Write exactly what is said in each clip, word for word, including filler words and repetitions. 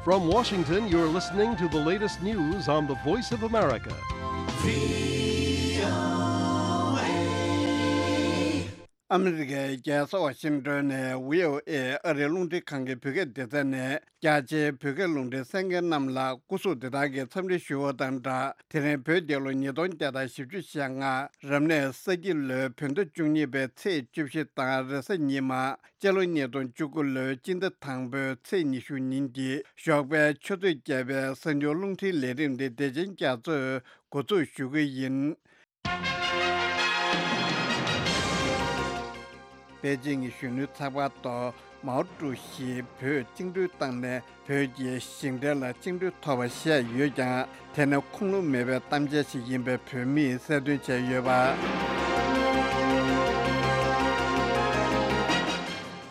From Washington, you're listening to the latest news on the Voice of America. ཨ་མི་རི་ཀའི་རྒྱལ་ས་ཝ་ཤིང་ཏོན་ནས་བྷི་ཨོ་ཨེ་ཨ་རིའི་རླུང་འཕྲིན་ཁང་གི་བོད་སྐད་སྡེ་ཚན་ནས། རྒྱ་ཆེའི་བོད་སྐད་རླུང་འཕྲིན་གསན་མཁན་རྣམས་ལ་སྐུ་གཟུགས་བདེ་ཐང་གི་འཚམས་འདྲི་ཞུ་བ་དང་སྦྲགས། དེ་རིང་བོད་རྒྱལ་ལོ་ཉིས་སྟོང་བརྒྱ་དང་བཞི་བཅུ་ཞེ་ལྔ། རབ་གནས་ས་ཁྱི་ལོའི་བོད་ཟླ་བཅུ་གཉིས་པའི་ཚེས་བཅུ་བཞི་དང་རེས་གཟའ་ཉི་མ། སྤྱི་ལོ་ཉིས་སྟོང་བཅུ་དགུ་ལོའི་སྤྱི་ཟླ་དང་པོའི་ཚེས་ཉི་ཤུ་ཉིན་གྱི་ཞོགས་པའི་ཆུ་ཚོད་བརྒྱད་པའི་གསར་འགྱུར་རླུང་འཕྲིན་ལས་རིམ་འདི་བདེ་ཆེན་རྒྱ་མཚོས་འགོ་འཛུགས་ཞུ་གི་ཡིན། པེ་ཅིང་གི་གཞོན་ནུའི་ཚགས་པར་ཐོག་མའོ་ཀྲུའུ་ཞིས་བོད་བཅིངས་འགྲོལ་བཏང་ནས་བོད་ཀྱི་ཞིང་བྲན་ལ་བཅིངས་འགྲོལ་ཐོབ་པ་བཤད་ཡོད་ཀྱང་། དེ་ནི་ཁུངས་ལུང་མེད་པའི་གཏམ་འཆལ་ཞིག་ཡིན་པའི་བོད་མིས་གསལ་སྟོན་བྱས་ཡོད་པ།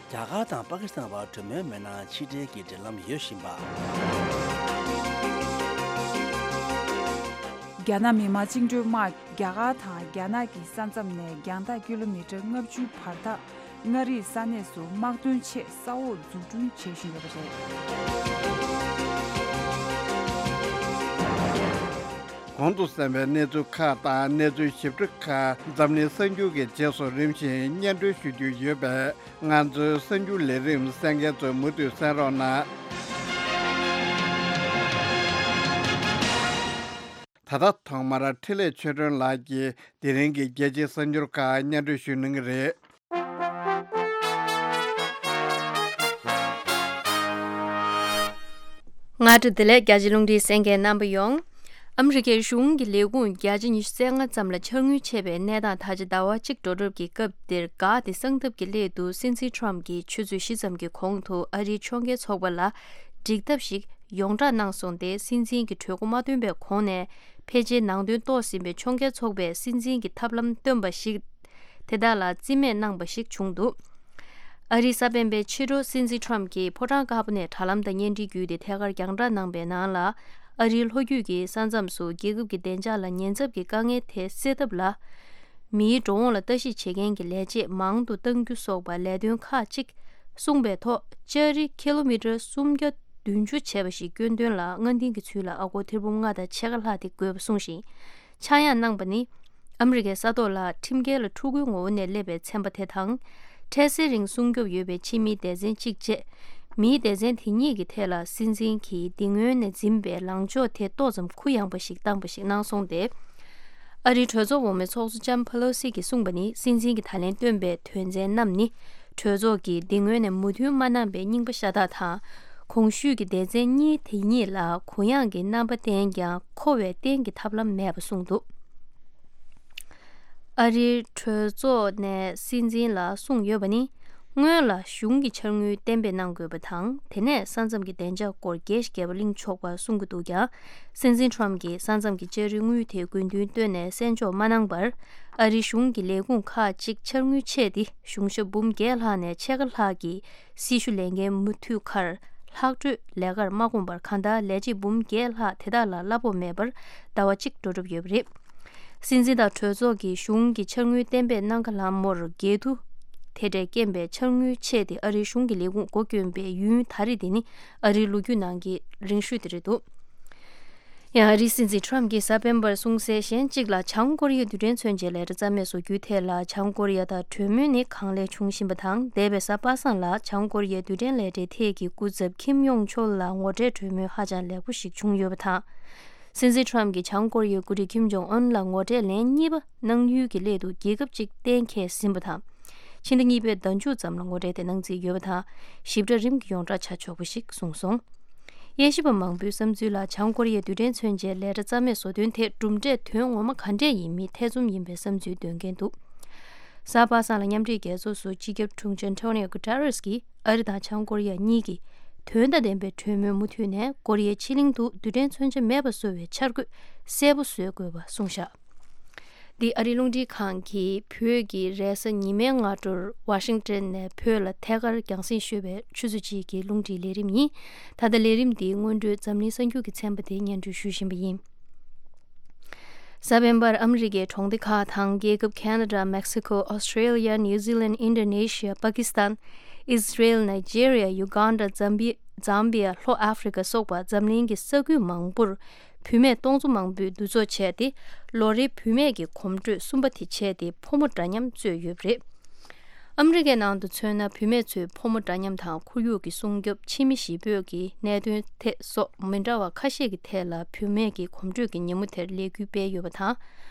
རྒྱ་གར་དང་པ་ཀི་སི་ཐན་བར་གྲོས་མོལ་མེད་ན་ཕྱི་འབྲེལ་གྱི་འབྲེལ་ལམ་ཡོད་བཞིན་པ། རྒྱ་ནག་མི་དམངས་བཅིངས་འགྲོལ་དམག་རྒྱ་གར་དང་རྒྱ་ནག་གི་ས་མཚམས་ནས་རྒྱང་ཐག་ཀི་ལོ་མི་ཊར་ལྔ་བཅུ་བར་ཐག་མངའ་རིས་ས་གནས་སུ་དམག་དོན་ཆེད་ས་འོག་འཛུགས་སྐྲུན་བྱེད་བཞིན་ཡོད་པ་རེད། གོང་དུ་གསན་པའི་གནས་ཚུལ་ཁག་དང་གནས་ཚུལ་ཞིབ་ཕྲ་ཁག་འཛམ་གླིང་གསར་འགྱུར་གྱི་རྗེས་སུ་རིམ་བཞིན་སྙན་སྒྲོན་ཞུ་རྒྱུ་ཡོད་པས། ང་ཚོའི་གསར་འགྱུར་ལས་རིམ་གསན་མཁན་ཚོས་མུ་མཐུད་གསན་རོགས་གནང་། ད་ལྟ་ཐོག་མར་འཕྲིན་ལས་ཆོས་སྒྲོན་ལགས་ཀྱིས་དེ་རིང་གི་རྒྱལ་སྤྱིའི་གསར་འགྱུར་ཁག་སྙན་སྒྲོན་ཞུ་གནང་གི་རེད། སྔ་དྲོ་བདེ་ལེགས། རྒྱ་ཆེའི་རླུང་འཕྲིན་གསན་མཁན་རྣམ་པ་ཡོངས། ཨ་མི་རི་ཀའི་གཞུང་གི་ལས་ཁུངས་བརྒྱ་ཆ་ཉི་ཤུ་རྩ་ལྔ་ཙམ་ལ་འཕྱར་དངུལ་ཆད་པའི་གནས་སྟངས་ད་ཆ་ཟླ་བ་གཅིག་འགྲོ་གྲབས་ཀྱི་སྐབས་འདིར་འགག་སྟེ་གསང་ཐབས་ཀྱི་སླད་དུ་སྲིད་འཛིན་ཁྲོམ་གྱིས་ཆུ་ཚོད་བཞི་ཙམ་གྱི་གོང་དུ་ཨ་རིའི་ཕྱོགས་འགལ་ཚོགས་པ་ལ་འགྲིག་ཐབས་ཤིག་ཡོངས་བསྒྲགས་གནང་སོང་སྟེ། སྲིད་འཛིན་གྱི་གྲོས་འགོ་མ་བཏོན་པའི་གོང་ནས་ཕལ་ཆེར་ནང་དོན་རྟོགས་ཟིན་པའི་ཕྱོགས་འགལ་ཚོགས་པས་སྲིད་འཛིན་གྱི་ཐབས་ལམ་བཏོན་པ་ཞིག་དེ་དག་ལ་རྩིས་མེད་གནང་བ་ཞིག་བྱུང་འདུག་ཨ་རིའི་གསར་སྤེལ་པས་ཕྱི་དྲོ་སྲིད་འཛིན་ཁྲོམ་གྱིས་ཕོ་བྲང་དཀར་པོ་ནས་དྲ་ལམ་དང་བརྙན་འཕྲིན་བརྒྱུད་དེ་ཐད་ཀར་རྒྱང་བསྒྲགས་གནང་པའི་ནང་ལ། ཨ་རིའི་ལྷོ་རྒྱུད་ཀྱི་ས་མཚམས་སུ་རྒྱལ་ཁབ་ཀྱི་བདེ་འཇགས་ལ་ཉེན་ཚབས་ཀྱི་དཀའ་ངལ་དེ་སེལ་ཐབས་ལ། མིའི་འགྲོ་འོང་ལ་ལྟ་ཞིབ་བྱེད་མཁན་གྱི་ལས་བྱེད་མང་དུ་གཏང་རྒྱུ་སོགས་པ་ལས་དོན་ཁག་ཅིག་གསུངས་པའི་ཐོག་ལྕགས་རི་ཀི་ལོ་མི་ཊར་སུམ་བརྒྱ་བདུན་ཅུ་བྱས་པ་ཞིག་སྐྱོན་དོན་ལ་སྔ་འདིང་གི་ཚུལ་ལ་ཨ་སྒོར་ཐེར་འབུམ་ལྔ་དང་ཕྱེད་ཀ་ལྷག་དེ་དགོས་པ་གསུངས་ཤིང་། ཆག་ཡང་གནང་པ་ནི། ཨ་མི་རི་ཀའི་ས་ཐོག་ལ་ཁྲིམས་འགལ་ལ་ཕྲུ་གུའི་ངོ་བོ་ནས་སླེབས་པའི་ཚན་པ་དེ་དང་། འཕྲལ་སེལ་རིང་སྲུང་སྐྱོབ་ཡོད་པའི་ཕྱི་མིའི་སྡེ་ཚན་གཅིག་བཅས། མིའི་སྡེ་ཚན་དེ་གཉིས་ཀྱི་ཐད་ལ་སྲིད་འཛིན་གྱིས་འདི་སྔོན་ནས་འཛིན་པའི་ལངས་ཕྱོགས་དེ་ཏོག་ཙམ་གུ་ཡངས་པ་ཞིག་བཏང་པ་ཞིག་གནང་སོང་སྟེ། ཨ་རིའི་གྲོས་ཚོགས་འོག་མའི་ཚོགས་གཙོ་ལྕམ་ཕེ་ལོ་སི་གིས་གསུངས་པ་ནི། སྲིད་འཛིན་གྱིས་ད་ལན་བཏོན་པའི་དོན་ཚན་རྣམས་ནི། གྲོས་ཚོགས་ཀྱིས་འདི་སྔོན་ནས་མོས་མཐུན་མ་གནང་པའི་རྙིང་པ་ཤ་སྟག་དང་། གོང་ཞུས་ཀྱི་སྡེ་ཚན་གཉིས་དེ་གཉིས་ལ་གུ་ཡངས་ཀྱི་རྣམ་པ་བསྟན་ཀྱང་། མཁོ་བའི་གཏན་གྱི་ཐབས་ལམ་མེད་པ་གསུངས་འདུག་ཨ་རིའི་གྲོས་ཚོགས་ནས་སྲིད་འཛིན་ལ་གསུངས་ཡོད་པ་ནི། སྔོན་ལ་གཞུང་གི་འཆར་དངུལ་གཏན་འབེབས་གནང་དགོས་པ་དང་། དེ་ནས་ས་མཚམས་ཀྱི་བདེ་འཇགས་སྐོར་རྒྱས་ཤིག་རྒྱས་པ་གླེང་ཆོག་པ་གསུང་གི་འདུག་ཀྱང་། སྲིད་འཛིན་ཁྲོམ་གྱིས་ས་མཚམས་ཀྱི་ལྕགས་རི་དངུལ་དེ་དགོས་འདུན་བཏོན་ནས་གསན་འཇོག་མ་གནང་བར། ཨ་རིའི་གཞུང་གི་ལས་ཁུངས་ཁག་ཅིག་འཆར་དངུལ་ཆད་དེ། གཞུང་ཞབས་འབུམ་བརྒྱད་ལྷག་ནས་ཕྱེད་ཀ་ལྷག་གིས་སྲི་ཞུ་ལས་འགན་མུ་མཐུད་ཁར་ལྷག་འཕྲོས་ལས་ཀར་མ་བསྐུངས་པར། གང་ལྟར་ལས་བྱེད་འབུམ་བརྒྱད་ལྷག་དེ་དག་ལ་གླ་ཕོགས་མེད་པར་ཟླ་བ་གཅིག་འགྲོ་གྲབས་ཡོད་པ་རེད། སྲིད་འཛིན་དང་གྲོས་ཚོགས་ཀྱིས་གཞུང་གི་འཆར་དངུལ་གཏན་འབེབས་གནང་ཁ་ལམ་མོར་འགལ་འདུ་དེ་འདྲས་རྐྱེན་པས་འཆར་དངུལ་ཆད་དེ། ཨ་རིའི་གཞུང་གི་ལས་ཁུངས་སྒོ་བསྐྱོན་པའི་ཡུན་ད་རེས་འདི་ནི་ཨ་རིའི་ལོ་རྒྱུས་ནང་གི་རིང་ཤོས་དེ་རེད་འདུག་ཡང་ཨ་རིའི་སྲིད་འཛིན་ཁྲོམ་གྱིས་གཟའ་སྤེན་པར་གསུངས་གསལ་གཞན་གཅིག་ལ། བྱང་ཀོ་རི་ཡའི་རྡུལ་ཕྲན་མཚོན་ཆའི་ལས་གྲྭ་རྩ་མེད་བཟོ་རྒྱུའི་ཐད་ལ་བྱང་ཀོ་རི་ཡ་དང་གྲོས་མོལ་ནི་གང་ལེགས་བྱུང་བཞིན་པ་དང་། འདས་པའི་གཟའ་པ་སངས་ལ་བྱང་ཀོ་རི་ཡའི་རྡུལ་ཕྲན་ལས་གྲྭའི་ཐད་ཀྱི་སྐུ་ཚབ་ཁིམ་ཡོང་ཆོལ་ལ་ངོ་འཕྲད་གྲོས་མོལ་ཧ་ཅང་ལེགས་པོ་ཞིག་བྱུང་ཡོད་པ་དང་། སྲིད་འཛིན་ཁྲོམ་གྱིས་བྱང་ཀོ་རི་ཡའི་འགོ་ཁྲིད་ཁིམ་ཇོང་ཨུན་ལ་ངོ་འཕྲད་ལན་གཉིས་པ་གནང་ཡུལ་གྱི་སླད་དུ་རྒྱལ་ཁབ་ཅིག་གཏན་འཁེལ་ཟིན་པ་དང་། ཕྱི་ཟླ་གཉིས་པའི་ཟླ་མཇུག་ཙམ་ལ་ངོ་འཕྲད་དེ་གནང་རྩིས་ཡོད་པ་དང་། ཞིབ་ཕྲ་རིམ་གྱིས་ཡོངས་བསྒྲགས་བྱ་ཆོག་པ་ཞིག་གསུངས་སོང་། དབྱེ་ཞིབ་པ་མང་པོའི་བསམ་ཚུལ་ལ། བྱང་ཀོ་རི་ཡའི་རྡུལ་ཕྲན་མཚོན་ཆའི་ལས་གྲྭ་རྩ་མེད་བཟོ་དོན་དེ་གྲུབ་འབྲས་དོན་ངོ་མ་ག་འདྲས་ཡིན་མིན་ཐེ་ཚོམ་ཡིན་པའི་བསམ་ཚུལ་འདོན་མཁན་འདུག་གཟའ་པ་སངས་ལ་མཉམ་འབྲེལ་རྒྱལ་ཚོགས་སུ་སྤྱི་ཁྱབ་དྲུང་ཆེ་ཨན་ཐོ་ནིའོ་གུ་ཏེ་རེས་ཀྱིས་ཨ་རི་དང་བྱང་ཀོ་རི་ཡ་གཉིས་ཀྱིས་དོན་དང་ལྡན་པའི་གྲོས་མོལ་མུ་མཐུད་ནས་ཀོ་རི་ཡའི་ཕྱེད་གླིང་དུ་རྡུལ་ཕྲན་མཚོན་ཆ་མེད་པ་བཟོ་བའི་འཆར་འགོད་གསལ་པོ་བཟོ་དགོས་པ་གསུངས་བཞག་འདི་ཨ་རིའི་རླུང་འཕྲིན་ཁང་གིས་བོད་ཀྱི་རེས་གཟའ་ཉི་མའི་སྔ་དྲོར་ཝ་ཤིང་ཏོན་ནས་བོད་ལ་ཐད་ཀར་རྒྱང་སྲིང་ཞུ་བའི་ཆུ་ཚོད་གཅིག་གི་རླུང་འཕྲིན་ལས་རིམ་ཡིན། ད་ལྟ་ལས་རིམ་འདིའི་སྔོན་འགྲོའི་འཛམ་གླིང་གསར་འགྱུར་གྱི་ཚན་པ་དེ་སྙན་སྒྲོན་ཞུ་བཞིན་པ་ཡིན། གཟའ་སྤེན་པར་ཨ་མི་རི་ཀའི་གྲོང་སྡེ་ཁག་དང་རྒྱལ་ཁབ་ཁེ་ན་ཌ། མེག་སི་ཁོ། ཨོ་སི་ཀྲེ་ལི་ཡ། ནིའུ་ཛི་ལན། ཨིན་ཌོ་ནེ་ཤི་ཡ། པ་ཀི་སི་ཐན། ཨིས་ར་ཨེལ། ནའི་ཇེ་རི་ཡ། ཡུ་གན་ཌ། ཛམ་བི། ཛམ་བི་ཡ། ལྷོ་ཨ་ཧྥེ་རི་ཁ་སོགས་པ་འཛམ་གླིང་གི་ས་ཁུལ་མང་པོར་བུད་མེད་སྟོང་ཚོ་མང་པོས་འདུ་ཚོགས་བྱས་ཏེ། ལོ་རེའི་བུད་མེད་ཀྱི་གོམ་བགྲོད་གསུམ་པ་དེ་བྱས་ཏེ། ཕོ་མོ་འདྲ་མཉམ་རྩོད་ཡོད་པ་རེད། ཨ་མི་རི་ཀའི་ནང་དུ་མཚོན་ན། བུད་མེད་ཚོས་ཕོ་མོ་འདྲ་མཉམ་དང་ཁོར་ཡུག་གི་སྲུང་སྐྱོབ། ཕྱི་མི་གཞིས་སྤོས་ཀྱི་གནད་དོན་ཐད་སོགས་མི་འདྲ་བ་ཁ་ཤས་ཀྱི་ཐད་ལ་བུད་མེད་ཀྱི་གོམ་བགྲོད་ཀྱི་ཉིན་མོ་དེར་ལས་འགུལ་སྤེལ་ཡོད་པ་དང་།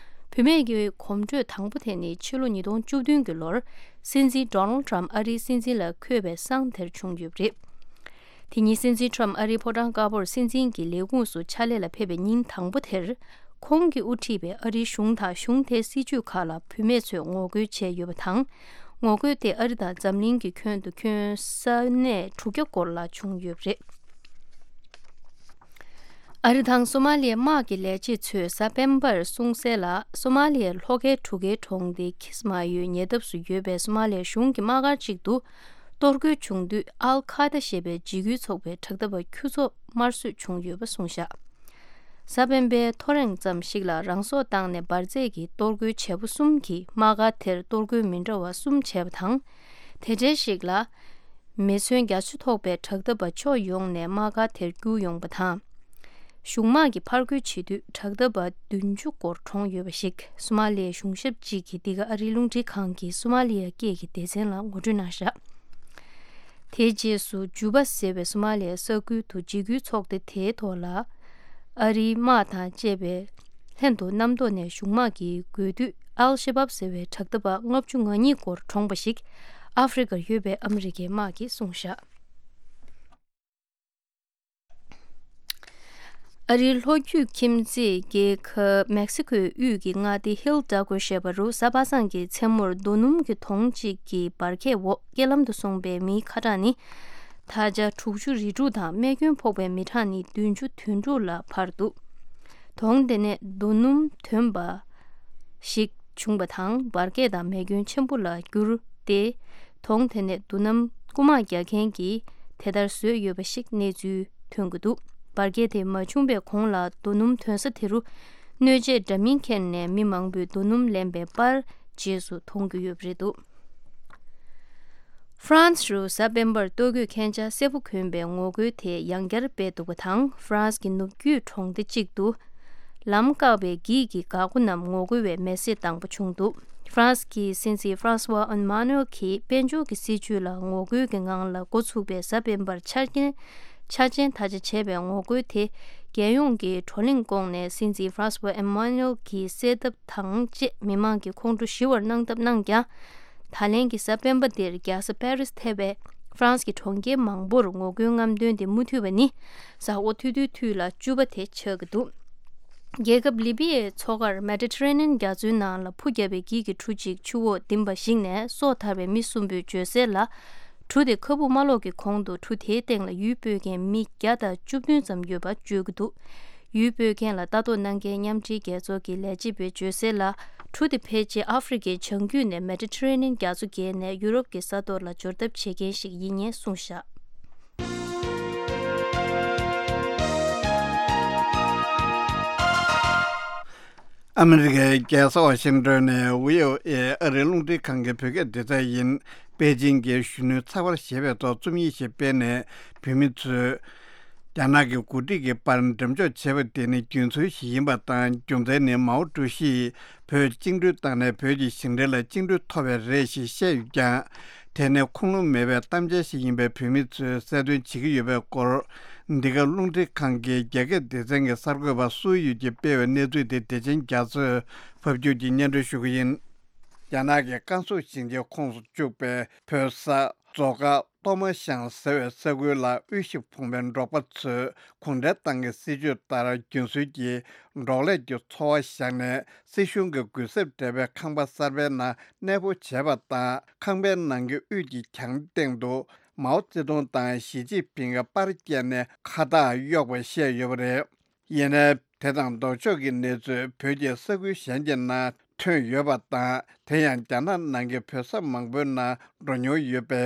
བུད་མེད་ཀྱི་གོམ་བགྲོད་དང་པོ་དེ་ནི་ཕྱི་ལོ་ཉིས་སྟོང་བཅུ་བདུན་གྱི་ལོར། སྲིད་འཛིན་ཌོ་ནལ་ཌི་ཊརམ་ཕི་ཨ་རིའི་སྲིད་འཛིན་ལ་འཁོད་པའི་སང་དེར་བྱུང་ཡོད་པ་རེད། དེ་ཉིན་སྲིད་འཛིན་ཊརམ་ཕི་ཨ་རིའི་ཕོ་བྲང་དཀར་པོར་སྲིད་འཛིན་གྱི་ལས་ཁུངས་སུ་ཕྱག་ལས་ལ་ཕེབས་པའི་ཉིན་དང་པོ་དེར། ཁོང་གིས་དབུ་ཁྲིད་པའི་ཨ་རིའི་གཞུང་དང་གཞུང་དེའི་སྲིད་ཇུས་ཁག་ལ་བུད་མེད་ཚོས་ངོ་རྒོལ་བྱས་ཡོད་པ་དང་། ངོ་རྒོལ་དེ་ཨ་རི་དང་འཛམ་གླིང་གི་ཁྱོན་དུ་ཁྱོན་ས་གནས་དྲུག་བརྒྱ་སྐོར་ལ་བྱུང་ཡོད་པ་རེད། ཨ་རི་དང་སོ་མ་ལི་ཡའི་དམག་གི་ལས་བྱེད་ཚོས་གཟའ་སྤེན་པར་གསུངས་གསལ་ལ། སོ་མ་ལི་ཡའི་ལྷོ་ཁའི་གྲུ་ཁའི་གྲོང་སྡེ་ཁི་སི་མ་ཡོའི་ཉེ་འདབས་སུ་ཡོད་པའི་སོ་མ་ལི་ཡའི་གཞུང་གི་དམག་སྒར་གཅིག་ཏུ་གཏོར་རྒོལ་བྱུང་དུས། ཨལ་ཁ་ད་ཞེས་པའི་འཇིགས་སྐུལ་ཚོགས་པའི་དྲག་འཐབ་པ་ཁྱུ་ཚོགས་དམར་གསོད་བྱུང་ཡོད་པ་གསུངས་བཞག་གཟའ་སྤེན་པའི་ཐོ་རེངས་ཙམ་ཞིག་ལ་རང་སྲོག་བཏང་ནས་འབར་རྫས་ཀྱི་གཏོར་རྒོལ་བྱེད་པོ་གསུམ་གྱིས་དམག་སྒར་དེར་གཏོར་རྒོལ་མི་འདྲ་བ་གསུམ་བྱས་པ་དང་། དེ་འབྲེལ་ཞིག་ལ། མེ་མཚོན་རྒྱ་མཚོ་ཐོགས་པའི་དྲག་འཐབ་པ་ཕྱོགས་ཡོངས་ནས་དམག་སྒར་དེར་བསྐྱུར་ཡོང་པ་དང་། གཞུང་དམག་གིས་ཕར་རྒོལ་བྱེད་དུས་དྲག་འཐབ་པ་བདུན་ཅུ་སྐོར་གྲོངས་ཡོད་པ་ཞིག་སོ་མ་ལི་ཡའི་གཞུང་ཞབས་གཅིག་གིས་འདི་ག་ཨ་རིའི་རླུང་འཕྲིན་ཁང་གི་སོ་མ་ལི་ཡ་སྐད་ཀྱི་སྡེ་ཚན་ལ་ངོ་སྤྲོད་གནང་བཞག་དེའི་རྗེས་སུ་ཇུ་པ་ཟེར་བའི་སོ་མ་ལི་ཡའི་ས་ཁུལ་དུ་འཇིགས་སྐུལ་ཚོགས་སྡེ་དེའི་ཐོག་ལ། ཨ་རིའི་དམག་དང་བཅས་པའི་ལྷན་དུ་གནམ་ཐོག་ནས་གཞུང་དམག་གིས་རྒོལ་དུས། ཨལ་ཤ་བབ་ཟེར་བའི་དྲག་འཐབ་པ་ལྔ་བཅུ་ང་གཉིས་སྐོར་གྲོངས་པ་ཞིག་ཨ་ཧྥེ་རི་ཀར་ཡོད་པའི་ཨ་མི་རི་ཀའི་དམག་གིས་གསུངས་བཞག་ཨ་རིའི་ལྷོ་རྒྱུད་ཁྱིམ་མཚེས་རྒྱལ་ཁབ་མེག་སི་ཀོའི་དབུས་ཀྱི་མངའ་སྡེ་ཧིལ་ཌ་ཀོ་ཞེས་པ་རུ་གཟའ་པ་སངས་ཀྱི་མཚན་མོར་རྡོ་སྣུམ་གྱི་དོང་གཅིག་གི་འབར་གས་འོག་རྐྱེན་ལམ་དུ་སོང་པའི་མིའི་ཁ་གྲངས་ནི། ད་ཆ་དྲུག་ཅུ་རེ་དྲུག་དང་། རྨས་སྐྱོན་ཕོག་པའི་མི་གྲངས་ནི་བདུན་ཅུ་དོན་དྲུག་ལ་འཕར་འདུག་དོང་དེ་ནས་རྡོ་སྣུམ་ཐོན་པ་ཞིག་བྱུང་པ་དང་། འབར་གས་དང་རྨས་སྐྱོན་ཆེན་པོ་ལ་གྱུར་ཏེ། དོང་དེ་ནས་རྡོ་སྣུམ་རྐུ་མ་རྒྱག་མཁན་གྱིས་དེ་ལྟར་བཟོས་ཡོད་པ་ཞིག་གནས་ཚུལ་ཐོན་གྱི་འདུག་འབར་གས་དེ་མ་བྱུང་པའི་གོང་ལ་རྡོ་སྣུམ་ཐོན་ས་དེ་རུ་སྣོད་ཆས་འདྲ་མིན་འཁྱེར་ནས་མི་མང་པོས་རྡོ་སྣུམ་ལེན་པའི་པར་རྗེས་སུ་མཐོང་གི་ཡོད་པ་རེད་འདུག་ཧྥ་རན་སི་རུ་གཟའ་སྤེན་པར་ལྟོ་གོས་མཁན་ཆ་སེར་པོ་གོན་པའི་ངོ་རྒོལ་དེ་ཡང་བསྐྱར་སྤེལ་འདུག་པ་དང་། ཧྥ་རན་སི་གི་ནུབ་རྒྱུད་གྲོང་སྡེ་གཅིག་ཏུ་ལམ་བཀག་པའི་འགྱིག་གིས་འགག་སྒོ་རྣམས་ངོ་རྒོལ་བའི་མེ་བསྲེགས་དང་པོ་བྱུང་འདུག་ཧྥ་རན་སི་གི་སྲིད་འཛིན་ཧྥ་རན་སི་ཝ་ཨན་མ་ནུ་ཨེལ་གྱིས་དཔལ་འབྱོར་གྱི་སྲིད་ཇུས་ལ་ངོ་རྒོལ་གྱི་ངང་ལ་འགོ་ཚུགས་པའི་གཟའ་སྤེན་པར་འཆར་ཅན་འཆར་ཅན་ད་ཆ་བྱས་པའི་ངོ་རྒོལ་དེ། རྒྱལ་ཡོངས་ཀྱི་བགྲོ་གླེང་བསྐོངས་ནས། སྲིད་འཛིན་ཧྥ་རན་སི་ཝ་ཨན་མ་ནུ་ཨེལ་གྱི་གསལ་བསྡད་དང་བཅས་མི་མང་གི་ཁོང་ཁྲོ་ཞི་བར་གནང་ཐབས་གནང་ཀྱང་། ད་ལན་གྱི་གཟའ་སྤེན་པ་འདིར་རྒྱལ་ས་པེ་རིས་ཐེ་བའི་ཧྥ་རན་སི་གི་གྲོང་ཁྱེར་མང་པོར་ངོ་རྒོལ་རྔམ་སྟོན་དེ་མུ་མཐུད་པ་ནི་གཟའ་འཁོར་ཐུང་ཐུང་དུས་ལ་བཅུ་པ་དེ་ཆགས་ཀྱི་འདུག་རྒྱལ་ཁབ་ལི་པི་ཡའི་མཚོ་ཁར་མེ་ཌི་ཊ་རེ་ནི་ཡན་རྒྱ་མཚོའི་ནང་ལ་འཕུར་བརྒྱབ་པའི་འགྱིག་གི་གྲུ་གཅིག་ཆུ་འོག་ལྡིང་བ་ཞིག་ནས་སྲོག་ཐར་བའི་མི་གསུམ་པོས་བརྗོད་གསལ་ལ། གྲུ་དེ་ཁ་སྦུག་མ་སློག་གི་གོང་དུ་གྲུ་དེའི་སྟེང་ལ་ཡུལ་སྤོས་མཁན་མི་བརྒྱ་དང་བཅུ་བདུན་ཙམ་ཡོད་པ་བརྗོད་ཀྱི་འདུག་ཡུལ་སྤོས་མཁན་ལ་ལྟ་རྟོག་གནང་མཁན་མཉམ་འབྲེལ་རྒྱལ་ཚོགས་ཀྱི་ལས་བྱེད་པས་བརྗོད་གསལ་ལ། གྲུ་དེ་ཕལ་ཆེར་ཨ་ཧྥེ་རི་ཁའི་བྱང་རྒྱུད་ནས་མེ་ཌི་ཊ་རེ་ནི་ཡན་རྒྱ་མཚོ་བརྒལ་ནས་ཡུ་རོབ་ཀྱི་ས་ཐོག་ལ་འབྱོར་ཐབས་བྱེད་མཁན་ཞིག་ཡིན་ངེས་གསུངས་བཞག་ཨ་མི་རི་ཀའི་རྒྱལ་ས་ཝ་ཤིང་ཏོན་ནས་བྷི་ཨོ་ཨེ་ཨ་རིའི་རླུང་འཕྲིན་ཁང་གི་བོད་སྐད་སྡེ་ཚན་ཡིན། པེ་ཅིང་གིས་གཞོན་ནུའི་ཚགས་པར་ཞེས་པའི་ཐོག་རྩོམ་ཡིག་ཞིག་སྤེལ་ནས། བོད་མི་ཚོས་རྒྱ་ནག་གི་འགོ་ཁྲིད་ཀྱི་པར་འགྲེམས་འཇོག་བྱས་པ་དེ་ནི་རྒྱུ་མཚན་ཞིག་ཡིན་པ་དང་། རྒྱུ་མཚན་ནི་མའོ་ཀྲུའུ་ཞིས་བོད་བཅིངས་འགྲོལ་བཏང་ནས་བོད་ཀྱི་ཞིང་བྲན་ལ་བཅིངས་འགྲོལ་ཐོབ་པས་རེད་ཞེས་བཤད་ཡོད་ཀྱང་། དེ་ནི་ཁུངས་ལུང་མེད་པའི་གཏམ་འཆལ་ཞིག་ཡིན་པས། བོད་མི་ཚོས་གསལ་སྟོན་བྱེད་ཀྱི་ཡོད་པའི་སྐོར། འདི་ག་རླུང་འཕྲིན་ཁང་གི་རྒྱ་སྐད་སྡེ་ཚན་གྱི་གསར་འགོད་པ་སུའུ་ཡུས་ཀྱིས་སྤེལ་བའི་གནས་ཚུལ་དེ་བདེ་ཆེན་རྒྱ་མཚོས་ཕབ་སྒྱུར་གྱིས་སྙན་སྒྲོན་ཞུ་གི་ཡིན། རྒྱ་ནག་གི་ཀན་སུའུ་ཞིང་ཆེན་ཁོངས་སུ་བཅུག་པའི་བོད་ས་མཛོ་དཀར་ཏོ་མ་ཤང་ཟེར་བའི་ས་ཁུལ་ལ་དབུལ་ཞིང་ཕོངས་པའི་འབྲོག་པ་ཚོས་གུང་ཁྲན་ཏང་གི་སྲིད་ཇུས་ལྟར་རྒྱུན་སྲོལ་གྱི་འབྲོག་ལས་ཀྱི་འཚོ་བ་བཞག་ནས། སྲིད་གཞུང་གི་གུས་ཞབས་སྤྲད་པའི་ཁང་པ་གསར་པའི་ནང་གནས་སྤོ་བྱས་པ་དང་། ཁང་པའི་ནང་གི་དབུས་ཀྱི་གྱང་སྟེང་དུ་མའོ་ཙེ་ཏུང་དང་ཞི་ཅིན་ཕིང་གི་པར་བཀལ་ནས་ཁ་བཏགས་གཡོགས་པ་བཤད་ཡོད་པ་རེད། ཡིན་ནའི། དེ་དང་ལྡོག་ཕྱོགས་ཀྱི་གནས་ཚུལ་བོད་ཀྱི་ས་ཁུལ་གཞན་གྱི་ནང་ཐོན་ཡོད་པ་དང་། དེ་ཡང་རྒྱ་ནག་ནང་གི་བོད་ས་མང་པོའི་ནང་འགྲོ་མྱོང་ཡོད་པའི་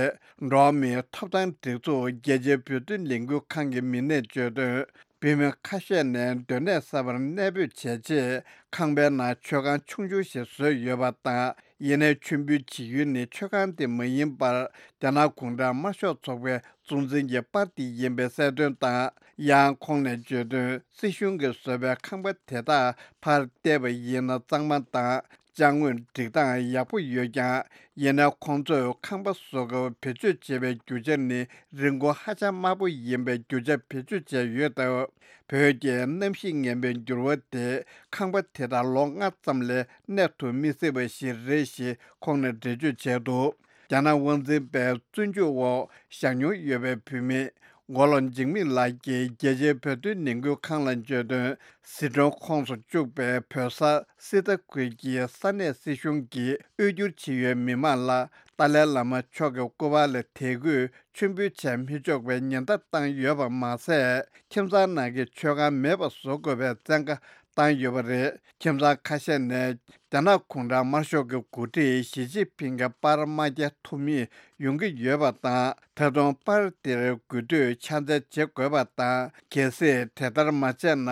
འགྲོ་བ་མིའི་ཐོབ་ཐང་སྒྲིག་འཛུགས་རྒྱལ་སྤྱིའི་བོད་དོན་ལས་འགུལ་ཁང་གི་མི་སྣས་བརྗོད་དོན། བོད་མི་ཁ་ཤས་ནས་སྡོད་གནས་གསར་པར་གནས་སྤོས་བྱས་རྗེས། ཁང་པའི་ནང་མཆོད་ཁང་ཆུང་ཆུང་ཞིག་བཟོས་ཡོད་པ་དང་། ཡིན་ནའི་མཆོད་འབུལ་བྱེད་ཡུལ་ནི་མཆོད་ཁང་དེ་མ་ཡིན་པར། རྒྱ་ནག་གུང་ཁྲན་དམར་ཤོག་ཚོགས་པའི་གཙོ་འཛིན་གྱི་པར་དེ་ཡིན་པའི་གསལ་སྟོན་དང་། ཡང་ཁོང་ནས་བརྗོད་དོན། སྲིད་གཞུང་གིས་བཟོས་པའི་ཁང་པ་དེ་དག་ཕར་བལྟས་པ་ཡིན་ན་གཙང་མ་དང་། ཅ་དངོས་སྒྲིག་སྟངས་ཡག་པོ་ཡོད་ཀྱང་། ཡིན་ན་ཁོང་ཚོས་ཁང་པ་བཟོ་སྐབས་བེད་སྤྱོད་བྱེད་པའི་རྒྱུ་ཆ་ནི་རིན་གོང་ཧ་ཅང་དམའ་པོ་ཡིན་པའི་རྒྱུ་ཆ་བེད་སྤྱོད་བྱས་ཡོད་སྟབས། བོད་ཀྱི་གནམ་གཤིས་ངན་པའི་འགྱུར་བ་དེ་ཁང་པ་དེ་དག་ལོ་ལྔ་ཙམ་ལས་གནས་ཐུབ་མི་སྲིད་པ་ཞིག་རེད་ཞེས་ཁོང་ནས་འགྲེལ་བརྗོད་བྱས་འདུག་རྒྱ་ནག་དབང་འཛིན་པའི་བཙོན་འཇུག་འོག་བཞག་མྱོང་ཡོད་པའི་བོད་མི། མགོ་ལོག་འཇིགས་མེད་ལགས་ཀྱིས་རྒྱལ་སྤྱིའི་བོད་དོན་ནང་ཁུལ་ཁང་ལ་བརྗོད་དོན། ཟི་ཁྲོན་ཁོངས་སུ་བཅུག་པའི་བོད་ས་སི་ཏ་ཁུལ་གྱི་ས་གནས་སྲིད་གཞུང་གིས་དབུལ་སྐྱོར་བྱེད་ཡུལ་མི་མང་ལ་ཏཱ་ལའི་བླ་མ་མཆོག་གི་སྐུ་པར་ལ་དད་གུས་མཆོད་འབུལ་བྱས་མི་ཆོག་པའི་ཉེན་བརྡ་བཏང་ཡོད་པ་མ་ཟད། ཁྱིམ་ཚང་ནང་གི་མཆོད་ཁང་མེད་པ་བཟོ་དགོས་པའི་བཙན་བཀའ་བཏང་ཡོད་པ་རེད། ཁྱིམ་ཚང་ཁ་ཤས་ནས་རྒྱ་ནག་གུང་ཁྲན་དམར་ཤོག་གི་འགོ་ཁྲིད་ཞི་ཅིན་ཕིང་གི་པར་མ་རྒྱག་ཐུབ་མུས་ཡོང་གི་ཡོད་པ་དང་། ད་དུང་པར་དེར་དགོས་དུས་ཕྱག་འཚལ་བྱེད་དགོས་པ་དང་། གལ་སྲིད་དེ་ལྟར་མ་བྱས་ན།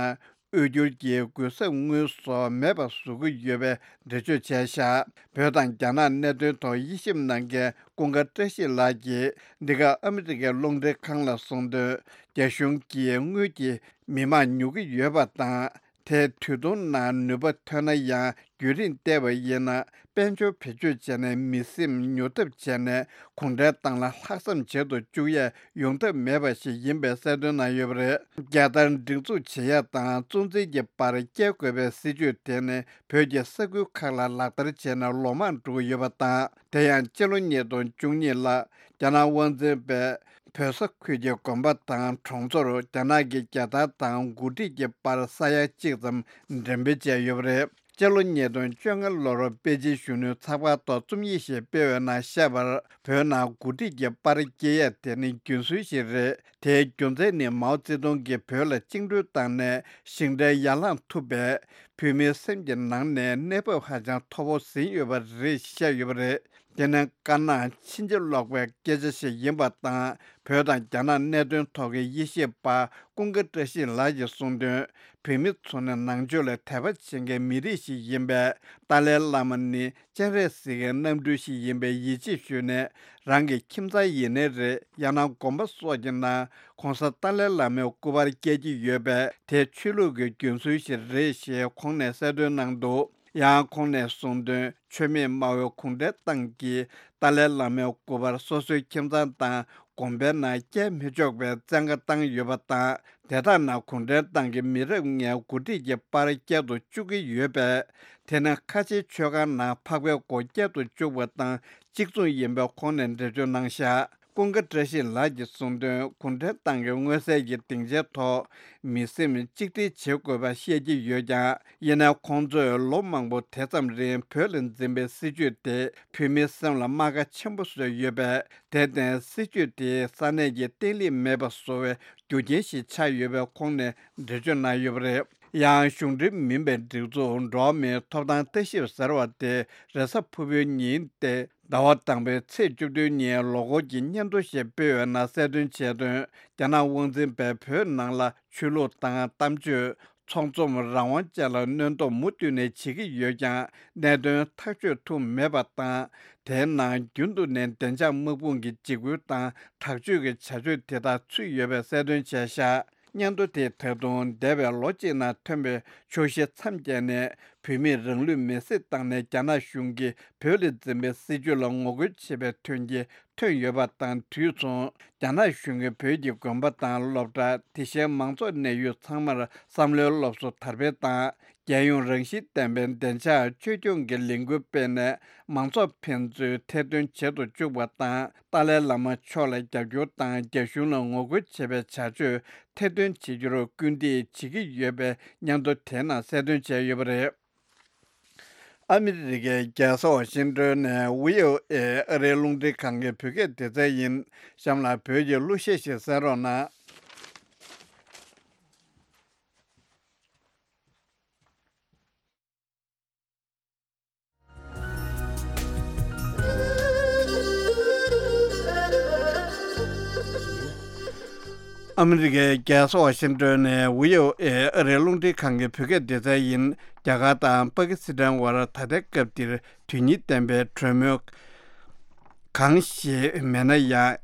དབུལ་སྐྱོར་གྱི་གུན་གསབ་དངུལ་སོགས་མེད་པ་བཟོ་གི་ཡོད་པའི་འགྲེལ་བརྗོད་བྱས་བཞག་བོད་དང་རྒྱ་ནག་གནད་དོན་ཐོག་དབྱེ་ཞིབ་གནང་མཁན་ཀུན་དགའ་བཀྲ་ཤིས་ལགས་ཀྱིས། འདི་ག་ཨ་མི་རི་ཀའི་རླུང་འཕྲིན་ཁང་ལ་གསུངས་དོན། རྒྱ་གཞུང་གིས་དངུལ་གྱིས་མི་མང་ཉོ་གི་ཡོད་པ་དང་། དེ་དུས་ཐུང་ནང་ནུས་པ་ཐོན་ན་ཡང་། བརྒྱུད་རིམ་བལྟས་པ་ཡིན་ན། དཔལ་འབྱོར་བེད་སྤྱོད་བྱས་ནས་མི་སེམས་ཉོ་ཐབས་བྱས་ནས། གུང་ཁྲན་ཏང་ལ་ལྷག་བསམ་བྱེད་དུ་བཅུག་ཡས་ཡོང་ཐབས་མེད་པ་ཞིག་ཡིན་པའི་གསལ་སྟོན་གནང་ཡོད་པ་རེད། རྒྱལ་དར་སྒྲེང་འཛུགས་བྱེད་ཡ་དང་གཙོ་འཛིན་གྱི་པར་བཀལ་དགོས་པའི་སྲིད་བྱུས་དེ་ནི་བོད་ཀྱི་ས་ཁུལ་ཁག་ལ་ལག་བསྟར་བྱས་ནས་ལོ་མང་འགྲོ་གི་ཡོད་པ་དང་། དེ་ཡང་སྤྱི་ལོ་ཉིས་སྟོང་བཅུ་གཉིས་ལ་རྒྱ་ནག་དབང་འཛིན་པས་བོད་ས་ཁུལ་གྱི་དགོན་པ་དང་གྲོང་ཚོར་རྒྱ་ནག་གི་རྒྱལ་དར་དང་འགོ་ཁྲིད་ཀྱི་པར་ས་ཡ་གཅིག་ཙམ་འགྲེམས་སྤེལ་བྱས་ཡོད་པ་རེད། སྤྱི་ལོ་ཉིས་སྟོང་བཅོ་ལྔ་ལོར་པེ་ཅིན་གཞོན་ནུའི་ཚགས་པར་ཐོག་རྩོམ་ཡིག་ཞིག་སྤེལ་བའི་ནང་བཤད་པར། བོད་ནང་འགོ་ཁྲིད་ཀྱི་པར་བཀལ་ཡས་དེ་ནི་རྒྱུན་སྲོལ་ཞིག་རེད། དེའི་རྒྱུ་མཚན་ནི་མའོ་ཙེ་ཏུང་གིས་བོད་ལ་བཅིངས་འགྲོལ་བཏང་ནས་ཞིང་བྲན་ཡར་ལངས་ཐུབ་པས། བོད་མིའི་སེམས་ཀྱི་ནང་ནས་གནས་བབ་ཧ་ཅང་མཐོ་པོ་ཟིན་ཡོད་པ་རེད་བཤད་ཡོད་པ་རེད། དེ་ནི་དཀར་ནག་ཕྱིན་ཅི་ལོག་པའི་སྐད་ཆ་ཞིག་ཡིན་པ་དང་། བོད་དང་རྒྱ་ནག་གནད་དོན་ཐོག་གི་དབྱེ་ཞིབ་པ་ཀུན་དགའ་བཀྲ་ཤིས་ལགས་ཀྱིས་གསུངས་དོན། བོད་མི་ཚོ་ནི་ནང་ཆོས་ལ་དད་པ་བྱེད་མཁན་མི་རིགས་ཤིག་ཡིན་པས། ཏཱ་ལའི་བླ་མ་ནི་སྤྱན་རས་གཟིགས་ཀྱི་རྣམ་སྤྲུལ་ཞིག་ཡིན་པའི་ཡིད་ཆེས་ཞུས་ནས། རང་གི་ཁྱིམ་ཚང་ཡིན་ནའི་རེད། ཡང་ན་དགོན་པ་སོགས་ཀྱི་ནང་གོང་ས་ཏཱ་ལའི་བླ་མའི་སྐུ་པར་བཀལ་གྱི་ཡོད་པས། དེ་ཆོས་ལུགས་ཀྱི་རྒྱུན་སྲོལ་ཞིག་རེད་ཞེས་ཁོང་ནས་གསལ་སྟོན་གནང་འདུག་ཡང་ཁོང་ནས་གསུངས་དོན། ཆོས་མེད་སྨྲ་བའི་གུང་ཁྲན་ཏང་གིས་ཏཱ་ལའི་བླ་མའི་སྐུ་པར་སོ་སོའི་ཁྱིམ་ཚང་དང་དགོན་པའི་ནང་བཀལ་མི་ཆོག་པའི་བཙན་བཀའ་བཏང་ཡོད་པ་དང་། དེ་དག་ནང་གུང་ཁྲན་ཏང་གི་མི་རབས་ལྔའི་འགོ་ཁྲིད་ཀྱི་པར་བཀལ་དུ་བཅུག་གི་ཡོད་པས། དེ་ནི་ཁ་ཆེའི་མཆོད་ཁང་ནང་འཕགས་པའི་སྒོ་བཀལ་དུ་བཅུག་པ་དང་གཅིག་མཚུངས་ཡིན་པའི་ཁོང་ནས་འགྲེལ་བརྗོད་གནང་བཞག་ཀུན་དགའ་བཀྲ་ཤིས་ལགས་ཀྱིས་གསུངས་དོན། གུང་ཁྲན་ཏང་གི་མངོན་གསལ་གྱི་སྡིངས་ཆའི་ཐོག་མི་སེམས་གཅིག་སྒྲིལ་བྱེད་དགོས་པ་བཤད་ཀྱི་ཡོད་ཀྱང་། ཡིན་ནའི་ཁོང་ཚོས་ལོ་མང་པོ་དེ་ཙམ་རིང་བོད་ལ་འཛིན་པའི་སྲིད་བྱུས་དེ་བོད་མིའི་སེམས་ལ་རྨ་ཁ་ཆེན་པོ་བཟོས་ཡོད་པས། དེར་བརྟེན་སྲིད་བྱུས་དེས་ས་གནས་ཀྱི་བརྟན་ལྷིང་མེད་པ་བཟོ་བའི་རྒྱུ་རྐྱེན་ཞིག་ཆགས་ཡོད་པའི་ཁོང་ནས་འགྲེལ་བརྗོད་གནང་ཡོད་པ་རེད། ཡང་གཞུང་འབྲེལ་མིན་པའི་སྒྲིག་འཛུགས་འགྲོ་བ་མིའི་ཐོབ་ཐང་ལྟ་ཞིབ་ཟེར་བ་དེ་རེས་གཟའ་ཕུར་བུའི་ཉིན་ཏེ་ཟླ་བ་དང་པོའི་ཚེས་བཅུ་བདུན་ཉིན་ལོ་འཁོར་གྱི་སྙན་ཐོ་ཞིག་སྤེལ་བའི་ནང་གསལ་སྟོན་བྱས་དོན། རྒྱ་ནག་དབང་འཛིན་པས་བོད་ནང་ལ་ཆོས་ལུགས་དང་གཏམ་བརྗོད། ཚོགས་འཛོམས་རང་དབང་བཅས་ལ་གནོན་སྡོམ་མུ་མཐུད་ནས་བྱེད་ཀྱི་ཡོད་ཀྱང་། གནད་དོན་ཐག་གཅོད་ཐུབ་མེད་པ་དང་། དེའི་ནང་རྒྱུན་དུ་ནས་བདེ་འཇགས་དམག་དཔུང་གི་འཇིགས་སྐུལ་དང་དྲག་སྤྱོད་ཀྱི་བྱ་སྤྱོད་དེ་དག་ཚུད་ཡོད་པའི་གསལ་སྟོན་བྱས་བཞག་སྙན་ཐོ་དེས་ད་དུང་འདས་པའི་ལོ་གཅིག་ནང་ཐོན་པའི་ཆོག་ཤེས་མཚམས་བཅད་ནས་བོད་མིས་རང་ལུས་མེར་སྲེག་བཏང་ནས་རྒྱ་ནག་གཞུང་གིས་བོད་ལ་འཛིན་པའི་སྲིད་བྱུས་ལ་ངོ་རྒོལ་བྱེད་པའི་དོན་རྐྱེན་ཐོན་ཡོད་པ་དང་དུས་མཚུངས། རྒྱ་ནག་གཞུང་གིས་བོད་ཀྱི་དགོན་པ་དང་སློབ་གྲྭ། དེ་བཞིན་མང་ཚོགས་གནས་ཡུལ་ཚང་མར་བསམ་བློའི་སློབ་གསོ་དར་སྤེལ་དང་། རྒྱལ་ཡོངས་རང་བཞིན་ལྡན་པའི་བདེ་འཇགས་བཅོས་སྐྱོང་གི་ལས་འགུལ་སྤེལ་ནས། མང་ཚོགས་ཕན་ཚུན་ཐེར་འདོན་བྱེད་དུ་བཅུག་པ་དང་། ཏཱ་ལའི་བླ་མ་མཆོག་ལ་རྒྱབ་སྐྱོར་དང་། རྒྱ་གཞུང་ལ་ངོ་རྒོལ་བྱེད་པའི་བྱ་སྤྱོད་ཐེར་འདོན་བྱེད་རྒྱུར་སྐུལ་འདེད་བྱེད་ཀྱི་ཡོད་པའི་སྙན་ཐོ་དེའི་ནང་གསལ་སྟོན་བྱས་ཡོད་པ་རེད། ཨ་མི་རི་ཀའི་རྒྱལ་ས་ཝ་ཤིང་ཏོན་ནས་བྷི་ཨོ་ཨེ་ཨ་རིའི་རླུང་འཕྲིན་ཁང་གི་བོད་སྐད་སྡེ་ཚན་ཡིན། གཤམ་ལ་བོད་ཀྱི་གླུ་གཞས་ཤིག་གསན་རོགས་གནང་། ཨ་མི་རི་ཀའི་རྒྱལ་ས་ཝ་ཤིང་ཏོན་ནས་བྷི་ཨོ་ཨེ་ཨ་རིའི་རླུང་འཕྲིན་ཁང་གི་བོད་སྐད་སྡེ་ཚན་ཡིན། རྒྱ་གར་དང་པ་ཀི་སི་ཐན་བར་ད་ལྟའི་སྐབས་འདིར་དོན་གཉིས་ལྡན་པའི་གྲོས་མོལ་གང་ཞིག་མེད་ན་ཡང་།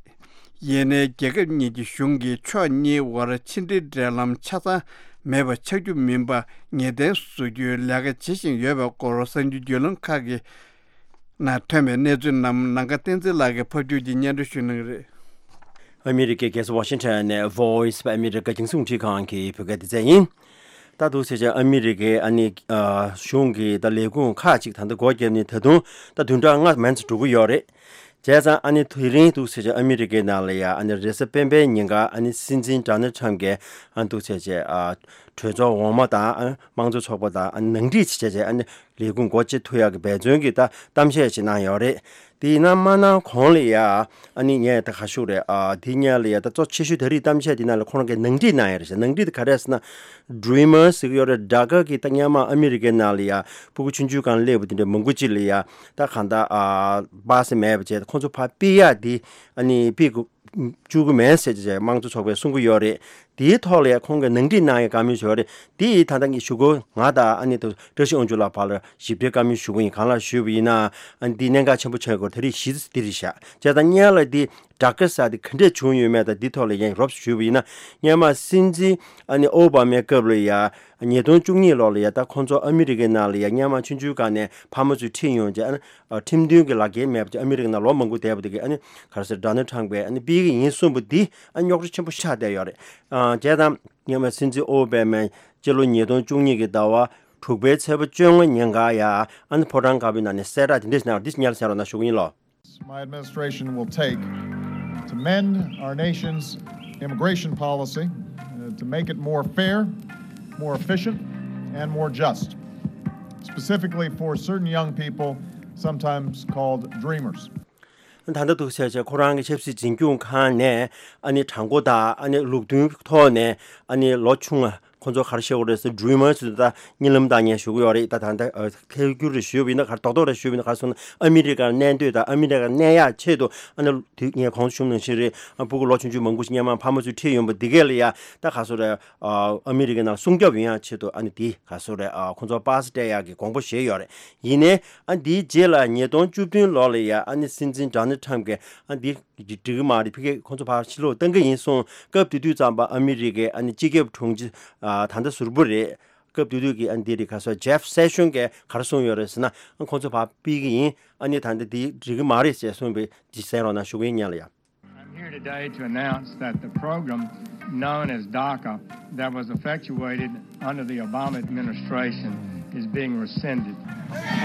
ཡིན་ནའི་རྒྱལ་ཁབ་གཉིས་ཀྱི་གཞུང་གིས་ཕྱོགས་གཉིས་བར་ཕྱི་འབྲེལ་འབྲེལ་ལམ་ཆ་ཚང་མེད་པ་ཆགས་རྒྱུ་མིན་པ་ངེས་གཏན་བཟོ་རྒྱུའི་ལས་ཀ་བྱེད་བཞིན་ཡོད་པའི་སྐོར་གསར་འགྱུར་བརྒྱུད་ལམ་ཁག་གི་ནང་ཐོན་པའི་གནས་ཚུལ་རྣམས་ནམ་མཁའ་བསྟན་འཛིན་ལགས་ཀྱིས་ཕབ་སྒྱུར་གྱིས་སྙན་སྒྲོན་ཞུ་གནང་གི་རེད། ཨ་མི་རི་ཀའི་རྒྱལ་ས་ཝ་ཤིང་ཊོན་ནས་Voice of America་རྒྱང་སྲིང་རླུང་འཕྲིན་ཁང་གི་བོད་སྐད་སྡེ་ཚན་ཡིན། ད་འདུག་ཟེར་བྱས་ཨ་མི་རི་ཀའི་ཨ་ནི་ཨ་གཞུང་གི་ད་ལས་ཁུངས་ཁག་ཅིག་ད་ལྟ་སྒོ་བརྒྱབ་ནས་ད་དུང་ད་བདུན་ཕྲག་ལྔ་མན་ཙམ་འགྲོ་གི་ཡོད་རེད། བྱས་ཙང་ཨ་ནི་དེ་རིང་འདུག་ཟེར་བྱས་ཨ་མི་རི་ཀའི་ནང་ལ་ཡ་ཨ་ནི་རེས་གཟའ་སྤེན་པའི་ཉིན་ཀ་ཨ་ནི་སྲིད་འཛིན་ཌོ་ནལ་ཊམ་གྱིས་ཨ་འདུག་ཟེར་བྱས་ཨ་གྲོས་ཚོགས་འོག་མ་དང་ཨ་དམངས་གཙོ་ཚོགས་པ་དང་ཨ་ནི་ནང་འགྲིག་བྱས་བྱས་ཨ་ནི་ལས་ཁུངས་སྒོ་ཕྱེ་ཐུབ་ཡག་གི་འབད་བརྩོན་གྱི་ད་གཏམ་བཤད་ཅིག་གནང་ཡོད་རེད། དེ་ཡིན་ན་མ་གནང་གོང་ལ་ཡ་ཨ་ནི་ངས་ད་ག་ཞུ་རེད། ཨ་དེ་སྔོན་ལ་ཡ་ད་གཙོ་ཆེ་ཤོས་ད་རེས་གཏམ་བཤད་དེ་ནང་ལ་ཁོ་རང་གིས་ནང་འགྲིག་གནང་ཡོད་རེད་ཤག་ནང་འགྲིག་དེ་ག་རེ་རེད་ཟེར་ན། Dreamers་ཟེར་གྱི་ཡོད་རེད། ཌ་ཀ་གི་ད་སྔོན་མ་ཨ་མི་རི་ཀའི་ནང་ལ་ཡ་ཕྲུ་གུ་ཆུང་ཆུང་སྒང་སླེབས་པ་དེ་འདྲ་མང་པོ་ཅིག་ལ་ཡ་ད་གང་ལྟར་ཨ་པ་སེ་མེད་པ་བྱས་ཁོང་ཚོ་ཕར་ཕུད་ཡག་དེ་ཨ་ནི་ཕུད་དགོས། བཅུག་གི་མེད་ཟེར་བྱས་དམངས་གཙོ་ཚོགས་པས་གསུང་གི་ཡོད་རེད། དེའི་ཐོག་ལ་ཡང་ཁོང་གིས་ནང་འགྲིག་གནང་ཡག་བཀའ་མོལ་ཞུས་རེད། དེ་ཡིས་ད་ལྟ་ངས་ཞུ་དགོས། ང་དང་ཨ་ནི་ད་བཀྲ་ཤིས་དབང་ཕྱུག་ལགས་བར་ལ་ཞིབ་ཕྲའི་བཀའ་མོལ་ཞུ་གི་ཡིན། གང་ལགས་ཞུས་པ་ཡིན་ན་ཨ་ནི་འདི་གནད་འགག་ཆེན་པོ་ཆགས་ཡོད་སྐོར་ད་རེས་གཞི་རྩ་འདི་རེད་ཤག་བྱས་ཙང་སྔོན་ལ་འདི་དྲག་སྐད་ཟེར་དེ་ག་འདྲས་བྱུང་ཡོད་མེད་དང་འདི་ཐོག་ལ་ཡང་རོབ་ཞུས་པ་ཡིན་ན། སྔོན་མ་སྲིད་འཛིན་ཨ་ནི་ཨོ་བྷ་མའི་སྐབས་ལ་ཡ་ཉིས་སྟོང་བཅུ་གཉིས་ལོ་ལ་ཡ་ད་ཁོང་ཚོ་ཨ་མི་རི་ཀའི་ནང་ལ་ཡ་སྔོན་མ་ཆུང་ཆུང་སྒང་ནས་ཕ་མ་ཚོས་ཁྲིད་ཡོང་བྱས་ཨ་ནི། ཨ་ཁྲིམས་མཐུན་གྱི་ལག་འཁྱེར་མེད་པ་ཅིག་ཨ་མི་རི་ཀ་ནང་ལོ་མང་པོ་བསྡད་པ་དེ་གས་ཨ་ནི་ག་རེ་ཟེར་ཌོ་ནལ་ཊམ་གྱིས་ཨ་ནི་ཕུད་ཀྱི་ཡིན་གསུངས་པ་འདི་ཨ་རྙོག་དྲ་ཆེན་པོ་ཆགས་བསྡད་ཡོད་རེད། ཨ་བྱས་ཙང་སྔོན་མ་སྲིད་འཛིན་ཨོ་བྷ་མས་སྤྱི་ལོ་ཉིས་སྟོང་བཅུ་གཉིས་ཀྱི་ཟླ་བ་དྲུག་པའི་ཚེས་པ་བཅོ་ལྔ་ཉིན་ཀ་ཡ་ཨ་ནི་ཕོ་བྲང་དཀར་པོའི་ནང་ནས་གསལ་བསྒྲགས་དེ་འདྲས་གནང་བ་འདི་སྙན་ལ་གསན་རོགས་གནང་ཞུ་གི་ཡིན་ལོ། My administration will take to mend our nation's immigration policy, uh, to make it more fair, more efficient, and more just, specifically for certain young people, sometimes called dreamers. ད་ལྟ་འདུག་ཟེར་བྱས་ཁོ་རང་གི་ཆབ་སྲིད་འཛིན་སྐྱོང་ཁང་ནས་ཨ་ནི་དྲང་པོ་དང་ཨ་ནི་ལུགས་མཐུན་ཐོག་ནས་ཨ་ནི་ལོ་ཆུང་བ་ཁོ་ཚོ་ག་རེ་བཤད་དགོས་རེད་ཟེར་ཌི་རི་མར་ཟེར་ད་གཉིད་ལམ་བཏང་མཁན་ཞུ་གི་ཡོད་རེད། ད་ད་ལྟ་ཨ་ཐལ་འགྱུར་རེ་ཞུས་པ་ཡིན་ན་ག་རེ་རྡོག་རྡོག་རེ་ཞུས་པ་ཡིན་ན་ག་རེ་སོང་ན་ཨ་མི་རི་ཀར་གནས་སྡོད་དང་ཨ་མི་རི་ཀར་གནས་ཡག་ཆེད་དུ་ཨ་ནི་དུས་ངས་གོང་དུ་ཞུས་ནང་བཞིན་རེད། ཨ་ཕྲུ་གུ་ལོ་ཆུང་ཆུང་མང་པོ་ཞིག་སྔོན་མ་ཕ་མ་ཚོས་ཁྲིད་ཡོང་པ་འདི་གས་ལ་ཡ་ད་ག་རེ་ཟེར་དགོས་རེད། ཨ་ཨ་མི་རི་ཀའི་ནང་སྲུང་སྐྱོབ་ཡོང་ཡག་ཆེད་དུ་ཨ་ནི་འདི་ག་རེ་ཟེར་དགོས་རེད། ཨ་ཁོང་ཚོ་པ་སེ་སྤྲད་ཡག་གི་དགོངས་པ་བཞེས་ཡོད་རེད། ཡིན་ནའི་ཨ་འདིའི་རྗེས་ལ་ཉིས་སྟོང་བཅུ་བདུན་ལོ་ལ་ཡ་ཨ་ནི་སྲིད་འཛིན་ཌོ་ནལ་ཊམ་གྱིས་ཨ་འདི་འགྲིག་གི་མ་རེད། ཕ་གིར་ཁོང་ཚོ་ཕར་ཕྱིར་ལོག་གཏང་གི་ཡིན་གསུངས། སྐབས་དེ་དུས་ཙམ་པ་ཨ་མི་རི་ཀའི་ཨ་ནི་སྤྱི་ཁྱབ་དྲུང་ཆེ་ཨ་ད་ལྟ་ཟུར་པོ་རེད། སྐབས་དེ་དུས་ཀྱི་ཨ་ནི་འདི་རེད། ག་རེ་ཟེར་ཇེབ་སེ་ཤོན་གྱིས་ག་རེ་གསུངས་ཡོད་རེད་ཟེར་ན་ཨ་ཁོང་ཚོ་ཕར་ཕུད་ཀྱི་ཡིན། ཨ་ནི་ད་ལྟ་འདི་འགྲིག་གི་མ་རེད་ཅེས་གསུངས་པའི་འདི་གསན་རོགས་གནང་ཞུ་གི་ཡིན་སྙན་ལ་ཡ། I'm here today to announce that the program known as DACA that was effectuated under the Obama administration is being rescinded.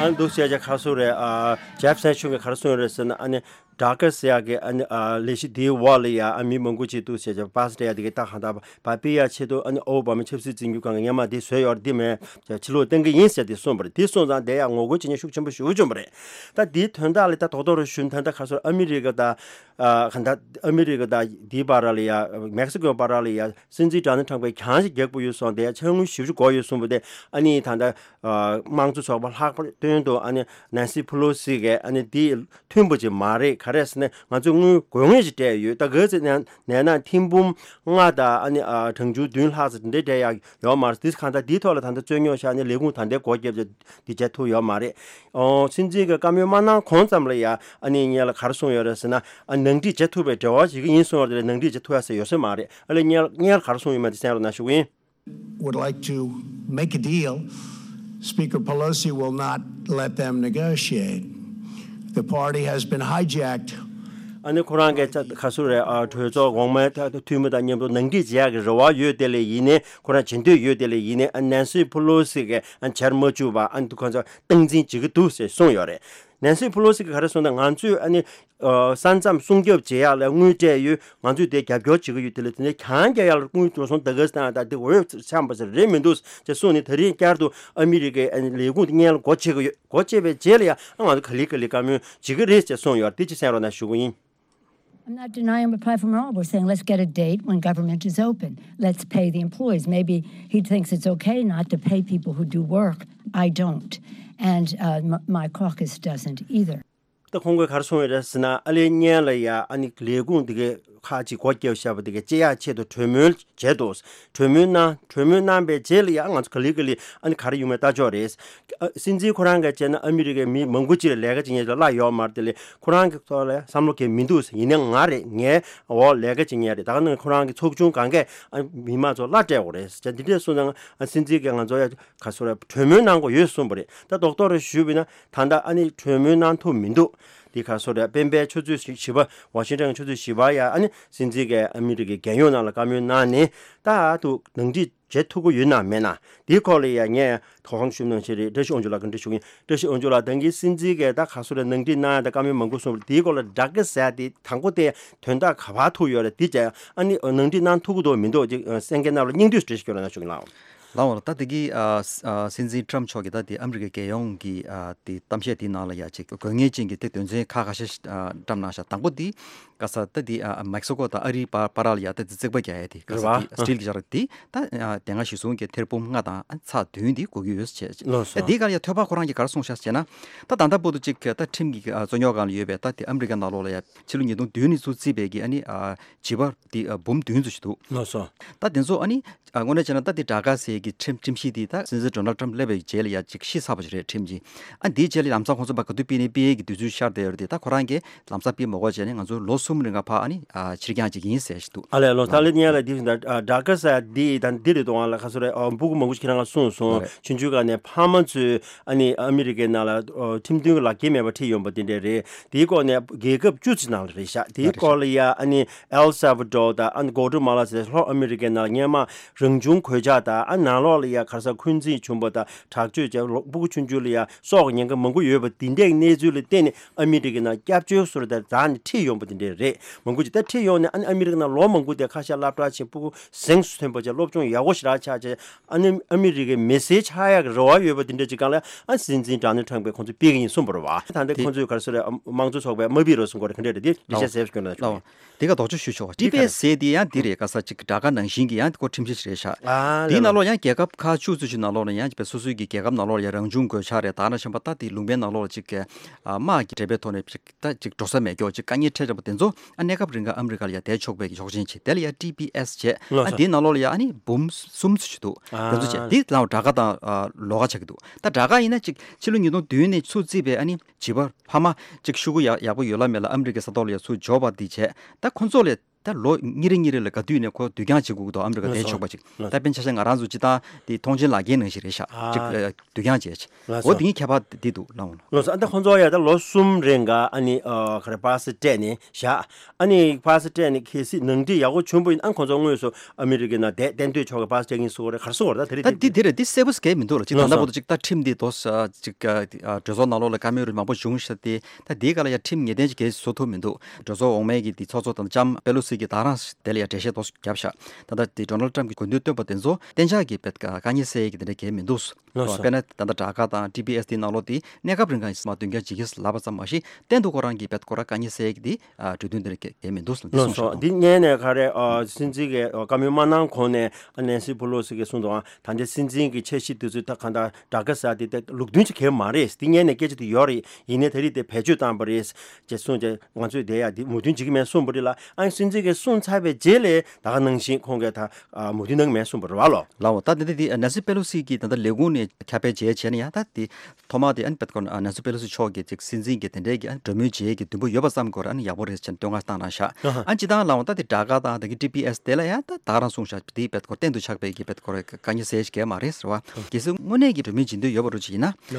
ཨ་འདུག་ཟེར་བྱས་ག་རེ་ཟེར་དགོས་རེད། ཨ་ཇེབ་སེ་ཤོན་གྱིས་ག་རེ་གསུངས་ཡོད་རེད་ཟེར་ན་ཨ་ནི་ཌ་ཀ་ཟེར་ཡག་གི་ཨ་ནི་ཨ་ལས་གཞི་འདིའི་འོག་ལ་ཡ་ཨ་མི་མང་པོ་ཅིག་འདུག་ཟེར་བྱས་པ་སེ་སྤྲད་ཡག་དེ་གའི་ད་གང་ལྟར་ཕར་ཕུད་ཡག་ཆེད་དུ་ཨ་ནི་ཨོ་བྷ་མ་ཆབ་སྲིད་འཛིན་སྐྱོང་ཁང་གིས་སྔོན་མ་འདི་བཟོས་ཡོད་རེད། འདི་མེད་ཕྱིར་ལོག་གཏང་གི་ཡིན་ཟེར་འདི་གསུངས་པ་རེད། འདི་གསུངས་ཙང་དེ་ཡང་ངོ་རྒོལ་བྱེད་མཁན་ཤུགས་ཆེན་པོ་ཞེ་པོ་བྱུང་བ་རེད། ད་འདིའི་དོན་དག་ལ་ད་རྡོག་རྡོག་རེ་ཞུ་ན་ད་ལྟ་ག་རེ་ཟེར་ཨ་མི་རི་ཀ་དང་ཨ་གང་ལྟར་ཨ་མི་རི་ཀ་དང་འདིའི་བར་ལ་ཡ་མེག་སི་ཀོའི་བར་ལ་ཡ་སྲིད་འཛིན་ཌོ་ནལ་ཊམ་གྱིས་གྱང་ཞིག་རྒྱག་དགོས་ཡོད་སོང་། དེ་ཡ་ཕྱག་དངུལ་ཞེ་པོ་ཅིག་དགོས་ཡོད་གསུངས་པ་དེ་ཨ་ནི་ད་ལྟ་དམངས་གཙོ་ཚོགས་པ་ལྷག་པར་དོན་དུ་ཨ་ནི་ནན་སི་ཕེ་ལོ་སི་གིས་ཨ་ནི་འདི་མཐུན་པ་ཅིག་མ་རེད། ག་རེ་ཟེར་ན་ང་ཚོས་དངུལ་དགོས་ངེས་ཅིག་སྤྲད་ཡོད། ད་ག་ཚོད་ནས་ནས་ན་ཐེར་འབུམ་ལྔ་དང་ཨ་ནི་ཨ་གྲངས་ཆུང་བདུན་ལྷག་ཙམ་འདི་འདྲ་སྤྲད་ཡག་ཡོད་མ་རེད། དེ་གང་ལྟར་འདིའི་ཐོག་ལ་ད་ལྟ་རྩོད་རྙོག་ཆགས་ནས་ལས་ཁུངས་ད་ལྟའི་སྒོ་བརྒྱབ་བྱས་འདི་བྱེད་ཐུབ་ཡོད་མ་རེད། ཨོ་སྲིད་འཛིན་གྱིས་བཀའ་མོལ་མ་གནང་གོང་ཙམ་ལ་ཡ་ཨ་ནི་སྔོན་ལ་ག་རེ་གསུངས་ཡོད་རེད་ཟེར་ན་ཨ་ནང་འགྲིག་བྱེད་ཐུབ་པའི་འབྲེལ་བ་བྱེད་ཀྱི་ཡིན་གསུངས་ཡོད་རེད། ནང་འགྲིག་བྱེད་ཐུབ་ཡག་ཟེར་ཡོད་ས་མ་རེད། ཨ་ལས་སྔོན་སྔོན་ལ་ག་རེ་གསུངས་ཡོད་མེད་དེ་གསན་རོགས་གནང་ཞུ་གི་ཡིན། Would like to make a deal. Speaker Pelosi will not let them negotiate. The party has been hijacked. ཨ་ནི་ཁོ་རང་གིས་ད་ག་རེ་ཟེར་དགོས་རེད། ཨ་གྲོས་ཚོགས་འོག་མའི་ད་འཐུས་མི་དང་མཉམ་དུ་ནང་འགྲིག་བྱེད་ཡག་གི་རེ་བ་ཡོད་དེ་ལས་ཡིན་ནའི་ཁོ་རང་བྱེད་འདོད་ཡོད་དེ་ལས་ཡིན་ནའི་ཨ་ནན་སི་ཕེ་ལོ་སི་གིས་ཨ་བྱར་མ་བཅུག་པ་ཨ་ནི་ཁོ་ཚོ་སྟངས་འཛིན་བྱེད་ཀྱི་འདུག་ཟེར་གསུངས་ཡོད་རེད། ནན་སི་ཕེ་ལོ་སི་གིས་ག་རེ་གསུངས་ན་ང་ཚོས་ཨ་ནི་ཨ་ས་མཚམས་སྲུང་སྐྱོབ་བྱེད་ཡག་ལ་དངུལ་སྤྲད་ཡོད། ང་ཚོས་དེ་རྒྱབ་སྐྱོར་བྱེད་ཀྱི་ཡོད། དེ་ལས་དེ་ནས་གྱང་རྒྱག་ཡག་ལ་དངུལ་འགྲོ་སོང་ད་ག་ཟེར་ན་ད་དེ་འོས་འཚམ་པ་ཟེར་རེད་མི་འདུག་ཅེས་གསུངས་ནས་ད་རིང་བསྐྱར་དུ་ཨ་མི་རི་ཀའི་ཨ་ནི་ལས་ཁུངས་དེ་སྔོན་ལ་སྒོ་ཕྱེ་གི་ཡོད། སྒོ་ཕྱེ་བའི་རྗེས་ལ་ཡང་ཨ་ང་ཚོ་ག་ལེ་ག་ལེ་བཀའ་མོལ་བྱེད་ཀྱི་རེད་ཅེས་གསུངས་ཡོད། དེ་ཅིག་གསན་རོགས་གནང་ཞུ་གི་ཡིན། I'm not denying him a platform at all. We're saying let's get a date when government is open. Let's pay the employees. Maybe he thinks it's okay not to pay people who do work. I don't. And uh, m- my caucus doesn't either. ད་ཁོང་གིས་ག་རེ་གསུངས་ཡོད་རེད་ཟེར་ན། ཨ་ལེ་ཉན་ལ་ཡ་ཨ་ནི་ལས་ཁུངས་དེ་གའི་ཁག་ཅིག་སྒོ་བརྒྱབ་བཞག་པ་དེ་གའི་བཅད་ཡག་ཆེད་དུ་གྲོས་མོལ་བྱས་འདུག་གྲོས་མོལ་གནང་། གྲོས་མོལ་གནང་པའི་རྗེས་ལ་ཡ་ང་ཚོ་ག་ལེ་ག་ལེ་ཨ་ནི་ག་རེ་ཡོང་མིན་ལྟ་ཆོག་རེད། ཨ་སྲིད་འཛིན་ཁོ་རང་གིས་བྱས་ན་ཨ་མི་རི་ཀའི་མི་མང་པོ་ཅིག་ལ་ལས་ཀ་བྱེད་མཁན་ཅིག་ལ་གཡོག་མ་རེད། དེ་ལས་ཁོ་རང་གི་ཐོག་ལ་བསམ་བློ་གང་ཡང་མི་འདུག་ཟེར། ཡིན་ནའང་ང་རེད། ངའི་འོག་ལས་ཀ་བྱེད་མཁན་རེད། ད་ག་ནང་ཁོ་རང་གི་ཚོགས་ཆུང་གང་གས་ཨ་མི་མང་ཚོ་གླ་སྤྲད་དགོས་རེད་ཟེར། འདི་འདྲས་གསུངས་ཙང་ཨ་སྲིད་འཛིན་གྱིས་ང་ཚོ་ཡ་ག་ཚོད་རེད། གྲོས་མོལ་གནང་དགོས་ཡོད་གསུངས་པ་རེད། ད་རྡོག་རྡོག་རེ་ཞུས་པ་ཡིན་ན། ད་ལྟ་ཨ་ནི་གྲོས་མོལ་གནང་ཐུབ་མི་འདུག་འདི་ག་ཚོད་རེད། སྤེན་པའི་ཆུ་ཚོད་བཞི་པ། ཝ་ཤིང་ཊོན་ཆུ་ཚོད་བཞི་པ་ཡ་ཨ་ནི་སྲིད་འཛིན་གྱིས་ཨ་མི་རི་ཀའི་རྒྱལ་ཡོངས་ནང་ལ་བཀའ་མོལ་གནང་ནས། ད་དུ་ནང་འགྲིག་བྱེད་ཐུབ་ཀྱི་ཡོད་ན་མེད་ན། དེའི་སྐོར་ལ་ཡ་ངས་གོང་ཞུས་ནང་བཞིན་རེད། བཀྲ་ཤིས་དབང་ཕྱུག་ལགས་ཀྱི་འདྲི་ཞུ་གི་ཡིན། བཀྲ་ཤིས་དབང་ཕྱུག་ལགས། ད་གིན་སྲིད་འཛིན་གྱིས་ད་ག་ཚོད་རེད། ནང་འགྲིག་གནང་ཡ་ད་བཀའ་མོལ་མང་པོ་གསུངས་པ་རེད། དེའི་སྐོར་ལ་དྲག་གི་ཟེར་ཡ་དེ་དང་པོ་དེ་དོན་དག་ག་པར་ཐུག་ཡོད་རེད། དེ་བྱས་ཨ་ནི་ནང་འགྲིག་གནང་ཐུབ་ཀྱི་འདུག་མི་འདུག་ཅིག་གསན་མཁན་རྣམས་ལ་སྙིང་བསྡུས་འགྲེལ་བཤད་སྐྱོན་རོགས་གནང་ཞུ་གི་ལགས། ལགས་འོང་། ད་དེ་གི་ཨ་ཨ་སྲིད་འཛིན་ཊམ་མཆོག་གིས་ད་དེ་ཨ་མི་རི་ཀའི་རྒྱལ་ཡོངས་ཀྱི་ཨ་དེ་གཏམ་བཤད་དེའི་ནང་ལ་ཡ་ཅིག་དགོས་ངེས་ཅན་གྱི་དེ་དོན་ཚན་ཁག་ཁ་ཤས་ཤིག་ཨ་བཀྲམ་གནང་ཤག་དང་པོ་དེ་ག་ས་ད་དེ་ཨ་མེག་སི་ཀོ་དང་ཨ་རིའི་བར་བར་ལ་ཡ་ད་དེ་རྩིག་པ་རྒྱག་ཡ་དེ་ག་ས་རེད་བ། དེ་སི་ཊིལ་གྱི་ཆ་ར་དེ་ད་ཨ་དེ་སྔ་གཞི་བཟུང་གི་ཐེར་འབུམ་ལྔ་དང་ཨ་ཚེག་བདུན་དེ་དགོས་ཀྱི་ཡོད་ཟེར་བྱས། ལགས་སོ། ད་དེའི་སྒང་ལ་ཡ་ཐོས་པ་ཁོ་རང་གིས་ག་རེ་གསུངས་ཤག་ཟེར་ན། ད་ད་ལྟ་བར་དུ་ཅིག་ད་ཁྲིམས་ཀྱི་ཨ་རྩོད་རྙོག་སྒང་ལ་ཡོད་པའི་ད་དེ་ཨ་མི་རི་ཀའི་ནང་ལོགས་ལ་ཡ་ཕྱི་ལོ་ཉིས་སྟོང་བདུན་ནས་ཚུར་བརྩིས་པའི་གི་ཨ་ནི་ཨ་བྱིས་པ་དེ་ཨ་འབུམ་བདུན་ཙམ་ཞིག་འདུག་ལགས་སོ། ད་དེ་ཚོ་ཨ་ནི་ཨ་དངོས་གནས་བྱས་ན་ད་དེ་དྲག་ག་ཟེར་གི་ཁྲིམས་ཁྲིམས་གཞི་དེ་ད་སྲིད་འཛིན་ཌོ་ནལ་ཊམ་སླེབས་པའི་རྗེས་ལ་ཡ་ཅིག་ཤི་ཚར་བ་ཞིག་རེད། ཁྲིམས་ཀྱི་ཨ་འདིའི་རྗེས་ལ་ལམ་སང་ཁོང་ཚོ་ཕར་ག་དུས་ཕུད་ནས་ཕུད་ཡས་ཀྱི་དུས་ཚོད་ཤར་བསྡད་ཡོད་རེད་དེ། ད་ཁོ་རང་གིས་ལམ་སང་ཕུད་མ་དགོས་བྱས་ནས་ང་ཚོ་ལོ་གསུམ་རིང་ག་ཕར་ཨ་ནི་ཨ་ཕྱིར་འགྱངས་བྱེད་ཀྱི་ཡིན་ཟེར་ཞིག་འདུག་ཨ་ལས་ལོ་ད་ལེ་ཉལ་ལ་འདི་བཞིན་ད་དྲག་ག་ཟེར་འདི་དང་འདི་རེད་དོ། ང་ལ་ཁ་སོ་རེ་ཨ་སྤུ་གུ་མང་པོ་ཞིག་ཁྱེད་རང་ག་གསུངས་སོང་། ལགས་རེད། ཆུང་ཆུང་སྒང་ནས་ཕ་མ་ཚོས་ཨ་ནི་ཨ་མི་རི་ཀའི་ནང་ལ་ཨ་ཁྲིམས་མཐུན་གྱི་ལག་འཁྱེར་མེད་པ་ཁྲིད་ཡོང་པ་དེ་འདྲས་རེད། དེའི་སྐོར་ནས་རྒྱལ་ཁབ་བཅུ་ཙམ་ནང་ལ་རེད་ཤག་དེའི་ལགས་རེད། སྐོར་ལ་ཡ་ཨ་ནི་ཨེལ་སལ་ཝ་ཌོར་དང་ཨ་ནི་གོ་ཊ་མ་ལ་ཟེར་ལྷོ་ཨ་མི་རི་ཀའི་ནང་ལ་སྔོན་མ་རང་བྱུང་གོད་ཆག་དང་ཨ་ནང་ལོགས་ལ་ཡ་ག་རེ་ཟེར་འཁོན་འཛིན་བྱུང་པ་དང་དྲག་སྤྱོད་བྱས་ལོ་སྤུ་གུ་ཆུང་ཆུང་ལ་ཡ་སྲོག་གི་ཉེན་ཁ་མང་པོ་ཡོད་པ་དེ་འདྲའི་གནས་ཚུལ་ལ་བརྟེན་ནས་ཨ་མི་རི་ཀའི་ནང་སྐྱབས་བཅོལ་སོར་དང་རྫ་ནས་ཁྲིད་ཡོང་པ་དེ་འདྲས་རེད། མང་པོ་ཅིག་ད་ཁྲིད་ཡོང་ནས་ཨ་ནི་ཨ་མི་རི་ཀའི་ནང་ལོ་མང་པོ་དེ་ཁ་ཤས་སློབ་གྲྭ་ཆེན་སྤུ་གུ་གཟེངས་སུ་ཐོན་པ་བྱས་སློབ་སྦྱོང་ཡག་པོ་ཞེ་དྲག་ཆགས་བྱས་ཨ་ནི་ཨ་མི་རི་ཀའི་མི་སེར་ཆགས་ཡག་གི་རེ་བ་ཡོད་པ་དེ་འདྲ་ཅིག་སྒང་ལ་ཨ་སྲིད་འཛིན་ཌོ་ནལ་ཊམ་གྱིས་ཁོང་ཚོ་ཕུད་ཀྱི་ཡིན་གསུངས་པ་རེད་བ། ད་ལྟ་དེ་ཁོང་ཚོས་ག་རེ་ཟེར་རེད། ཨ་དམངས་གཙོ་ཚོགས་པའི་དམའ་འབེབས་རོགས་གསུང་གི་རེད། ག་འདྲ་རེད། དེ་འགྲེལ་བཤད་ཟེར་ཞུ་གི་ན་ལགས། ལའོ། དེ་ག་དོག་ཅོ་ཞུ་ཆོག་པ་ཊི་པི་ཨེས་ཟེར་དེ་ཡང་འདི་རེད། ག་ས་ཅིག་དྲག་ག་ནང་བཞིན་གྱི་ཡང་ཁོ་ཁྲིམས་གཞི་ཞིག་རེད་ཤག་ཨ་དེའི་ནང་ལོགས་ཡང་རྒྱལ་ཁབ་ཁག་བཅུ་ཙམ་ཞིག་ནང་ལོགས་ལ་ཡང་བའི་སོ་སོའི་གི་རྒྱལ་ཁབ་ནང་ལོགས་ལ་ཡང་རང་བྱུང་གོད་ཆག་རེད། ད་ནང་བཞིན་པ་ད་དེ་ལུང་པའི་ནང་ལོགས་ལ་ཅིག་གི་ཨ་དམག་གི་འབྲེལ་བའི་ཐོག་ནས་ཅིག་ད་ཅིག་འགྲོ་ས་མེད་ཀྱོག་ཅིག་དཀའ་ངལ་འཕྲད་བསྡད་པ་དེ་ཚོ་ཨ་གནས་སྐབས་རིང་ག་ཨ་མི་རི་ཀ་ལ་ཡང་བསྡད་ཆོག་པའི་གི་ཆོག་མཆན་ཅིག་དེ་ལ་ཡང་ཊི་པི་ཨེས་བྱས། ལགས་ཨ་སོ། དེའི་ནང་ལོགས་ལ་ཡང་ཨ་ནི་འབུམ་གསུམ་ཙམ་ཞིག་འདུག་དེ་ཚོ་བྱས། ཨ་དེ་ལའོ་དྲག་ག་དང་ཨ་ལོག་ག་ཆགས་ཀྱི་འདུག་ད་དྲག་ག་ཡིན་ན་ཅིག་ཕྱི་ལོ་ཉིས་སྟོང་བདུན་ནས་ཚུར་བརྩིས་པའི་ཨ་ནི་བྱིས་པ་ཕ་མ་ཅིག་ཤོག་གུ་ཡག་ཡག་པོ་ཡོད་ལ་མེད་ལ་ཨ་མི་རི་ཀའི་ས་ཐོག་ལ་ཡ་ཚུར་འབྱོར་བ་འདི་བྱས། ད་ཁོ་ཚོ་ལ་ད་ལོ་གཉིས་རེ་གཉིས་རེ་ལ་ག་དུས་ནས་ཁོ་བསྡུ་རྐྱང་བྱེད་དགོས་ཀྱི་འདུག་ཨ་མི་རི་ཀ་བསྡད་ཆོག་པ་ཅིག་ལགས་སོ། ད་དཔེར་ན་ཆ་བཞག་ང་རང་ཚོ་སྤྱིར་བཏང་དེ་ཐོངས་མཆན་ལག་འཁྱེར་ནང་བཞིན་རེད་ཤག་ཨ་ཅིག་ཨ་བསྡུ་རྐྱང་བྱས་ཅིག་ལགས་འོ་སོ། དེ་གཉིས་ཁྱད་པར་འདི་འདུག་ལགས་འོ། ལགས་སོ། ཨ་ད་ཁོ་ཚོ་ཡ་ད་ལོ་གསུམ་རིང་ག་ཨ་ནི་ཨ་ག་རེ་པ་སི་སྤྲད་ནས་བཞག་ཨ་ནི་པ་སི་སྤྲད་ནས་གལ་སྲིད་ནང་འགྲིག་ཡག་པོ་བྱུང་པ་ཡིན་ཨ་ཁོ་ཚོ་དངོས་སུ་ཨ་མི་རི་ཀའི་ནང་བསྡད་གཏན་སྡོད་ཆོག་གི་པ་སི་སྤྲད་ཀྱིན་སོ་རེད། ག་རེ་སོ་རེད། ད་དེ་རེད། ད་འདི་དེ་རེད། འདི་གསལ་པོ་གལ་མི་འདུག་ལ་ཅིག་ལགས་སོ། ད་ལྟ་བར་དུ་ཅིག་ད་ཁྲིམས་འདི་དོ་ས་ཅིག་གྲོས་ཚོགས་ནང་ལོགས་ལ་བཀའ་མོལ་རིགས་མང་པོ་བྱུང་ཤག་སྟེ། ད་དེའི་སྒང་ལ་ཡ་ཁྲིམས་ངེས་གཏན་ཅིག་གལ་སྲིད་བཟོ་ཐུབ་མི་འདུག་གྲོས་ཚོགས་འོག་མའི་གི་དེ་ཚོགས་གཙོ་དང་ལྕམ་པེ་ལོ་སི་གི་ད་རང་དེ་ལ་ཡ་འགྲེལ་བཤད་དོ་བརྒྱབ་ཤག་ད་ལྟ་དེ་ཌོ་ནལ་ཊམ་གྱི་དགོས་འདུན་བཏོན་པ་དེ་ཚོ་གཏན་འཇགས་ཀྱི་བེད་དཀའ་ངལ་སེལ་ཡས་ཀྱི་དེ་འདྲ་གལ་མི་འདུག་ལགས་སོ། དཔེར་ན་ད་ལྟ་དྲག་ག་དང་ཊི་པི་ཨེས་དེའི་ནང་ལོགས་དེ་གནས་སྐབས་རིང་ག་ཡིན་སྲིད་མ་བསྡུ་རྐྱང་བྱེད་ཀྱི་ལབ་པ་ཙམ་མ་ཞིག་གཏན་དུ་ཁོ་རང་གི་བེད་ཁོ་རང་དཀའ་ངལ་སེལ་ཡས་ཀྱི་དེ་ཨ་གྲོས་མཐུན་དེ་འདྲ་གལ་མི་འདུག་ལགས་སོ། འདི་གསུངས་ཤག་འདི་སྔོན་ནས་ག་རེ་ཨ་སྲིད་འཛིན་གྱིས་ཨ་བཀའ་མོལ་མ་གནང་གོང་ནས་ཨ་ནན་སི་པེ་ལོ་སི་གིས་གསུངས་འདུག་ཨ་ད་ལྟའི་སྲིད་འཛིན་གྱི་འཆར་གཞི་དེ་ཚོ་ད་གང་ལྟར་དྲག་ག་ཟེར་དེ་ད་ལུགས་མཐུན་ཅིག་གང་ཡང་མ་རེད། འདི་སྔོན་ནས་སྐད་ཆ་དེ་ཡོད་རེད། ཡིན་ནའི་ད་རེས་དེ་བེད་སྤྱོད་བཏང་པ་རེད་ཅེས་གསུངས་རྗེས་ང་ཚོས་དེ་ཡ་དེ་མོས་མཐུན་བྱེད་ཀྱི་མེད་གསུངས་པ་རེད་ལ། ཨ་ནི་སྲིད་འཛིན་གྱིས་གསུངས་ཚར་བའི་རྗེས་ལས་ད་ག་ནང་བཞིན་ཁོང་གིས་ད་ཨ་མོས་མཐུན་གནང་གི་མེད་གསུངས་པ་རེད་བ་ལོ། ལའོ། ད་དེ་འདྲ་དེ་ནན་སི་པེ་ལོ་སི་གིས་ད་ལྟ་ལས་ཁུངས་ནས་ཁྱབ་སྤེལ་བྱས་བྱས་ནས་ཡང་ད་དེ་ཐོག་མ་དེ་ཨ་ནི་བེད་ཁོ་ནན་སི་པེ་ལོ་སི་མཆོག་གིས་ཅིག་སྲིད་འཛིན་གྱི་དེ་འདྲའི་གི་ཨ་ནི་གྲོས་མོལ་བྱེད་ཀྱི་འདུན་པ་ཡོད་པ་ཙམ་གྱི་སྐོར་ཨ་ནི་ཡག་པོ་རེད་ཅེས་བསྟོད་བསྔགས་བཏང་གནང་ཤག་ཨ་ནི་སྤྱིར་བཏང་ལའོ་ད་དེ་དྲག་ག་དང་དེ་གི་ཊི་པི་ཨེས་དེ་ལ་ཡང་ད་ད་ག་རང་གསུངས་ཤག་དེའི་བེད་ཁོ་གཏན་དུ་ཆགས་པའི་གི་བེད་ཁོ་དཀའ་ངལ་སེལ་ཡས་གལ་མ་རེད་ཟེར་བ། གལ་སྲིད་དངོས་གནས་ཀྱི་གྲོས་མོལ་བྱེད་འདོད་ཡོད་པ་རུ་ཅིག་ཡིན་ན།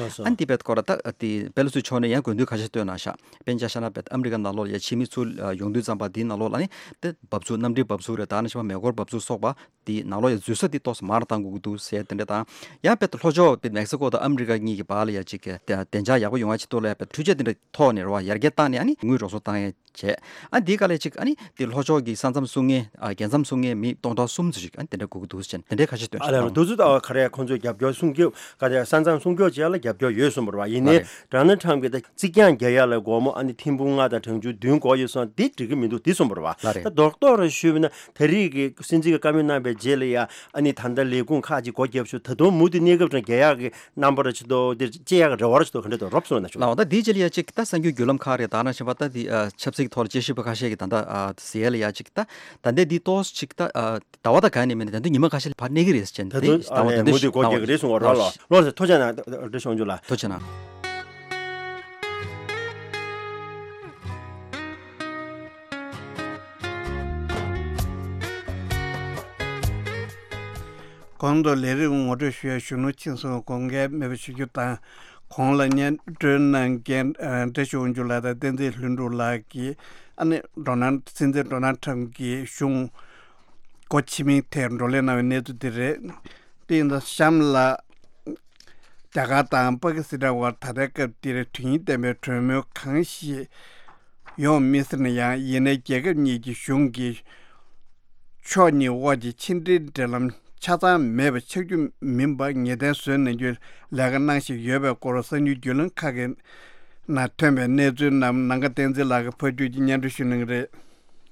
ཨ་ནི་དེ་བེད་ཁོ་ར་ད་དེ་པེ་ལོ་སི་མཆོག་ནས་ཡང་དགོས་འདུན་ཁ་ཤས་བཏོན་གནང་ཤག་དཔེར་ན་ཆ་བཞག་ན་བེད་ཨ་མི་རི་ཀ་ནང་ལོགས་ལ་ཡང་ཕྱི་མི་ཚུར་ཡོང་དུས་ཙམ་པ་དེའི་ནང་ལོགས་ལ་ནི་དེ་འབབ་ཚུགས་གནམ་གྲུའི་འབབ་ཚུགས་རེད། ད་ནི་ཆ་མེ་འཁོར་འབབ་ཚུགས་སོགས་པ་དེའི་ནང་ལོགས་ཡང་འཛུལ་ས་དེ་ཏོག་ཙམ་མར་བཏང་དགོས་ཀྱི་འདུག་ཟེར་དེ་འདྲ་དང་། ཡང་བེད་ལྷོ་ཕྱོགས་བེད་མེག་སི་ཀོ་དང་ཨ་མི་རི་ཀ་གཉིས་ཀྱི་བར་ལ་ཡང་ཅིག་གི་བདེ་འཇགས་ཡག་པོ་ཡོང་བ་ཆེད་དུ་ལ་ཡང་བེད་འཕྲུལ་ཆས་དེ་འདྲ་ཐོག་ནས་རེད་བ་ཡར་རྒྱས་བཏང་ནས་ཨ་ནི་དངུལ་རོགས་ཚོགས་བཏང་ཡས་བྱས། ཨ་འདིའི་སྐབས་ལ་ཅིག་ཨ་ནི་དེ་ལྷོ་ཕྱོགས་ཀྱི་ས་མཚམས་སྲུང་མཁན་ཨ་རྒྱལ་མཚམས་སྲུང་མཁན་མི་སྟོང་ཕྲག་གསུམ་ཙམ་ཞིག་ཨ་ནི་དེ་འདྲ་དགོས་ཀྱི་འདུག་ཟེར་དེ་འདྲའི་ཁ་ཤས་བཏོན་ཨ་ལས་རོ་ཤག་དུས་ཚོད་ལྟ་བ་ག་རེ་ཁོང་ཚོས་རྒྱབ་སྐྱོར་སྲུང་སྐྱོབ་ག་རེ་ས་མཚམས་སྲུང་སྐྱོབ་བྱེད་ཡ་ལ་རྒྱབ་སྐྱོར་ཡོད་གསུངས་པ་རེད་བ། ཡིན་ནའི་ལགས་རེད། ཌོ་ནལ་ཊམ་གྱིས་ད་རྩིག་གྱང་རྒྱག་ཡ་ལ་སྒོར་མོ་ཨ་ནི་ཐེར་འབུམ་ལྔ་དང་གྲངས་ཆུང་བདུན་དགོས་ཡོད་སོང་འདི་འགྲིག་གི་མི་འདུག་འདི་གསུངས་པ་རེད་བ། ལགས་རེད། ད་རྡོག་རྡོག་རེ་ཞུས་པ་ན་ད་རེས་ཀྱི་སྲིད་འཛིན་གྱི་བཀའ་མོལ་གནང་བའི་རྗེས་ལ་ཡ་ཨ་ནི་ད་ལྟ་ལས་ཁུངས་ཁག་ཅིག་སྒོ་བརྒྱབ་ཤོག་ད་དུང་མུ་མཐུད་གནས་སྐབས་དང་རྒྱལ་ཡག་གི་རྣམ་པ་ར་ཅིག་ཏོ་འདིར་སྐྱེ་ཡག་གི་རེ་བ་ར་ཅིག་ཏོ་ག་འདྲ་ཏོ་རོབ་སོང་ན་ཆོག་ལགས། འོ་ད་དེའི་རྗེས་ལ་ཡ་ཅིག་ད་གསར་འགྱུར་བརྒྱུད་ལམ་ཁག་རེད། ད་ནང་བཞིན་པ་ད་དེ་ཨ་ཆབ་སྲིད་ཀྱི་ཐོག་ལ་དཔྱད་ཞིབ་པ་ཁ་ཤས་ཀྱིས་ད་ལྟ་ཨ་ཟེར་ཡ་ལ་ཡ་ཅིག་ད་ད་ལྟའི་དེའི་ཏོག་ཙམ་ཅིག་ད་ཨ་ཟླ་བ་ད་ག་ནས་མིན་ན་ད་དུང་ཉི་མ་ཁ་ཤས་ལ་ཕར་གནས་ཀྱི་རེད་ཟེར་ནས་ད་དེ་དུང་ཟླ་བ་ད་ལྟ་མུ་མཐུད་སྒོ་རྒྱག་གི་རེད་གསུང་བ་རོགས་ལ་ལོ་ཟེར་ཐུགས་རྗེ་གནང་། བཀྲ་ཤིས་དབང་ཕྱུག་ལགས། ཐུགས་རྗེ་གནང་། གོང་དུ་ལས་རིམ་ངོ་སྤྲོད་ཞུ་ཡ་གཞོན་ནུ་ཆིང་སུན་དགོངས་འགལ་མེད་པ་ཞུ་རྒྱུ་དང་། གོང་ལ་སྙན་སྒྲོན་གནང་མཁན་ཨ་བཀྲ་ཤིས་དབང་ཕྱུག་ལགས་དང་བསྟན་འཛིན་ལྷུན་གྲུབ་ལགས་ཀྱིས་ཨ་ནི་ཌོ་ནལ་སྲིད་འཛིན་ཌོ་ནལ་ཊམ་གྱི་གཞུང་སྒོ་ཕྱེ་མིན་ཐད་བགྲོ་གླེང་གནང་བའི་གནས་ཚུལ་འདི་རེད། དེ་ཡིན་ཙང་གཤམ་ལ། རྒྱ་གར་དང་པ་ཀི་སི་ཐན་བར་ད་ལྟའི་སྐབས་འདིར་དོན་སྙིང་ལྡན་པའི་གྲོས་མོལ་གང་ཞིག་ཡོང་མི་སྲིད་ན་ཡང་། ཡིན་ནའི་རྒྱལ་ཁབ་གཉིས་ཀྱི་གཞུང་གི་ཕྱོགས་གཉིས་དབར་གྱི་ཕྱི་འབྲེལ་འབྲེལ་ལམ་ཆ་ཚང་མེད་པ་ཆགས་རྒྱུ་མིན་པ་ངེས་གཏན་བཟོས་གནང་རྒྱུའི་ལས་ཀ་གནང་བཞིན་ཡོད་པའི་སྐོར་གསར་འགྱུར་བརྒྱུད་ལམ་ཁག་གི་ནང་ཐོན་པའི་གནས་ཚུལ་རྣམས་ནམ་མཁའ་བསྟན་འཛིན་ལགས་ཀྱིས་ཕབ་སྒྱུར་གྱིས་སྙན་སྒྲོན་ཞུ་གནང་གི་རེད།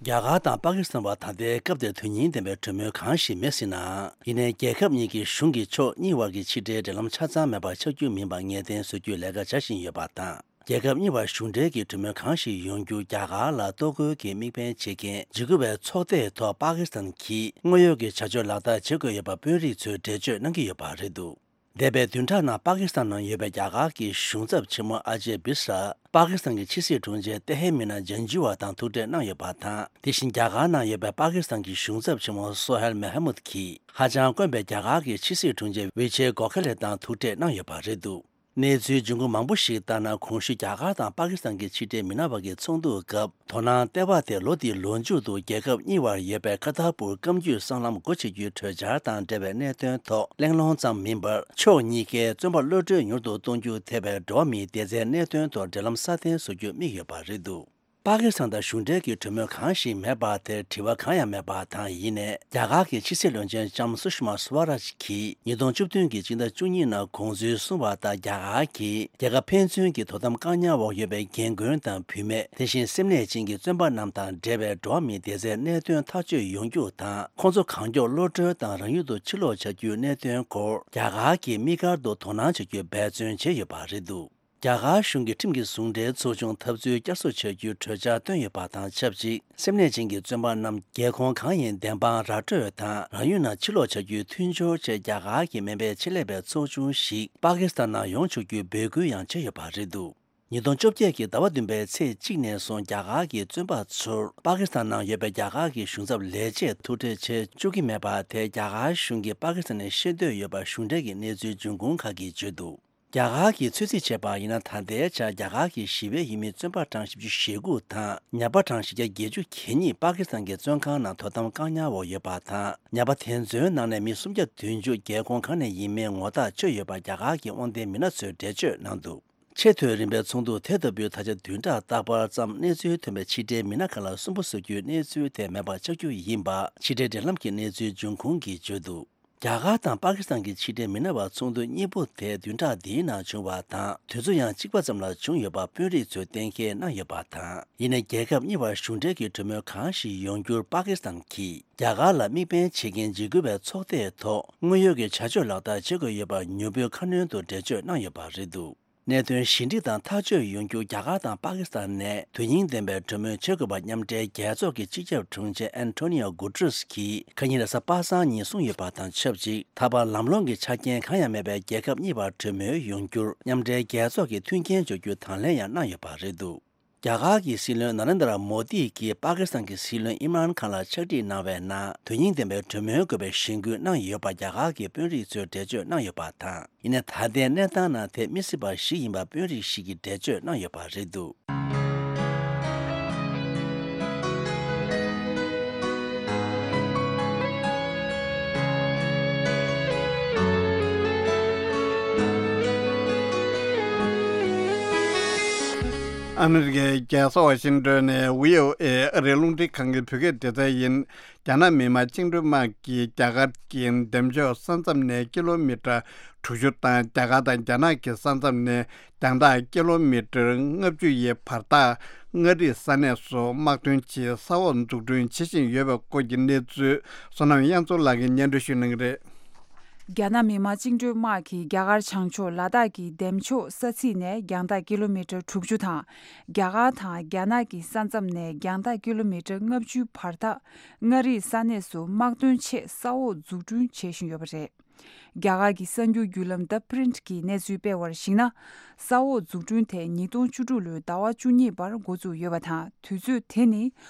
རྒྱ་གར་དང་པ་ཀི་སི་ཐན་བར་ད་ལྟའི་སྐབས་དེར་དོན་སྙིང་ལྡན་པའི་གྲོས་མོལ་གང་ཞིག་མེད་སྲིད་ནའང་། ཡིན་ནའི་རྒྱལ་ཁབ་གཉིས་ཀྱི་གཞུང་གི་ཕྱོགས་གཉིས་དབར་གྱི་ཕྱི་འབྲེལ་འབྲེལ་ལམ་ཆ་ཚང་མེད་པར་ཆགས་རྒྱུ་མིན་པ་ངེས་གཏན་བཟོ་རྒྱུའི་ལས་ཀ་བྱ་བཞིན་ཡོད་པ་དང་། རྒྱལ་ཁབ་གཉིས་བར་གཞུང་འབྲེལ་གྱི་གྲོས་མོལ་གང་ཞིག་ཡོང་རྒྱུར་རྒྱ་གར་ལ་གཏོར་རྒོལ་གྱི་དམིགས་འབེན་བྱེད་མཁན་འཇིགས་སྐུལ་བའི་ཚོགས་སྡེའི་ཐོག་པ་ཀི་སི་ཐན་གྱིས་དངོས་ཡོད་ཀྱི་བྱ་སྤྱོད་ལག་བསྟར་བྱེད་དགོས་ཡོད་པ་དཔོན་རིགས་ཚོས་འགྲེལ་བརྗོད་གནང་གི་ཡོད་པ་རེད་འདུག་འདས་པའི་བདུན་ཕྲག་ནང་པ་ཀི་སི་ཐན་ནང་ཡོད་པའི་རྒྱ་གར་གྱི་གཞུང་ཚབ་ཆེན་མོ་ཨ་ཇེ་བི་སྲ། པ་ཀི་སི་ཐན་གྱི་ཕྱི་སྲིད་དྲུང་ཆེ་ཏེ་ཧེ་མི་ན་ཇན་ཇུ་ཝ་དང་ཐུག་འཕྲད་གནང་ཡོད་པ་དང་། དེ་བཞིན་རྒྱ་གར་ནང་ཡོད་པའི་པ་ཀི་སི་ཐན་གྱི་གཞུང་ཚབ་ཆེན་མོ་སོ་ཧེལ་མེ་ཧ་མུད་ཀྱིས་ཧ་ཅང་དཀོན་པའི་རྒྱ་གར་གྱི་ཕྱི་སྲིད་དྲུང་ཆེ་ཝི་ཆེ་གོ་ཁེ་ལེ་དང་ཐུག་འཕྲད་གནང་ཡོད་པ་རེད་འདུག་གནས་ཚུལ་འབྱུང་ཁུངས་མང་པོ་ཞིག་ལྟར་ན། གོང་ཞུས་རྒྱ་གར་དང་པ་ཀི་སི་ཐན་གྱི་ཕྱི་འབྲེལ་མི་སྣ་བར་གྱི་ཚོགས་འདུ་སྐབས། དོ་སྣང་ལྟེ་བ་དེ་ལོ་འདིའི་ལོ་མཇུག་ཏུ་རྒྱལ་ཁབ་གཉིས་བར་ཡོད་པའི་ཁ་ཐར་པུར་སྐམ་རྒྱུད་སྲང་ལམ་སྒོ་ཕྱེ་རྒྱུའི་གྲོས་འཆར་དང་འབྲེལ་བའི་གནད་དོན་ཐོག་གླེང་སློང་ཙམ་མིན་པར། ཕྱོགས་གཉིས་ཀས་བཙོན་པ་གློད་གྲོལ་མྱུར་དུ་གཏོང་རྒྱུ་ཐེ་བའི་འགྲོ་བ་མིའི་བདེ་རྩའི་གནད་དོན་ཐོག་འབྲེལ་ལམ་སྲ་བརྟན་བཟོ་རྒྱུར་དམིགས་ཡོད་པ་རེད་འདུག་པ་ཀི་སི་ཐན་དང་གཞུང་འབྲེལ་གྱི་གྲོས་མོལ་གང་ཞིག་མེད་པ་དེར་དྲི་བ་གང་ཡང་མེད་པ་དང་། ཡིན་ནའི་རྒྱ་གར་གྱི་ཕྱི་སྲིད་བློན་ཆེན་ལྕམ་སུ་ཤི་མ་སུ་ཝ་རཱཇ་གྱིས་ཉིས་སྟོང་བཅུ་བདུན་གྱི་སྤྱི་ཟླ་བཅུ་གཉིས་ནང་གོང་ཚུལ་གསུངས་པ་ལྟར། རྒྱ་གར་གྱིས་རྒྱལ་ཁབ་ཕན་ཚུན་གྱི་དོ་དམ་བཀག་ཉར་འོག་ཡོད་པའི་རྒན་རྒོན་དང་བུད་མེད། དེ་བཞིན་སེམས་ནད་ཅན་གྱི་བཙོན་པ་རྣམས་དང་འབྲེལ་བའི་འགྲོ་བ་མིའི་བདེ་རྩའི་གནད་དོན་ཐག་གཅོད་ཡོང་རྒྱུ་དང་། ཁོང་ཚོ་གང་མགྱོགས་གློད་གྲོལ་དང་རང་ཡུལ་དུ་ཕྱིར་ལོག་བྱ་རྒྱུའི་གནད་དོན་སྐོར་རྒྱ་གར་གྱིས་དམིགས་བཀར་དུ་དོ་སྣང་བྱ་རྒྱུའི་འབད་བརྩོན་བྱས་ཡོད་པ་རེད་འདུག་རྒྱ་གར་གཞུང་གིས་ཁྲིམས་ཀྱི་ཟུང་འབྲེལ་ཚོགས་ཆུང་འཐབ་རྩོད་བསྐྱར་གསོ་བྱ་རྒྱུའི་གྲོས་འཆར་བཏོན་ཡོད་པ་དང་ཆབས་ཅིག་སེམས་ནད་ཅན་གྱི་བཙོན་པ་རྣམས་རྒྱལ་ཁོངས་གང་ཡིན་བདེན་དཔང་ར་སྤྲོད་དང་། རང་ཡུལ་ནང་ཕྱིར་ལོག་བྱ་རྒྱུའི་མཐུན་སྦྱོར་ཆེད་རྒྱ་གར་གྱི་སྨན་པའི་ཆེད་ལས་པའི་ཚོགས་ཆུང་ཞིག་པ་ཀི་སི་ཐན་ནང་ཡོང་ཆོག་རྒྱུའི་འབོད་སྐུལ་ཡང་བྱས་ཡོད་པ་རེད་འདུག་ཉིས་སྟོང་བཅོ་བརྒྱད་ཀྱི་ཟླ་བ་བདུན་པའི་ཚེས་གཅིག་ནས་བཟུང་རྒྱ་གར་གྱི་བཙོན་པ་ཚོར་པ་ཀི་སི་ཐན་ནང་ཡོད་པའི་རྒྱ་གར་གྱི་གཞུང་ཚབ་ལས་བྱེད་ཐུག་འཕྲད་བྱེད་བཅུག་གི་མེད་པ་དེ་རྒྱ་གར་གཞུང་གིས་པ་ཀི་སི་ཐན་ནས་ཤེས་འདོད་ཡོད་པ་གཞུང་འབྲེལ་གྱི་གནས་ཚུལ་འབྱུང་ཁུངས་ཁག་གིས་བརྗོད་འདུག་རྒྱ་གར་གྱིས་ཚོད་རྩིས་བྱས་པ་ཡིན་ན། ད་ལྟའི་ཆར་རྒྱ་གར་གྱི་ཞི་བའི་ཡུལ་མི་བཙོན་པ་གྲངས་བཞི་བཅུ་ཞེ་དགུ་དང་ཉ་པ་གྲངས་བཞི་བརྒྱ་བརྒྱད་ཅུ་གྱ་གཉིས་པ་ཀི་སི་ཐན་གྱི་བཙོན་ཁང་ནང་དོ་དམ་བཀག་ཉར་འོག་ཡོད་པ་དང་། ཉ་པ་དེ་ཚོའི་ནང་ནས་མི་སུམ་བརྒྱ་བདུན་ཅུ་རྒྱལ་ཁོངས་གང་ནས་ཡིན་མིན་ངོ་ཐག་ཆོད་ཡོད་པ་རྒྱ་གར་གྱི་དབང་ལྡན་མི་སྣ་ཚོས་འགྲེལ་བརྗོད་གནང་འདུག་ཆེས་མཐོའི་རིམ་པའི་ཚོགས་འདུ་དེ་ལྟ་བུའི་ད་ཆ་བདུན་ཕྲག་རྟག་པར་ཙམ་གནས་ཚུལ་ཐོན་པའི་ཕྱི་འབྲེལ་མི་སྣ་ཁག་ལ་སུན་པོ་བཟོ་རྒྱུའི་གནས་ཚུལ་དེ་མེད་པ་ཆགས་རྒྱུ་ཡིན་པ་ཕྱི་འབྲེལ་འབྲེལ་ལམ་གྱི་གནས་ཚུལ་འབྱུང་ཁུངས་ཀྱིས་བརྗོད་འདུག་རྒྱ་གར་དང་པ་ཀི་སི་ཐན་གྱི་ཕྱི་འབྲེལ་མི་སྣ་བར་ཚོགས་འདུ་གཉིས་པོ་དེ་བདུན་ཕྲག་འདིའི་ནང་བྱུང་བ་དང་། དུས་ཚོད་ཡང་གཅིག་པ་ཙམ་ལ་བྱུང་ཡོད་པ་དཔོན་རིགས་ཚོས་གཏན་འཁེལ་གནང་ཡོད་པ་དང་། ཡིན་ནའི་རྒྱལ་ཁབ་གཉིས་བར་གཞུང་འབྲེལ་གྱི་གྲོས་མོལ་གང་ཞིག་ཡོང་རྒྱུར་པ་ཀི་སི་ཐན་གྱིས་རྒྱ་གར་ལ་དམིགས་འབེན་བྱེད་མཁན་འཇིགས་སྐུལ་བའི་ཚོགས་སྡེའི་ཐོག་དངོས་ཡོད་ཀྱི་བྱ་སྤྱོད་ལག་བསྟར་བྱེད་དགོས་ཡོད་པར་མྱུར་པོའི་ཁ་སྣོན་དུ་འགྲེལ་བརྗོད་གནང་ཡོད་པ་རེད་འདུག་གནད་དོན་ཞི་འགྲིག་དང་ཐག་གཅོད་ཡོང་རྒྱུར་རྒྱ་གར་དང་པ་ཀི་སི་ཐན་ནས་དོན་སྙིང་ལྡན་པའི་གྲོས་མོལ་བྱེད་དགོས་པ་མཉམ་འབྲེལ་རྒྱལ་ཚོགས་ཀྱི་སྤྱི་ཁྱབ་དྲུང་ཆེ་ཨན་ཐོ་ནི་ཡོ་གུ་ཏྲེས་ཀྱིས་ཁ་ཉིན་རེས་གཟའ་པ་སངས་ཉིན་གསུངས་ཡོད་པ་དང་ཆབས་ཅིག་ད་བར་ལམ་ལྷོང་གི་ཆ་རྐྱེན་གང་ཡང་མེད་པའི་རྒྱལ་ཁབ་གཉིས་བར་གྲོས་མོལ་ཡོང་རྒྱུར་མཉམ་འབྲེལ་རྒྱལ་ཚོགས་ཀྱིས་མཐུན་རྐྱེན་སྦྱོར་རྒྱུའི་དང་ལེན་ཡང་གནང་ཡོད་པ་རེད་འདུག་རྒྱ་གར་གྱི་སྲིད་བློན་ན་རེན་དྲ་མོ་དི་གིས་པ་ཀི་སི་ཐན་གྱི་སྲིད་བློན་ཨིམ་རཱན་ཁཱན་ལ་ཕྱག་བྲིས་གནང་བའི་ནང་དོན་སྙིང་ལྡན་པའི་གྲོས་མོལ་དགོས་པའི་གཞེན་སྐུལ་གནང་ཡོད་པ་རྒྱ་གར་གྱི་དཔོན་རིགས་ཚོས་འགྲེལ་བརྗོད་གནང་ཡོད་པ་དང་། ཡིན་ནའི་ད་ལྟའི་གནས་སྟངས་ནང་དེ་མི་སྲིད་པ་ཞིག་ཡིན་པ་དཔོན་རིགས་ཤིག་གིས་འགྲེལ་བརྗོད་གནང་ཡོད་པ་རེད་འདུག་ཨ་མི་རི་ཀའི་རྒྱལ་ས་ཝ་ཤིང་ཏོན་ནས་བྷི་ཨོ་ཨེ་ཨ་རིའི་རླུང་འཕྲིན་ཁང་གི་བོད་སྐད་སྡེ་ཚན་ཡིན། རྒྱ་ནག་མི་དམངས་བཅིངས་འགྲོལ་དམག་གིས་རྒྱ་གར་གྱི་འདེམས་ཤོག་ས་མཚམས་ནས་ཀི་ལོ་མི་ཊར་དྲུག་ཅུ་དང་རྒྱ་གར་དང་རྒྱ་ནག་གི་ས་མཚམས་ནས་རྒྱང་ཐག་ཀི་ལོ་མི་ཊར་ལྔ་བཅུ་ཡི་བར་ཐག་ མངའ་རིས་ས་གནས་སུ་དམག་དོན་ཆེད་ས་འོག་འཛུགས་སྐྲུན་བྱེད་བཞིན་ཡོད་པའི་སྐོར་གྱི་གནས་ཚུལ། བསོད་ནམས་དབྱངས་མཚོ་ལགས་ཀྱིས་སྙན་སྒྲོན་ཞུ་གནང་གི་རེད། རྒྱ་ནག་མི་དམངས་བཅིངས་འགྲོལ་དམག་གིས་རྒྱ་གར་བྱང་ཕྱོགས་ལ་དྭགས་ཀྱི་འདེམས་ཕྱོགས་ས་ཚིགས་ནས་རྒྱང་ཐག་ཀི་ལོ་མི་ཊར་དྲུག་ཅུ་དང་། རྒྱ་གར་དང་རྒྱ་ནག་གི་ས་མཚམས་ནས་རྒྱང་ཐག་ཀི་ལོ་མི་ཊར་ལྔ་བཅུའི་བར་ཐག་མངའ་རིས་ས་གནས་སུ་དམག་དོན་ཆེད་ས་འོག་འཛུགས་སྐྲུན་བྱེད་བཞིན་ཡོད་པ་རེད། རྒྱ་གར་གྱི་གསར་འགྱུར་བརྒྱུད་ལམ་The Print གྱིས་གནས་ཚུལ་སྤེལ་བར་གཞིགས་ན། ས་འོག་འཛུགས་སྐྲུན་དེ་ཉིས་སྟོང་བཅུ་དྲུག་ལོའི་ཟླ་བ་བཅུ་གཉིས་པར་འགོ་བཙུགས་ཡོད་པ་དང་། དུས་ཚོད་དེ་ནི་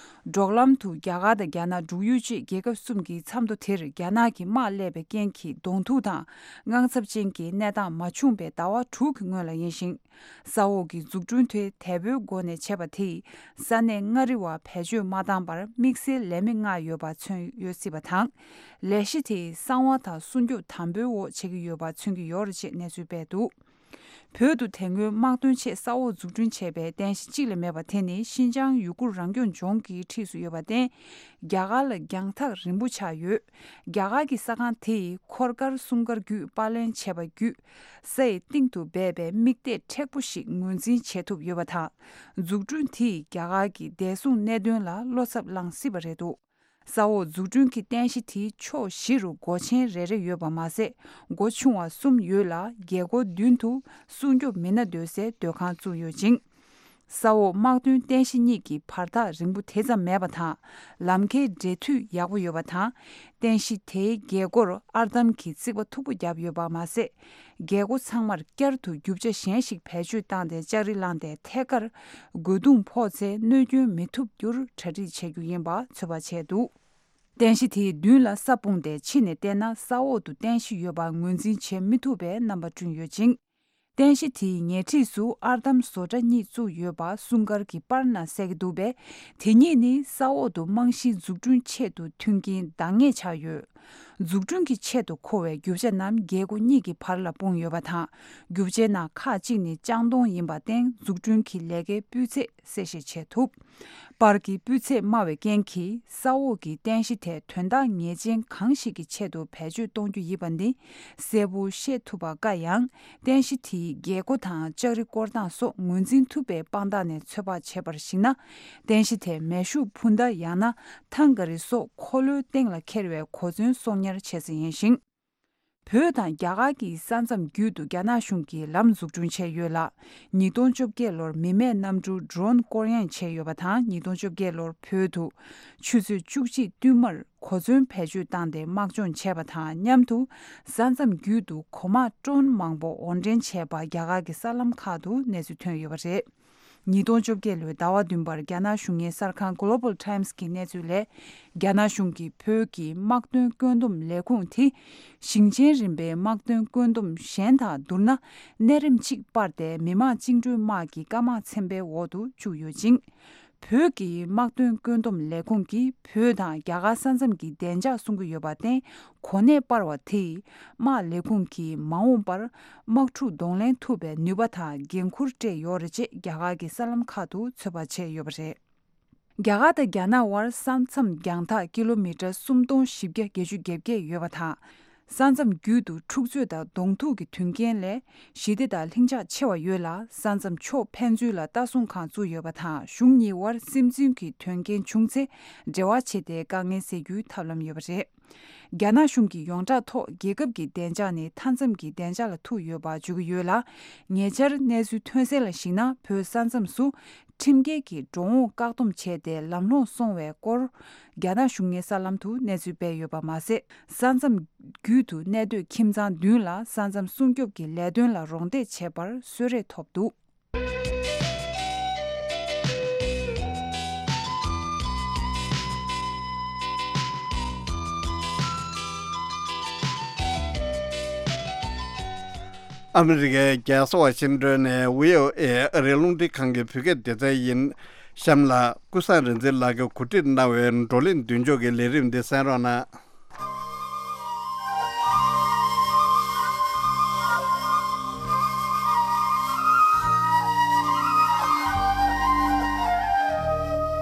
འབྲོག་ལམ་དུ་རྒྱ་གར་དང་རྒྱ་ནག་འབྲུག་ཡུལ་བཅས་རྒྱལ་ཁབ་གསུམ་གྱི་མཚམས་ཐོ་དེར་རྒྱ་ནག་གི་དམག་སླེབས་པའི་རྐྱེན་གྱིས་གདོང་ཐུག་དང་དངངས་འཚབ་ཅན་གྱི་གནས་སྟངས་མ་བྱུང་བའི་ཟླ་བ་དྲུག་གི་སྔོན་ལ་ཡིན་ཞིང་། ས་འོག་གི་འཛུགས་སྐྲུན་དེ་དལ་པོའི་སྒོ་ནས་བྱས་པ་དེས་ས་གནས་མངའ་རིས་བར་བེད་སྤྱོད་མ་བཏང་པར་དམིགས་བསལ་ལས་མི་མངགས་ཡོད་པ་མཚོན་ཡོད་སྲིད་པ་དང་། ལས་གཞི་དེས་གསང་བ་དང་སྲུང་སྐྱོབ་དམ་པོའི་འོག་བྱེད་ཀྱི་ཡོད་པ་མཚོན་གྱི་ཡོད་རེད་ཅེས་གནས་ཚུལ་སྤེལ་འདུག་བོད་དུ་དེ་སྔོན་དམག་དོན་ཆེད་ས་འོག་འཛུགས་སྐྲུན་བྱས་པའི་རྟེན་གཞི་གཅིག་ལས་མེད་པ་དེ་ནི་ཤིན་ཅང་ཡུ་གུར་རང་སྐྱོང་ལྗོངས་ཀྱི་འཁྲིས་སུ་ཡོད་པར་བརྟེན། རྒྱ་གར་ལ་རྒྱང་ཐག་རིང་པོ་ཆགས་ཡོད། རྒྱ་གར་གྱི་ས་ཁང་དེས་འཁོར་སྐར་གསུམ་སྐར་བརྒྱུད་པར་ལེན་བྱས་པ་བརྒྱུད། ས་ཡི་གཏིང་དུ་སྦས་པའི་དམིགས་གཏད་མཁྲེགས་པོ་ཞིག་ངོས་འཛིན་བྱེད་ཐུབ་ཡོད་པ་དང་། འཛུགས་སྐྲུན་དེས་རྒྱ་གར་གྱི་བདེ་སྲུང་གནད་དོན་ལ་བློ་འཚབ་བསླངས་སྲིད་པ་རེད་འདུག་ས་འོག་འཛུགས་སྐྲུན་གྱི་རྟེན་གཞི་དེའི་ཕྱོགས་བཞི་རུ་སྒོ་ཆེན་རེ་རེ་ཡོད་པ་མ་ཟད། སྒོ་ཆུང་བ་གསུམ་ཡོད་ལ། རྒྱལ་སྒོ་མདུན་དུ་སྲུང་སྐྱོབ་མི་སྣ་སྡོད་སའི་སྡོད་ཁང་བཙུགས་ཡོད་ཅིང་། ས་འོག་དམག་དོན་རྟེན་གཞི་གཉིས་ཀྱི་བར་ཐག་རིང་པོ་དེ་ཙམ་མེད་པ་དང་། ལམ་ཁའི་འབྲེལ་མཐུད་ཡག་པོ་ཡོད་པ་དང་། རྟེན་གཞི་དེའི་རྒྱལ་སྒོར་ཨར་འདམ་གྱི་རྩིག་པ་མཐུག་པོ་བརྒྱབ་ཡོད་པ་མ་ཟད། རྒྱལ་སྒོ་ཚང་མར་བསྐྱར་དུ་རྒྱུ་ཆ་གཞན་ཞིག་བེད་སྤྱོད་བཏང་སྟེ་ལྕགས་རི་བསླངས་ཏེ་ཐད་ཀར་རྒོལ་རྡུང་ཕོག་ཚེ་གནོད་སྐྱོན་མི་ཐུབ་རྒྱུར་གྲ་སྒྲིག་བྱེད་རྒྱུ་ཡིན་པ་ཚོད་དཔག་བྱས་འདུག་རྟེན་གཞི་དེའི་མདུན་ལ་ས་སྤུངས་ཏེ་ཕྱི་ནས་བལྟས་ན་ས་འོག་ཏུ་རྟེན་གཞི་ཡོད་པ་ངོས་འཛིན་བྱེད་མི་ཐུབ་པའི་རྣམ་པ་བསྐྲུན་ཡོད་ཅིང་། རྟེན་གཞི་དེའི་ཉེ་འཁྲིས་སུ་ཨར་འདམ་བཟོ་གྲྭ་གཉིས་བཙུགས་ཡོད་པ་སྲུང་སྐར་གྱི་པར་ནང་གསལ་གྱི་འདུག་པས། དེ་གཉིས་ནི་ས་འོག་ཏུ་རྨང་གཞི་འཛུགས་སྐྲུན་ཆེད་དུ་མཐུན་རྐྱེན་འདང་ངེས་ཆགས་ཡོད། འཛུགས་སྐྲུན་གྱི་ཆེད་དུ་མཁོ་བའི་རྒྱུ་ཆ་རྣམས་རྒྱལ་སྒོ་གཉིས་ཀྱི་བར་ལ་སྤུངས་ཡོད་པ་དང་། རྒྱུ་ཆའི་ནང་ཁག་ཅིག་ནི་ལྕང་སྡོང་ཡིན་པར་བརྟེན། འཛུགས་སྐྲུན་གྱི་ལས་ཀའི་སྤུས་ཚད་གསལ་བཤད་བྱེད་ཐུབ། པར་གྱི་སྤུས་ཚད་དམའ་བའི་རྐྱེན་གྱིས་ས་འོག་གི་རྟེན་གཞི་དེ་དོན་དག་ངེས་ཅན་གང་ཞིག་གི་ཆེད་དུ་བེད་སྤྱོད་གཏོང་རྒྱུ་ཡིན་པ་ནི་གསལ་པོ་ཤེས་ཐུབ་པ་དཀའ་ཡང་། རྟེན་གཞི་དེའི་རྒྱལ་སྒོ་དང་ལྕགས་རི་བསྐོར་སྟངས་སོགས་ངོས་འཛིན་ཐུབ་པའི་དཔང་རྟགས་ནས་ཚོད་དཔག་བྱས་པར་གཞིགས་ན། རྟེན་གཞི་དེ་མེ་ཤུགས་འཕུར་མདའ་ཡང་ན་ཐང་ག་རི་སོགས་འཁོར་ལོའི་སྟེང་ལ་འཁྱེར་བའི་གོ་མཚོན་གསོག་ཉར་བྱེད་ས་ཡིན་ཞིང་། བོད་དང་རྒྱ་གར་གྱི་ས་མཚམས་བརྒྱུད་དུ་རྒྱ་ནག་གཞུང་གིས་ལམ་འཛུགས་སྐྲུན་བྱས་ཡོད་ལ། ཉིས་སྟོང་བཅོ་བརྒྱད་ལོར་མི་མེད་གནམ་གྲུ་ཌྲོན་སྐོར་གཡེང་བྱས་ཡོད་པ་དང་། ཉིས་སྟོང་བཅོ་བརྒྱད་ལོར་བོད་དུ་ཆུ་ཚོད་བཅུ་གཅིག་བསྟུད་མར་གོ་མཚོན་བེད་སྤྱོད་བཏང་སྟེ་དམག་སྦྱོང་བྱས་པ་དང་མཉམ་དུ། ས་མཚམས་བརྒྱུད་དུ་གོ་དམག་ཌྲོན་མང་པོ་དབོར་འདྲེན་བྱས་པ་རྒྱ་གར་གྱི་གསར་ལམ་ཁག་ཏུ་གནས་ཚུལ་ཐོན་ཡོད་པ་རེད། ཉིས་སྟོང་བཅོ་བརྒྱད་ལོའི་ཟླ་བ་བདུན་པར་རྒྱ་ནག་གཞུང་གཉེར་གསར་ཁང་Global Times གྱི་གནས་ཚུལ་ལས། རྒྱ་ནག་གཞུང་གིས་བོད་ཀྱི་དམག་དོན་བཀོད་འདོམས་ལས་ཁུངས་དེ། ཞིང་ཆེན་རིམ་པའི་དམག་དོན་བཀོད་འདོམས་གཞན་དང་བསྡུར་ན། གནས་རིམ་གཅིག་སྤར་ཏེ་མི་དམངས་བཅིངས་འགྲོལ་དམག་གི་སྐམ་དམག་ཚན་པའི་འོག་ཏུ་བཅུག་ཡོད་ཅིང་། བོད་ཀྱི་དམག་དོན་བཀོད་འདོམས་ལས་ཁུངས་ཀྱིས་བོད་དང་རྒྱ་གར་ས་མཚམས་ཀྱི་བདེ་འཇགས་སྲུང་གི་ཡོད་པར་བརྟེན། གོ་གནས་སྤར་བ་དེས། དམག་ལས་ཁུངས་ཀྱིས་མ་འོངས་པར། དམག་འཁྲུག་གདོང་ལེན་ཐུབ་པའི་ནུས་པ་དང་འགན་འཁུར་སྤྲད་ཡོད་རེད་ཅེས་རྒྱ་གར་གྱི་གསར་ལམ་ཁག་ཏུ་ཚོད་དཔག་བྱས་ཡོད་པ་རེད། རྒྱ་གར་དང་རྒྱ་ནག་དབར་ས་མཚམས་རྒྱང་ཐག་ཀི་ལོ་མི་ཊར་སུམ་སྟོང་བཞི་བརྒྱ་བརྒྱད་ཅུ་གྱ་བརྒྱད་ཡོད་པ་དང་། ས་མཚམས་བརྒྱུད་དུ་འཁྲུག་རྩོད་དང་གདོང་ཐུག་གི་དོན་རྐྱེན་ལས། ཞི་བདེ་དང་ལྷིང་འཇགས་ཆེ་བ་ཡོད་ལ། ས་མཚམས་ཕྱོགས་ཕན་ཚུན་ལ་ལྟ་སྲུང་ཁང་བཙུགས་ཡོད་པ་དང་། གཞུང་གཉིས་དབར་སིམ་འཛུལ་གྱི་དོན་རྐྱེན་བྱུང་ཚེ། འབྲེལ་བ་བྱས་ཏེ་དཀའ་ངལ་སེལ་རྒྱུའི་ཐབས་ལམ་ཡོད་པ་རེད། རྒྱ་ནག་གཞུང་གི་ཡོངས་གྲགས་ཐོག་རྒྱལ་ཁབ་ཀྱི་བདེ་འཇགས་ནི་མཐའ་མཚམས་ཀྱི་བདེ་འཇགས་ལ་ཐུག་ཡོད་པ་བརྗོད་ཀྱི་ཡོད་ལ། ཉེ་ཆར་གནས་ཚུལ་ཐོན་གསལ་ལ་གཞིགས་ན། བོད་ས་མཚམས་སུ་ཁྲིམས་འགལ་གྱིས་འགྲོ་འོང་བཀག་སྡོམ་བྱས་ཏེ་ལམ་ལྷོང་སོང་བའི་སྐོར། རྒྱ་ནག་གཞུང་གཉེར་གསར་ལམ་དུ་གནས་ཚུལ་སྤེལ་ཡོད་པ་མ་ཟད། ས་མཚམས་བརྒྱུད་དུ་གནས་སྡོད་ཁྱིམ་ཚང་བདུན་ལ་ས་མཚམས་སྲུང་སྐྱོབ་ཀྱི་ལས་དོན་ལ་རོགས་འདེགས་བྱས་པར་གསོལ་རས་ཐོབ་འདུག་ཨ་མི་རི་ཀའི་རྒྱལ་ས་ཝ་ཤིང་ཏོན་ནས་ཝི་ཨོ་ཨེ་ཨ་རིའི་རླུང་འཕྲིན་ཁང་གི་བོད་སྐད་སྡེ་ཚན་ཡིན། གཤམ་ལ་ཀུན་བཟང་རིག་འཛིན་ལགས་ཀྱིས་གོ་སྒྲིག་གནང་བའི་བགྲོ་གླེང་མདུན་ལྕོག་གི་ལས་རིམ་འདི་གསན་རོགས་གནང་།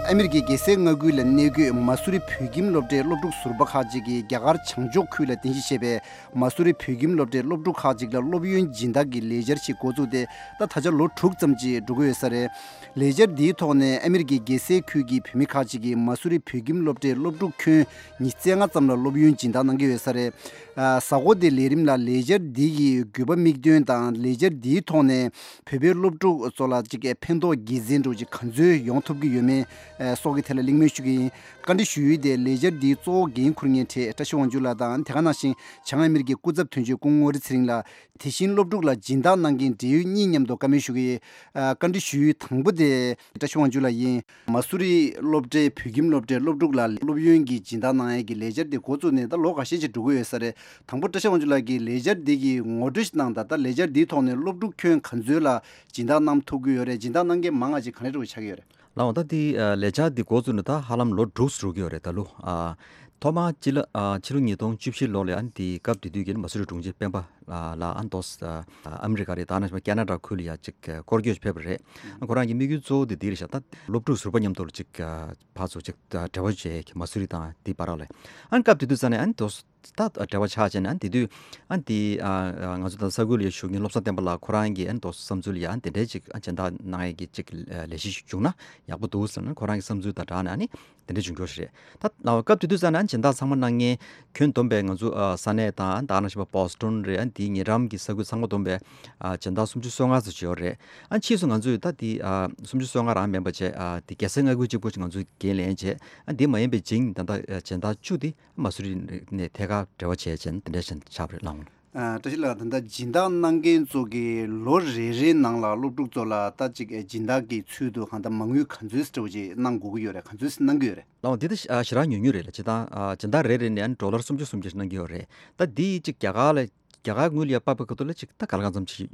ཨ་མི་རི་ཀའི་རྒྱལ་སའི་མངའ་ཁུལ་ལ་གནས་འཁོད་མ་སུ་རི་བོད་ཁྱིམ་སློབ་གྲྭའི་སློབ་ཕྲུག་ཟུར་པ་ཁག་ཅིག་གིས་རྒྱ་གར་བྱང་ཕྱོགས་ཁུལ་ལ་རྟེན་གཞི་བྱས་པའི་མ་སུ་རི་བོད་ཁྱིམ་སློབ་གྲྭའི་སློབ་ཕྲུག་ཁག་ཅིག་ལ་སློབ་ཡོན་སྦྱིན་བདག་གི་ལས་འཆར་ཞིག་འགོ་བཙུགས་ཏེ། ད་ད་ཆ་ལོ་དྲུག་ཙམ་ཅིག་འགྲོ་གི་ཡོད་ས་རེད། ལས་འཆར་འདིའི་ཐོག་ནས་ཨ་མི་རི་ཀའི་རྒྱལ་སའི་ཁུལ་གྱི་བོད་མི་ཁག་ཅིག་གིས་མ་སུ་རི་བོད་ཁྱིམ་སློབ་གྲྭའི་སློབ་ཕྲུག་ཁྱོན་ཉི་ཤུ་རྩ་ལྔ་ཙམ་ལ་སློབ་ཡོན་སྦྱིན་བདག་གནང་གི་ཡོད་ས་རེད། ཨ། གཟའ་འཁོར་འདིའི་ལས་རིམ་ལ་ལས་འཆར་འདི་ཡི་དགོས་པ་དམིགས་འདུན་དང་། ལས་འཆར་འདིའི་ཐོག་ནས་བོད་པའི་སློབ་ཕྲུག་ཚོ་ལ་ཅིག་ཕན་ཐོགས་དགེ་མཚན་འདྲ་ཅིག་ག་ཚོད་ཡོང་ཐུབ་ཀྱི་ཡོད་མེད་སོགས་ཀྱི་ཐད་ལ་གླེང་མོལ་ཞུ་གི་ཡིན། བཀའ་འདྲི་ཞུ་ཡུལ་དེ་ལས་འཆར་འདིའི་གཙོ་བོ་འགན་འཁུར་མཁན་གྲས་བཀྲ་ཤིས་དབང་ཕྱུག་ལགས་དང་། དེ་ག་ནང་བཞིན་བྱང་ཨ་མི་རི་ཀའི་སྐུ་ཚབ་དོན་གཅོད་སྐུ་ངོ་ངོ་རི་ཚེ་རིང་ལགས། དེ་བཞིན་སློབ་ཕྲུག་ལ་སྦྱིན་བདག་གནང་མཁན་འབྲེལ་ཡོད་གཉིས་མཉམ་དུ་བཀའ་མོལ་ཞུ་གི་ཡིན། ཨ། བཀའ་འདྲི་ཞུ་ཡུལ་དང་པོ་དེ་བཀྲ་ཤིས་དབང་ཕྱུག་ལགས་ཡིན། མ་སུ་རི་སློབ་གྲྭའི་བོད་ཁྱིམ་སློབ་གྲྭའི་སློབ་ཕྲུག་ལ་སློབ་ཡོན་གྱི་སྦྱིན་བདག་གནང་ཡས་ཀྱི་ལས་འཆར་དེ་འགོ་བཙུགས་ནས་ད་ལོ་འགའ་ཤས་ཅིག་འགྲོ་གི་ཡོད་ས་རེད། དང་པོ་བཀྲ་ཤིས་དབང་ཕྱུག་ལགས་ཀྱིས་ལས་འཆར་འདི་གི་ངོ་སྤྲོད་ཞིག་གནང་དང་། ད་ལས་འཆར་འདིའི་ཐོག་ནས་སློབ་ཕྲུག་ཁྱོན་ག་ཚོད་ལ་སྦྱིན་བདག་གནང་ཐུབ་ཀྱི་ཡོད་རེད། སྦྱིན་བདག་གནང་མཁན་མང་ང་ཅིག་ག་འདྲ་ཅིག་ཆགས་ཀྱི་ཡོད་རེད། ལགས་འོང་། ད་འདི་ལས་འཆར་འདི་འགོ་བཙུགས་ནས་ད་ཧ་ལམ་ལོ་དྲུག་འགྲོ་གི་ཡོད་རེད། ད་ལོ། ཨ། ཐོག་མར་སྤྱི་ལོ། ཨ། ཕྱི་ལོ་ཉིས་སྟོང་བཅུ་བཞི་ལོ་ལ་ཨ་ནི་དེའི་སྐབས་དེ་དུས་ཀྱི་མ་སུ་རི་དྲུང་ཆེ་སྤེན་པ་ལགས་ལ་ཨ་ནི་ཏོག་ཙམ་ཨ་མི་རི་ཀ་རེད། ད་ནང་བཞིན་ཁེ་ན་ཌ་ཁུལ་ལ་ཡ་ཅིག་སྐོར་སྐྱོད་ཕེབས་པ་རེད། ཨ། ཁོ་རང་གི་དམིགས་ཡུལ་གཙོ་བོ་དེ་འདི་རེད་ཤག་ད་སློབ་ཕྲུག་ཟུར་པ་མཉམ་དུ་ལ་ཅིག་ཕར་ཚུར་ཅིག་འབྲེལ་བ་བྱས་མ་སུ་རི་དང་དེའི་བར་ལ། ཨ་ནི་སྐབས་དེ་དུས་ཙ་ནས་ཨ་ནི་ཏོག་ཙམ་ད་འབྲེལ་བ་ཆགས་བྱས་ནས། ཨ་ནི་དེ་དུས་ཨ་ནི་དེ་ཨ་ང་ཚོ་ད་ས་ཁུལ་ལ་བཞུགས་མཁན་བློ་བཟང་བསྟན་པ་ལགས་ཁོ་རང་གིས་ཨ་ནི་ཏོག་ཙམ་བསམ་ཚུལ་ལ་ཡ་ཨ་ནི་དེ་འདྲའི་ཅིག་ཨ་སྦྱིན་བདག་གནང་ཡས་ཀྱི་ཅིག་ལས་གཞི་ཞིག་བྱུང་ན་ཡག་པོ་འདུག་ཟེར་ནས་ཁོ་རང་གི་བསམ་ཚུལ་དང་སྦྲགས་ནས་ཨ་ནི། དེ་འདྲ་བྱུང་ཁྱོ་ཞིག་རེད། ད་ལའོ་སྐབས་དེ་དུས་ཙ་ན་སྦྱིན་བདག་ཚང་མ་གནང་མཁན་ཁྱོན་བསྡོམས་པས་ང་ཚོ་ཨ་ས་གནས་དང་ད་ག་ནང་བཞིན་པ་བོ་སི་ཊོན་རེད། ཨ་དེའི་ཉེ་འགྲམ་གྱི་ས་ཁུལ་ཚང་མ་བསྡོམས་པས་ཨ་སྦྱིན་བདག་སུམ་ཅུ་སོ་ལྔ་ཙམ་ཅིག་ཡོད་རེད། ཨ་ཕྱིས་སུ་ང་ཚོས་ད་དེ་ཨ་སུམ་ཅུ་སོ་ལྔ་རང་མིན་པ་བྱས། ཨ་དེ་རྒྱལ་སའི་མངའ་ཁུལ་གཅིག་པོ་ཞིག་ང་ཚོས་འགན་ལེན་བྱས། ཨ་དེ་མ་ཡིན་པའི་རྗེས་ད་ལྟ་ཨ་སྦྱིན་བདག་བཅུ་དེ་མ་སུ་རི་ནས་ཐད་ཀར་འབྲེལ་བ་བྱས་བྱས་ནས་དེ་འདྲ་ཞིག་ཆགས་པ་རེད་ལགས། ཨ། བཀྲ་ཤིས་ལགས། ད་ལྟ་སྦྱིན་བདག་གནང་མཁན་ཚོ་གིས་ལོ་རེ་རེའི་ནང་ལ་སློབ་ཕྲུག་ཚོ་ལ་ད་ཅིག་སྦྱིན་བདག་གི་ཚུལ་དུ་གང་ལྟར་མ་དངུལ་ག་ཚོད་ཅིག་གནང་དགོས་ཀྱི་ཡོད་རེད། ག་ཚོད་ཅིག་གནང་གི་ཡོད་རེད། ལགས་འོང་། འདི་ད་ཞེ་དྲག་ཉུང་ཉུང་རེད་ལགས། སྤྱིར་བཏང་ཨ་སྦྱིན་བདག་རེ་རེ་ནས་ཨ་ནི་ཌོ་ལར་སུམ་ཅུ་སུམ་ཅུ་ཞིག་གནང་གི་ཡོད་རེད། ད་འདི་ཅིག་རྒྱ་གར་ལ་རྒྱ་གར་དངུལ་ལ་དཔག་པའི་ཁ་ཐུག་ལ་ཅིག་ད་ག་ལ་གང་འཚམ་ཅིག་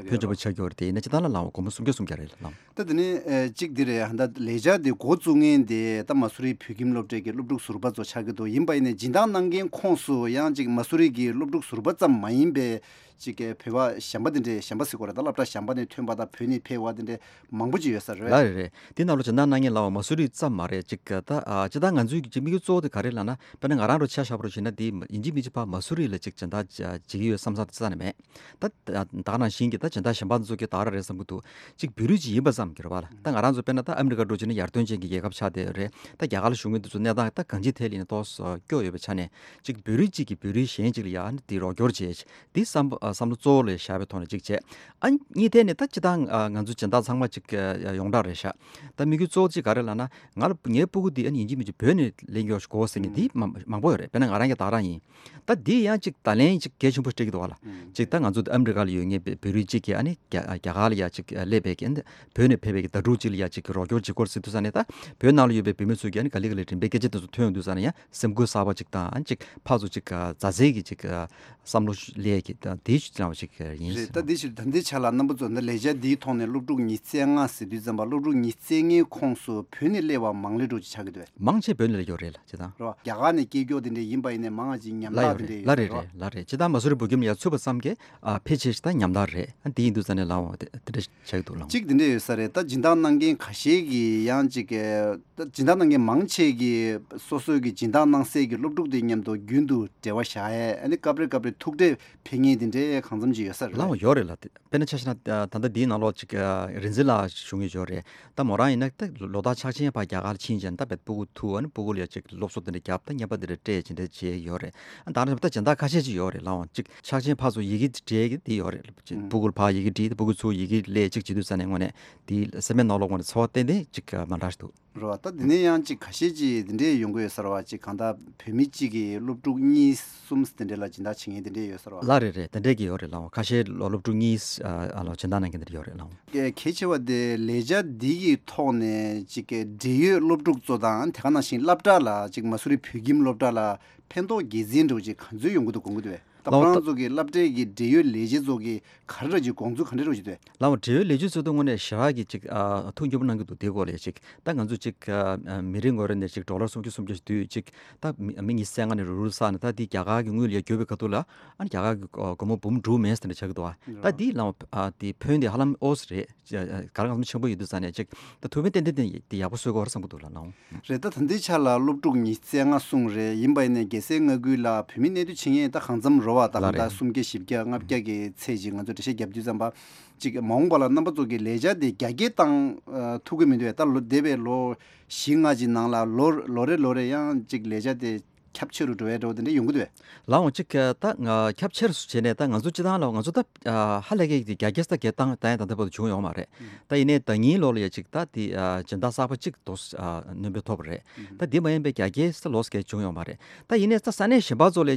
ཕོན་ཆེན་པོ་ཆགས་ཀྱི་ཡོད་རེད། དེ་ཡིན་ན་སྤྱིར་བཏང་ལ་ལགས་འོང་། སྒོར་མོ་སུམ་བརྒྱ་སུམ་བརྒྱ་རེད་ལགས། ད་དེ་ནས་ཨ་གཅིག་འདི་རེད། ཧ་ད་ལས་འཆར་འདི་འགོ་བཙུགས་མཁན་དེ་ད་མ་སུ་རི་བོད་ཁྱིམ་སློབ་གྲྭའི་གི་སློབ་ཕྲུག་ཟུར་པ་ཚོ་ཆགས་ཀྱི་འདུག་ཡིན་པ་ཡིན་ནའི་སྦྱིན་བདག་གནང་མཁན་ཁོངས་སུ་ཡང་ཅིག་མ་སུ་རི་གི་སློབ་ཕྲུག་ཟུར་པ་ཙམ་མ་ཡིན་པའི་ཅིག་གི་བོད་པ་གཞན་པ་དེ་འདྲའི། གཞན་པ་ཟེར་དགོས་རེད། ད་སློབ་གྲྭ་གཞན་པ་ནས་ཐོན་པ་དང་བོད་ནས་ཕེབས་པ་དེ་འདྲའི་མང་པོ་ཅིག་ཡོད་ས་རེད། ལགས་རེད་རེད། འདི་ནང་ལོ་སྦྱིན་བདག་གནང་མཁན་ལའོ་མ་སུ་རི་ཙམ་མ་རེད། ཅིག་ད་ཨ་སྤྱིར་བཏང་ང་ཚོའི་གི་ཅིག་དམིགས་ཡུལ་གཙོ་བོ་དེ་ག་རེ་ལབ་ན། དཔེར་ན་ང་རང་རུ་ཆ་བཞག་པ་རུ་བྱས་ན། འདི་ཡིན་གཅིག་མིན་གཅིག་ཕར་མ་སུ་རི་ལ་ཅིག་སྦྱིན་བདག་བྱེད་ཀྱི་ཡོད་བསམ་བསམ་དེ་རྩ་ནས་མེད། ད་ད་ག་ནང་བཞིན་གྱི་ད་སྦྱིན་བདག་གཞན་པ་ཚོ་གི་ད་ག་རང་རེད་བསམ་གྱི་འདུག་ཅིག་བོད་རིགས་ཅིག་ཡིན་པ་ཙམ་གྱིས་རེད་པ་ལགས། ད་ང་རང་ཚོ་དཔེར་ན་ད་ཨ་མི་རི་ཀ་འདྲ་བྱས་ན་ཡར་ཐོན་ཅན་གྱི་རྒྱལ་ཁབ་ཆགས་བསྡད་ཡོད་རེད། ད་རྒྱ་གར་ལ་བཞུགས་མཁན་དེ་ཚོ་གནས་སྟངས་ད་གང་ཅིའི་ཐད་ལ་ཡིན་ན་ཏོག་ཙམ་སྐྱོ་ཡོད་པའི་ཆ་ནས། ཅིག་བོད་རིགས་གཅིག་གིས་བོད་རིགས་གཞན་གཅིག་ལ་ཡ་ཨ་ནི་དེ་རོགས་སྐྱོར་བྱེད། དེ་བསམ་བསམ་བློ་གཙོ་བོ་ལ་བཞག་པའི་ཐོག་ནས་ཅིག་བྱས། ཨ་གཉིས་ཐད་ནས་ད་སྤྱིར་བཏང་ང་ཚོ་སྦྱིན་བདག་ཚང་མ་ཅིག་ཡོངས་གྲགས་རེད་ཤག་ད་དམིགས་ཡུལ་གཙོ་བོ་ཅིག་ག་རེ་ལབ་ན། ང་ལ་ངའི་སྤུ་གུ་འདི་ཨ་ནི་ཡིན་གཅིག་མིན་གཅིག་བོད་ནས་སླེབས་ཀྱི་ཡོད་ཤག་གོ་ཟེར་མཁན་འདི་མང་མང་པོ་ཡོད་རེད། དཔེར་ན་ང་རང་གི་ད་ག་རང་ཡིན། ད་འདི་ཡང་ཅིག་བརྡ་ལན་ཅིག་གལ་ཆེན་པོ་སྤྲད་ཀྱི་འདུག་བ་ལགས། ཅིག་ད་ང་ཚོ་ཨ་མི་རི་ཀ་ལ་ཡོད་མཁན་བོད་བོད་རིགས་གཅིག་གིས་ཨ་ནི་རྒྱ་རྒྱ་གར་ལ་ཡ་ཅིག་སླེབས་པའི་གི་བོད་ནས་ཕེབས་པའི་གི་ཟླ་དྲུག་ཅིག་ལ་ཡ་ཅིག་རོགས་སྐྱོར་བྱེད་དགོས་ཟེར་དུས་ཙ་ནས། ད་བོད་ནང་ལ་ཡོད་པའི་བོད་མི་ཚོས་ཀྱིས་ཨ་ནི་ག་ལེ་ག་ལེ་མགྲིན་པའི་སྐད་ཆ་དེ་ཚོ་ཐོས་ཡོང་དུས་ཙ་ནས་ཡང་སེམས་འགུལ་གསར་པ་ཅིག་དང་། ཨ་ནི་ཅིག་ཕར་ཚུར་ཅིག་མཛའ་བརྩེ་གི་ཅིག་བསམ་བློ་སླེབས་ཀྱི་ད་དེའི་ཅིག་ཅིག་རེད། ད་འདི་ཕྱིར་ད་འདི་ཆ་ལ་རྣམ་པ་ཚོ་འདི་ལས་འཆར་འདིའི་ཐོག་ནས་སློབ་ཕྲུག་ཉི་ཤུ་རྩ་ལྔ་ཟེར་དུས་ཙམ་པ། སློབ་ཕྲུག་ཉི་ཤུ་རྩ་ལྔའི་ཁོངས་སུ་བོད་ནས་སླེབས་པ་མང་ལོས་འགྲོ་ཅིག་ཆགས་ཀྱི་འདུག་མང་ཆེ་བོད་ནས་སླེབས་ཡོད་རེད་ལགས། སྤྱིར་བཏང་རེད་བ། རྒྱ་གར་ནས་སྐྱེས་མགྱོགས་དེ་འདྲས་ཡིན་པ་ཡིན་ནའི་མང་ང་ཅིག་ཉམ་ལ་ཐག་ཡོད་དེ་རེད། འདྲས་ལ་ཡོད་རེད་རེད། ལ་རེད། སྤྱིར་བཏང་མ་སུ་རི་བོད་ཁྱིམ་ལ་ཡ་ཚུད་པ་ཙམ་གྱིས་ཨ་ཕལ་ཆེར་ཞིག་ད་ཉམ་ཐག་རེད། ཨ་འདི་ཡིན་དུས་ཙ་ནས་ལའོ་དེ་དེ་འདྲ་ཆགས་ཀྱི་འདུག་ལགས། གཅིག་དེ་འདྲས་ཡོད་ས་རེད། ད་སྦྱིན་བདག་གནང་མཁན་ཁ་ཤས་ཀྱིས་ཡང་ཅིག་གི་ད་སྦྱིན་བདག་གནང་མཁན་མང་ཆེ་གིས་སོ་སོའི་གི་སྦྱིན་བདག་གནང་སའི་གི་སློབ་ཕྲུག་དེ་མཉམ་དུ་རྒྱུན་དུ་འབྲེལ་བ་བཞག་ཡས། ཨ་ནི་སྐབས་རེ་སྐབས་རེ་ཐུག་འཕྲད་ཕེབས་མཁན་དེ་འདྲས་གང་འཚམ་ཅིག་ཡོད་ས་རེད། ལའོ་ཡོད་རེད་ལགས། དཔེར་ན་ཆ་བཞག་ན་ད་ལྟ་འདིའི་ནང་ལོགས་ཅིག་རིག་འཛིན་ལགས་བཞུགས་མཁན་ཡོད་རེད། ད་མོ་རང་ཡིན་ན་ད་ལོ་ལྟར་ཕྱག་ཆེན་ཕར་རྒྱ་གར་ལ་ཕྱིན་བྱས་ནས་ད་བེད་སྤུ་གུ་ཐུག་ཨ་ནི་སྤུ་གུ་ལ་ཡ་ཅིག་སློབ་གསོ་དེ་འདྲ་བརྒྱབ། ད་བརྙན་པར་དེ་འདྲ་སྤྲད་ཅིག་འདྲ་བྱས་ཡོད་རེད། ཨ་ད་ནང་བཞིན་ད་སྦྱིན་བདག་ཁ་ཤས་ཅིག་ཡོད་རེད་ལགས་འོང་། ཅིག་ཕྱག་ཆེན་ཕར་ཚུར་ཡི་གེ་སྤྲད་ཀྱི་དེ་ཡོད་རེད། ཅིག་ཨ་སྤུ་གུ་ལ་ཕར་ཡི་གེ་བྲིས། སྤུ་གུ་ཚུར་ཡི་གེ་སླེབས། ཅིག་བྱེད་དུས་ཙ་ནས་དངོས་གནས་དེ་སེམས་པའི་ནང་ལོགས་ངོས་ནས་ཚོར་བ་ཏན་ཏན་ཅིག་མ་འདྲ་ཞིག་འདུག་རེད་བ། ད་དེ་ནས་ཡང་ཅིག་ཁ་ཤས་ཅིག་དེ་འདྲས་ཡོང་གི་ཡོད་ས་རེད་བ། ཅིག་གང་ལྟར་བོད་མི་གཅིག་གིས་སློབ་ཕྲུག་གཉིས་གསུམ་དེ་འདྲས་ལ་སྦྱིན་བདག་བྱེད་མཁན་དེ་འདྲས་ཡོད་ས་རེད་བ། ལགས་རེད་རེད། དེ་འདྲས་ཀྱི་ཡོད་རེད་ལགས་འོང་། ཁ་ཤས་ལོ་སློབ་ཕྲུག་གཉིས་ཨ་ལོ་སྦྱིན་བདག་གནང་མཁན་དེ་འདྲས་ཡོད་རེད་ལགས་འོང་། གལ་ཆེ་བ་དེ་ལས་འཆར་འདི་ཡི་ཐོག་ནས་ཅིག་འབྲེལ་ཡོད་སློབ་ཕྲུག་ཚོ་དང་། དེ་ག་ནང་བཞིན་སློབ་གྲྭ་ལ་ཅིག་མ་སུ་རི་བོད་ཁྱིམ་སློབ་གྲྭ་ལ་ཕན་ཐོགས་དགེ་མཚན་འདྲ་ཅིག་ག་ཚོད་ཡོང་གི་འདུག་དགོངས་ཀྱི་འདུག་བས། ད་ལའོ་ཁོ་རང་ད་ཚོ་གི་སློབ་གྲྭའི་གི་འབྲེལ་ཡོད་ལས་བྱེད་ཚོ་གི་ག་རེ་ར་ཅིག་དགོངས་ཚུལ་ག་འདྲ་ར་ཅིག་འདུག་ལའོ་འབྲེལ་ཡོད་ལས་བྱེད་ཚོ་ད་དངོས་གནས་ཞེ་དྲག་གི་ཅིག་ཨ་ཐུགས་མཉེས་པོ་གནང་གི་འདུག་དེའི་སྐོར་ལ་ཅིག་ད་ང་ཚོ་ཅིག་ཨ་མི་རེ་ངོ་རེ་ནས་ཅིག་ཌོ་ལར་སུམ་ཅུ་སུམ་བརྒྱ་ཞིག་བསྡུས་ཅིག་ད་མི་མི་ཉི་ཤུ་རྩ་ལྔ་ནས་རུག་རུག་བསགས་ནས་ད་དེ་རྒྱ་གར་གི་དངུལ་ལ་བསྒྱུར་བའི་ཁ་ཐུག་ལ་ཨ་ནི་རྒྱ་གར་གི་སྒོར་མོ་འབུམ་དྲུག་མེད་ཟེར་ནས་ཆགས་ཀྱི་འདུག་ད་དེ་ལའོ་ཨ་དེ་ཕོན་དེ་ཧ་ལམ་ཨོ་ཙི་རེད། ག་རེ་གང་འཚམ་ཆེན་པོ་ཡོད་དུས་ཙང་ནས་ཅིག་ད་ཐུགས་ཕན་ཏན་ཏན་ཏན་དེ་ཡག་པོ་གསོས་དགོས་རེད་བསམ་གྱི་འདུག་ལགས་ལགས། རེད། ད་ད་ལྟའི་ཆ་ལ་སློབ་ཕྲུག་ཉི་ཤུ་རྩ་ལྔ་གསུངས་རེད། ཡིན་པ་ཡིན་ནའི་རྒྱལ་སའི་མངའ་ཁུལ་ལ་བོད་མི་གནས་སྡོད་བྱེད་མཁན་ད་གང་འཚམ་རེད་བ། ད་ལགས་གང་ལྟར་རེད། སུམ་བརྒྱ་བཞི་བརྒྱ་ལྔ་བརྒྱ་གི་ཚད་ཅིག་ང་ཚོ་འགྲེལ་བཤད་བརྒྱབ་དུས་ཙམ་པ་ཅིག་མ་འོངས་པ་ལ་རྣམ་པ་ཚོ་གི་ལས་འཆར་དེ་རྒྱ་སྐྱེད་བཏང་ཨ་ཐུབ་ཀྱི་མི་འདུག་ད་ལོ་འདས་པའི་ལོ་བཞི་ལྔ་ཅིག་ནང་ལ་ལོ་ལོ་རེ་ལོ་རེ་ཡང་ཅིག་ལས་འཆར་དེ་ཁྱབ་ཆེ་རུ་འགྲོ་ཡ་འགྲོ་དེ་འདྲ་ཡོང་གི་འདུག་བས། ལའོ་ཅིག་ད་ང་ཁྱབ་ཆེ་རུ་བྱས་ནས་ད་ང་ཚོ་སྤྱི་བཏང་ལ་ང་ཚོ་ད་ཧ་ལས་ཀའི་རྒྱ་སྐྱེད་ས་རྒྱ་བཏང་ད་ཡང་ད་ལྟ་བར་དུ་བྱུང་ཡོད་མ་རེད། ད་ཡིན་ནའི་ཟླ་ཉིན་ལོ་ལ་ཡ་ཅིག་ད་དེ་སྦྱིན་བདག་གསར་པ་གཅིག་ཏོག་སྣོན་པ་ཐོབ་པ་རེད། ད་དེ་མ་ཡིན་པའི་རྒྱ་སྐྱེད་ས་ལོ་སྐད་བྱུང་ཡོད་མ་རེད། ད་ཡིན་ནའི་ད་ས་གནས་གཞན་པ་ཚོ་ལ་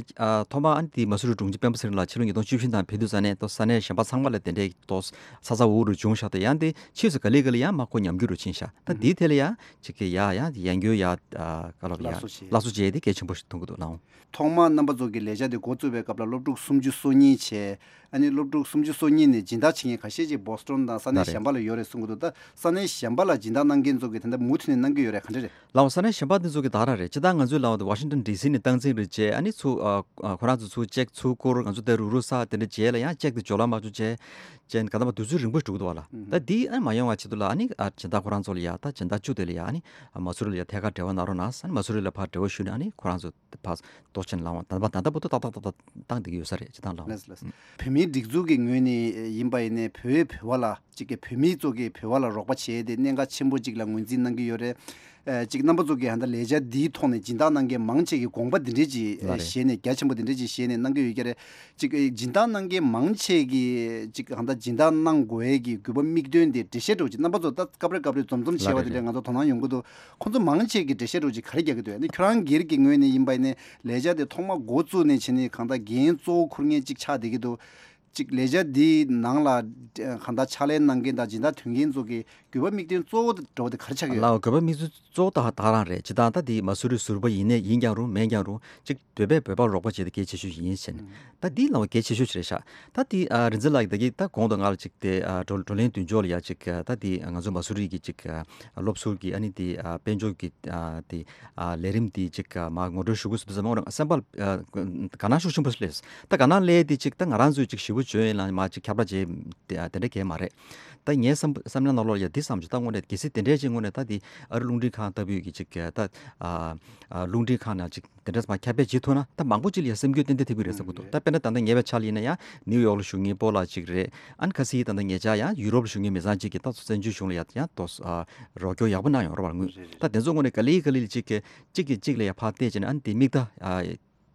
ཐོག་མ་ཨ་ནི་དེ་མ་སུ་རི་དྲུང་ཆེ་སྤེན་པ་ཚེ་རིང་ལགས་ཕྱི་ལོ་ཉིས་སྟོང་བཅུ་བཞི་ནང་ཕེབས་དུས་ཙང་ནས་ཏོག་ས་གནས་གཞན་པ་ཚང་མ་ལ་དེ་འདྲའི་ཏོག་ས་ཚ་འུར་འུར་བྱུང་ཤག་ད་ཡང་དེ་ཕྱིས་སུ་ག་ལེ་ག་ལེ་ཡང་མ་ཁོ་ཉམས་རྒུད་རུ་ཕྱིན་ཤག་ད་དེའི་ཐད་ལ་ཡང་ཅིག་གི་ཡ་ཡ་ཡང་རྒྱུ་ཡ་ཨ་ག་ལབ་ཡ་སླར་གསོ་བྱེད། སླར་གསོ་བྱེད་དེ་གལ་ཆེན་པོ་ཞིག་མཐོང་གི་འདུག་ལགས། ཐོག་མར་རྣམ་པ་ཚོ་གི་ལས་འཆར་དེ་འགོ་བཙུགས་པའི་སྐབས་ལ་སློབ་ཕྲུག་སུམ་ཅུ་སོ་གཉིས་བྱས། ཨ་ནི་སློབ་ཕྲུག་སུམ་ཅུ་སོ་གཉིས་ནས་སྦྱིན་བདག་བྱེད་མཁན་ཁ་ཤས་ཅིག་བོ་སི་ཊོན་དང་ས་གནས་གཞན་པ་ལ་ཡོད་རེད་གསུང་གི་འདུག་ད་ས་གནས་གཞན་པ་ལ་སྦྱིན་བདག་གནང་མཁན་ཚོ་གི་ད་ལྟ་མུ་མཐུད་ནས་གནང་གི་ཡོད་རེད་ག་འདྲ་རེད། ལའོ་ས་གནས་གཞན་པ་འདི་ཚོ་གི་ད་རང་རེད། སྤྱིར་བཏང་ང་ཚོའི་ལའོ་ཝ་ཤིང་ཊོན་ཌི་སི་ནས་སྟངས་འཛིན་རེད་བྱས། ཨ་ནི་ཚུར་ཨ་ཨ་ཁོ་རང་ཚོ་ཚུར་ཅེག་ཚུར་བསྐུར། ང་ཚོ་དེ་རུག་རུག་ས་དེ་འདྲ་བྱས་ལ་ཡང་ཅེག་དེ་འབྱོར་ལ་མ་བྱུང་བྱས་བྱས་ག་ད་མ་དུས་ཚོད་རིང་པོ་འགྲོ་གི་འདུག་བ་ལ། ད་འདི་ཨ་མ་ཡོང་བ་ཆེད་དུ་ལ་ཨ་ནི་ཨ་སྦྱིན་བདག་ཁོ་རང་ཚོ་ལ་ཡ་ད་སྦྱིན་བདག་བཅུ་དེ་ལ་ཡ་ཨ་ནི་ཨ་མ་སུ་རི་ལ་ཡ་ཐད་ཀར་འབྲེལ་བ་གནང་རོགས་གནང་ཟེར། ཨ་ནི་མ་སུ་རི་ལ་ཕར་འབྲེལ་བ་ཞུས་ནས་ཨ་ནི་ཁོ་རང་ཚོ་ཕར་གཏོགས་ཆེན་ལངས་བ་ད་ད་ད་ད་བར་དུ་ཏག་ཏག་ཏག་ཏག་བཏང་བསྡད་ཀྱི་ཡོད་ས་རེད་སྤྱིར་བཏང་ལའོ། ལགས་ལགས། བོད་མིའི་སྒྲིག་འཛུགས་ཀྱི་ངོས་ནས་ཡིན་པ་ཡིན་ནའི་བོད་བོད་པ་ལ་ཅིག་གི་བོད་མི་ཚོ་གིས་བོད་པ་ལ་རོགས་པ་བྱས་ཏེ་གནད་འགག་ཆེན་པོ་ཅིག་ལ་ངོས་འཛིན་གནང་གི་ཡོད་རེད། ཨ་ཅིག་རྣམ་པ་ཚོ་གིས་ཧ་ད་ལས་འཆར་འདིའི་ཐོག་ནས་སྦྱིན་བདག་གནང་མཁན་མང་ཆེ་གིས་དགོངས་པ་འདི་འདྲས་ཅིག་ལགས་རེད། བཞེས་ནས་རྒྱ་ཆེན་པོ་འདི་འདྲས་ཅིག་བཞེས་ནས་གནང་གི་ཡོད་ཀྱི་རེད། ཅིག་སྦྱིན་བདག་གནང་མཁན་མང་ཆེ་གིས་ཅིག་ཧ་ད་སྦྱིན་བདག་གནང་དགོས་ཡས་ཀྱི་དགོས་པ་དམིགས་དོན་དེ་འགྲེལ་བཤད་འདྲ་བོ་ཅིག་རྣམ་པ་ཚོ་ད་སྐབས་རེ་སྐབས་རེ་འཛོམས་འཛོམས་བྱས་པ་ལགས་རེད། དེ་འདྲས་ང་ཚོ་དོ་སྣང་ཡོང་གི་འདུག་ཁོང་ཚོ་མང་ཆེ་གིས་འགྲེལ་བཤད་འདྲ་བོ་ཅིག་ག་རེ་རྒྱག་གི་འདུག་ཨ་ནི་ཁྱོད་རང་སྒེར་གྱི་ངོས་ནས་ཡིན་པ་ཡིན་ནའི་ལས་འཆར་དེ་ཐོག་མ་འགོ་བཙུགས་ནས་བྱས་ནས་གང་ལྟར་འགན་གཙོ་བོ་འཁུར་མཁན་ཅིག་ཆགས་བསྡད་ཀྱི་འདུག་ཅིག་ལས་འཆར་འདིའི་ནང་ལ་གང་ལྟར་ཕྱག་ལས་གནང་མཁན་དང་སྦྱིན་བདག་དོན་མཁན་ཚོ་གི་དགོས་པ་དམིགས་དོན་གཙོ་བོ་འདྲ་བོ་དེ་ག་རེ་ཆགས་ཀྱི་ཡོད། ལའོ་དགོས་པ་དམིགས་དོན་གཙོ་བོ་ད་ད་རང་རེད། སྤྱིར་བཏང་ད་འདི་མ་སུ་རི་ཟུར་པ་ཡིན་ནའི་ཡིན་ཀྱང་རུང་མིན་ཀྱང་རུང་ཅིག་བོད་པས་བོད་པར་རོགས་པ་བྱེད་དེ་གལ་ཆེ་ཤོས་ཤིག་ཡིན་ཟེར་ནས་ད་འདི་ལའོ་གལ་ཆེ་ཤོས་ཤིག་རེད་ཤག་ད་འདི་ཨ་རིག་འཛིན་ལགས་ཀྱིས་ད་གིན་ད་གོང་དུ་ང་ལ་ཅིག་དེ་ཨ་བགྲོ་བགྲོ་གླེང་མདུན་ལྕོག་ལ་ཡ་ཅིག་ཨ་ད་འདི་ང་ཚོ་མ་སུ་རི་གི་ཅིག་ཨ་སློབ་ཟུར་གྱི་ཨ་ནི་འདི་ཨ་དཔལ་འབྱོར་གྱི་ཨ་དེ་ཨ་ལས་རིམ་འདི་ཅིག་ཨ་མ་ངོ་སྤྲོད་ཞུ་དགོས་ཟེར་དུས་ཙམ་པ་སེམས་པ་ཨ་དགའ་སྣང་ཤུགས་ཆེན་པོ་སླེབས། ད་དགའ་སྣང་སླེབས་དེ་ཅིག་ད་ང་རང་ཚོས་ཅིག་ཞེ་པོ་བྱོན་ཡིན་ལ་མ་ཅིག་ཁྱབ་བསྒྲགས་བྱས་དེ་དེ་འདྲ་གས་མ་རེད། ད་ངའི་བསམ་བསམ་བློ་ནང་ལོགས་ལ་ཡ་འདི་བསམ་བྱུང་། ད་དངོས་གནས་གལ་སྲིད་དེ་འདྲས་ཅིག་དངོས་གནས་ད་འདི་ཨ་རི་རླུང་འཕྲིན་ཁང་ལྟ་བུའི་གི་ཅིག་ད་ཨ་ཨ་རླུང་འཕྲིན་ཁང་ནང་ཅིག་དེ་འདྲས་མ་ཁྱབ་སྤེལ་བྱེད་ཐུབ་ན་ད་མང་པོ་ཅིག་ལ་ཡ་སེམས་འགུལ་ཏན་ཏན་ཐེབས་ཀྱི་རེད་བསམ་གྱི་འདུག་ད་དཔེར་ན་ད་ལྟ་ངའི་བའི་ཆ་ལ་ཡིན་ན་ཡང་ནིའུ་ཡོག་ལ་བཞུགས་མཁན་སྤོ་ལགས་ཅིག་རེད། ཨ་ནི་ཁ་སང་ད་ལྟ་ཉེ་ཆར་ཡང་ཡུ་རོབ་ལ་བཞུགས་མཁན་མི་ཚང་ཅིག་གིས་ད་བཙན་བྱོལ་གཞུང་ལ་ཡ་ཡང་ཏོག་ཨ་རོགས་སྐྱོར་ཡག་པོ་གནང་ཡོང་རེད་བ་དངུལ། ད་དེ་ཚོ་དངོས་གནས་ག་ལེ་ག་ལེ་ཅིག་གིས་གཅིག་གིས་གཅིག་ལ་ཡ་ཕར་བལྟས་བྱས་ནས་ཨ་ནི་དེ་མིག་ལྟ་ཨ་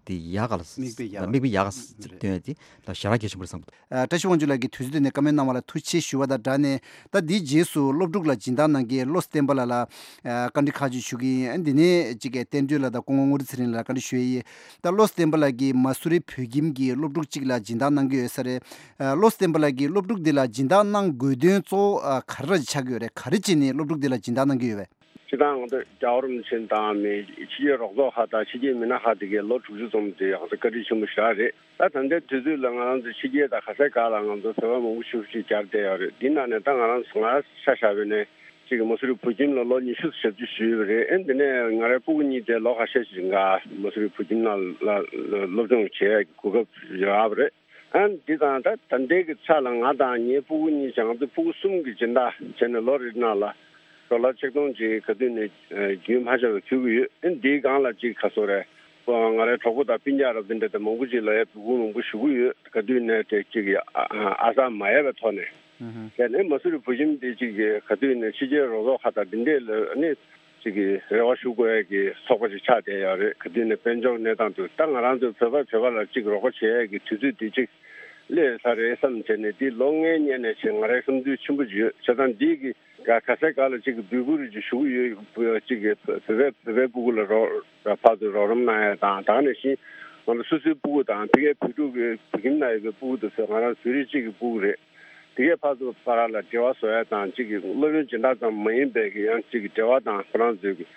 དེ་ཡག་ག་ལ་མིག་དཔེ་ཡག་མིག་དཔེ་ཡག་ག་རེད། སྟོན་ཡ་དེ་ད་ཞེ་དྲག་གལ་ཆེན་པོ་རེད་བསམ་གྱི་འདུག་ཨ་བཀྲ་ཤིས་དབང་ཕྱུག་ལགས་ཀྱིས་དུས་ཚོད་དེ་ནས་བཀའ་མོལ་གནང་བ་ལ་ཐུགས་རྗེ་ཆེ་ཞུ་བ་དང་སྦྲགས་ནས། ད་འདིའི་རྗེས་སུ་སློབ་ཕྲུག་ལ་སྦྱིན་བདག་གནང་མཁན་བློ་བཟང་བསྟན་པ་ལགས་ལ་ཨ་བཀའ་འདྲི་ཁག་ཅིག་ཞུ་གི་ཡིན། ཨ་འདི་ནས་གཅིག་གི་བསྟན་སྒྲོལ་ལགས་དང་སྐུ་ངོ་དངུལ་ལྷ་ཚེ་རིང་ལགས་ལ་བཀའ་འདྲི་ཞུ་ཡས་ཡིན། ད་བློ་བཟང་བསྟན་པ་ལགས་ཀྱིས་མ་སུ་རི་བོད་ཁྱིམ་གྱི་སློབ་ཕྲུག་ཅིག་ལ་སྦྱིན་བདག་གནང་གི་ཡོད་ས་རེད། ཨ་བློ་བཟང་བསྟན་པ་ལགས་ཀྱིས་སློབ་ཕྲུག་འདི་ལ་སྦྱིན་བདག་གནང་དགོས་དོན་གཙོ་བོ་ཨ་ག་རེ་ར་ཆགས་ཀྱི་ཡོད་རེད། ག་རེ་བྱས་ནས་སློབ་ཕྲུག་འདི་ལ་སྦྱིན་བདག་གནང་གི་ཡོད་པས། སྤྱིར་བཏང་ང་ཚོ་རྒྱལ་བ་རིན་པོ་ཆེ་དང་མི་ཕྱི་རྒྱལ་རོགས་ཚོགས་ཁག་དང་ཕྱི་རྒྱལ་མི་སྣ་ཁག་དེ་གའི་ལོ་དྲུག་ཅུ་ཙམ་དེ་ང་ཚོ་བཀའ་དྲིན་ཆེན་པོ་ཞེ་དྲག་རེད། ད་ད་ལྟའི་དུས་ཚོད་ལ་ང་རང་ཚོ་ཕྱི་རྒྱལ་དང་ག་ས་ག་ལ་ང་ཚོ་བོད་པ་མང་པོ་ཞེ་པོ་ཅིག་གྱར་བསྡད་ཡོད་རེད། འདི་ནང་ནས་ད་ང་རང་ང་ཆ་བཞག་པ་ཡིན་ན་ཅིག་མ་སུ་རི་བོད་ཁྱིམ་ལ་ལོ་ཉི་ཤུ་ཙམ་ཞབས་ཕྱི་ཞུས་པ་རེད། ཨེ་འདི་ནས་ང་རའི་སྤུ་གུ་གཉིས་དེ་ལོ་ཁ་ཤས་ཤིག་འགའ་མ་སུ་རི་བོད་ཁྱིམ་ནང་ལ་སློབ་སྦྱོང་བྱེད་ཡག་གི་གོ་སྐབས་རག་པ་རེད། ཨ་འདི་དང་ད་ད་ལྟའི་གི་ཆ་ལ་ང་དང་ངའི་སྤུ་གུ་གཉིས་བྱས་ང་ཚོ་སྤུ་གུ་གསུམ་གྱི་སྦྱིན་བདག་བྱས་ནས་ལོ་རེའི་ནང་ལ་ཌོ་ལར་ཆིག་སྟོང་ཅིག་ག་དུས་ནས་རྒྱུན་མ་ཆད་པར་ཕུལ་གྱི་ཡོད། ཨ་འདིའི་སྒང་ལ་ཅིག་ག་སོ་རེད། ང་རའི་གྲོགས་པོ་དང་སྤུན་ཀྱག་རབ་དེ་འདྲ་དང་མང་པོ་ཅིག་ལ་ཡ་སྤུ་གུ་མང་པོ་ཞུ་གི་ཡོད། ག་དུས་ནས་དེ་ཅིག་ཨ་ཨ་ས་མ་ཡལ་བའི་ཐོག་ནས། དེ་ནས་མ་སུ་རི་བོད་ཁྱིམ་དེ་ཅིག་གི་ག་དུས་ནས་ཕྱི་རྒྱལ་རོགས་ཚོགས་ཁག་དང་འདི་འདྲས་ལ་ནི་ཅིག་གི་རེ་བ་ཞུ་དགོས་ཡ་གི་ཚོགས་པ་ཅིག་ཆགས་བསྡད་ཡོད་རེད། ག་དུས་ནས་དཔལ་འབྱོར་གནས་སྟངས་དེ་ད་ང་རང་ཚོའི་བོད་པ་བོད་པ་ལ་ཅིག་རོགས་པ་བྱེད་ཡ་གི་དུས་ཚོད་དེ་ཅིག་སླེབས་ཚར་རེད་བསམ་བྱས་ནས་འདི་ལོ་ལྔའི་སྔོན་ནས་བྱས་ང་རའི་བསམ་ཚུལ་ཆེན་པོ་ཅིག་ཡོད། བྱས་ཙང་འདི་གི་ག་ག་ས་ག་ལ་ཅིག་གི་འབོད་སྐུལ་རེ་ཅིག་ཞུ་གི་ཡོད། ཅིག་གི་བོད་པའི་བོད་པའི་སྤུ་གུ་ལ་རོགས་ཕར་ཚུར་རོགས་རམ་གནང་ཡ་དང་། ད་ག་ནང་བཞིན་ང་ཚོ་སོ་སོའི་སྤུ་གུ་དང་ཕ་གིའི་བོད་ཕྲུག་གི་བོད་ཁྱིམ་ནང་ཡོད་པའི་སྤུ་གུ་དེ་ཚོ་ང་རང་ཟུར་རེ་གཅིག་གི་སྤུ་གུ་རེད། དེ་གའི་ཕར་ཚུར་བར་ལ་འབྲེལ་བ་བཟོ་ཡ་དང་གཅིག་གི་སློབ་ཡོན་སྦྱིན་བདག་ཙམ་མ་ཡིན་པའི་གི་ཡང་གཅིག་གི་འབྲེལ་བ་དང་ཁོ་རང་ཚོའི་གི་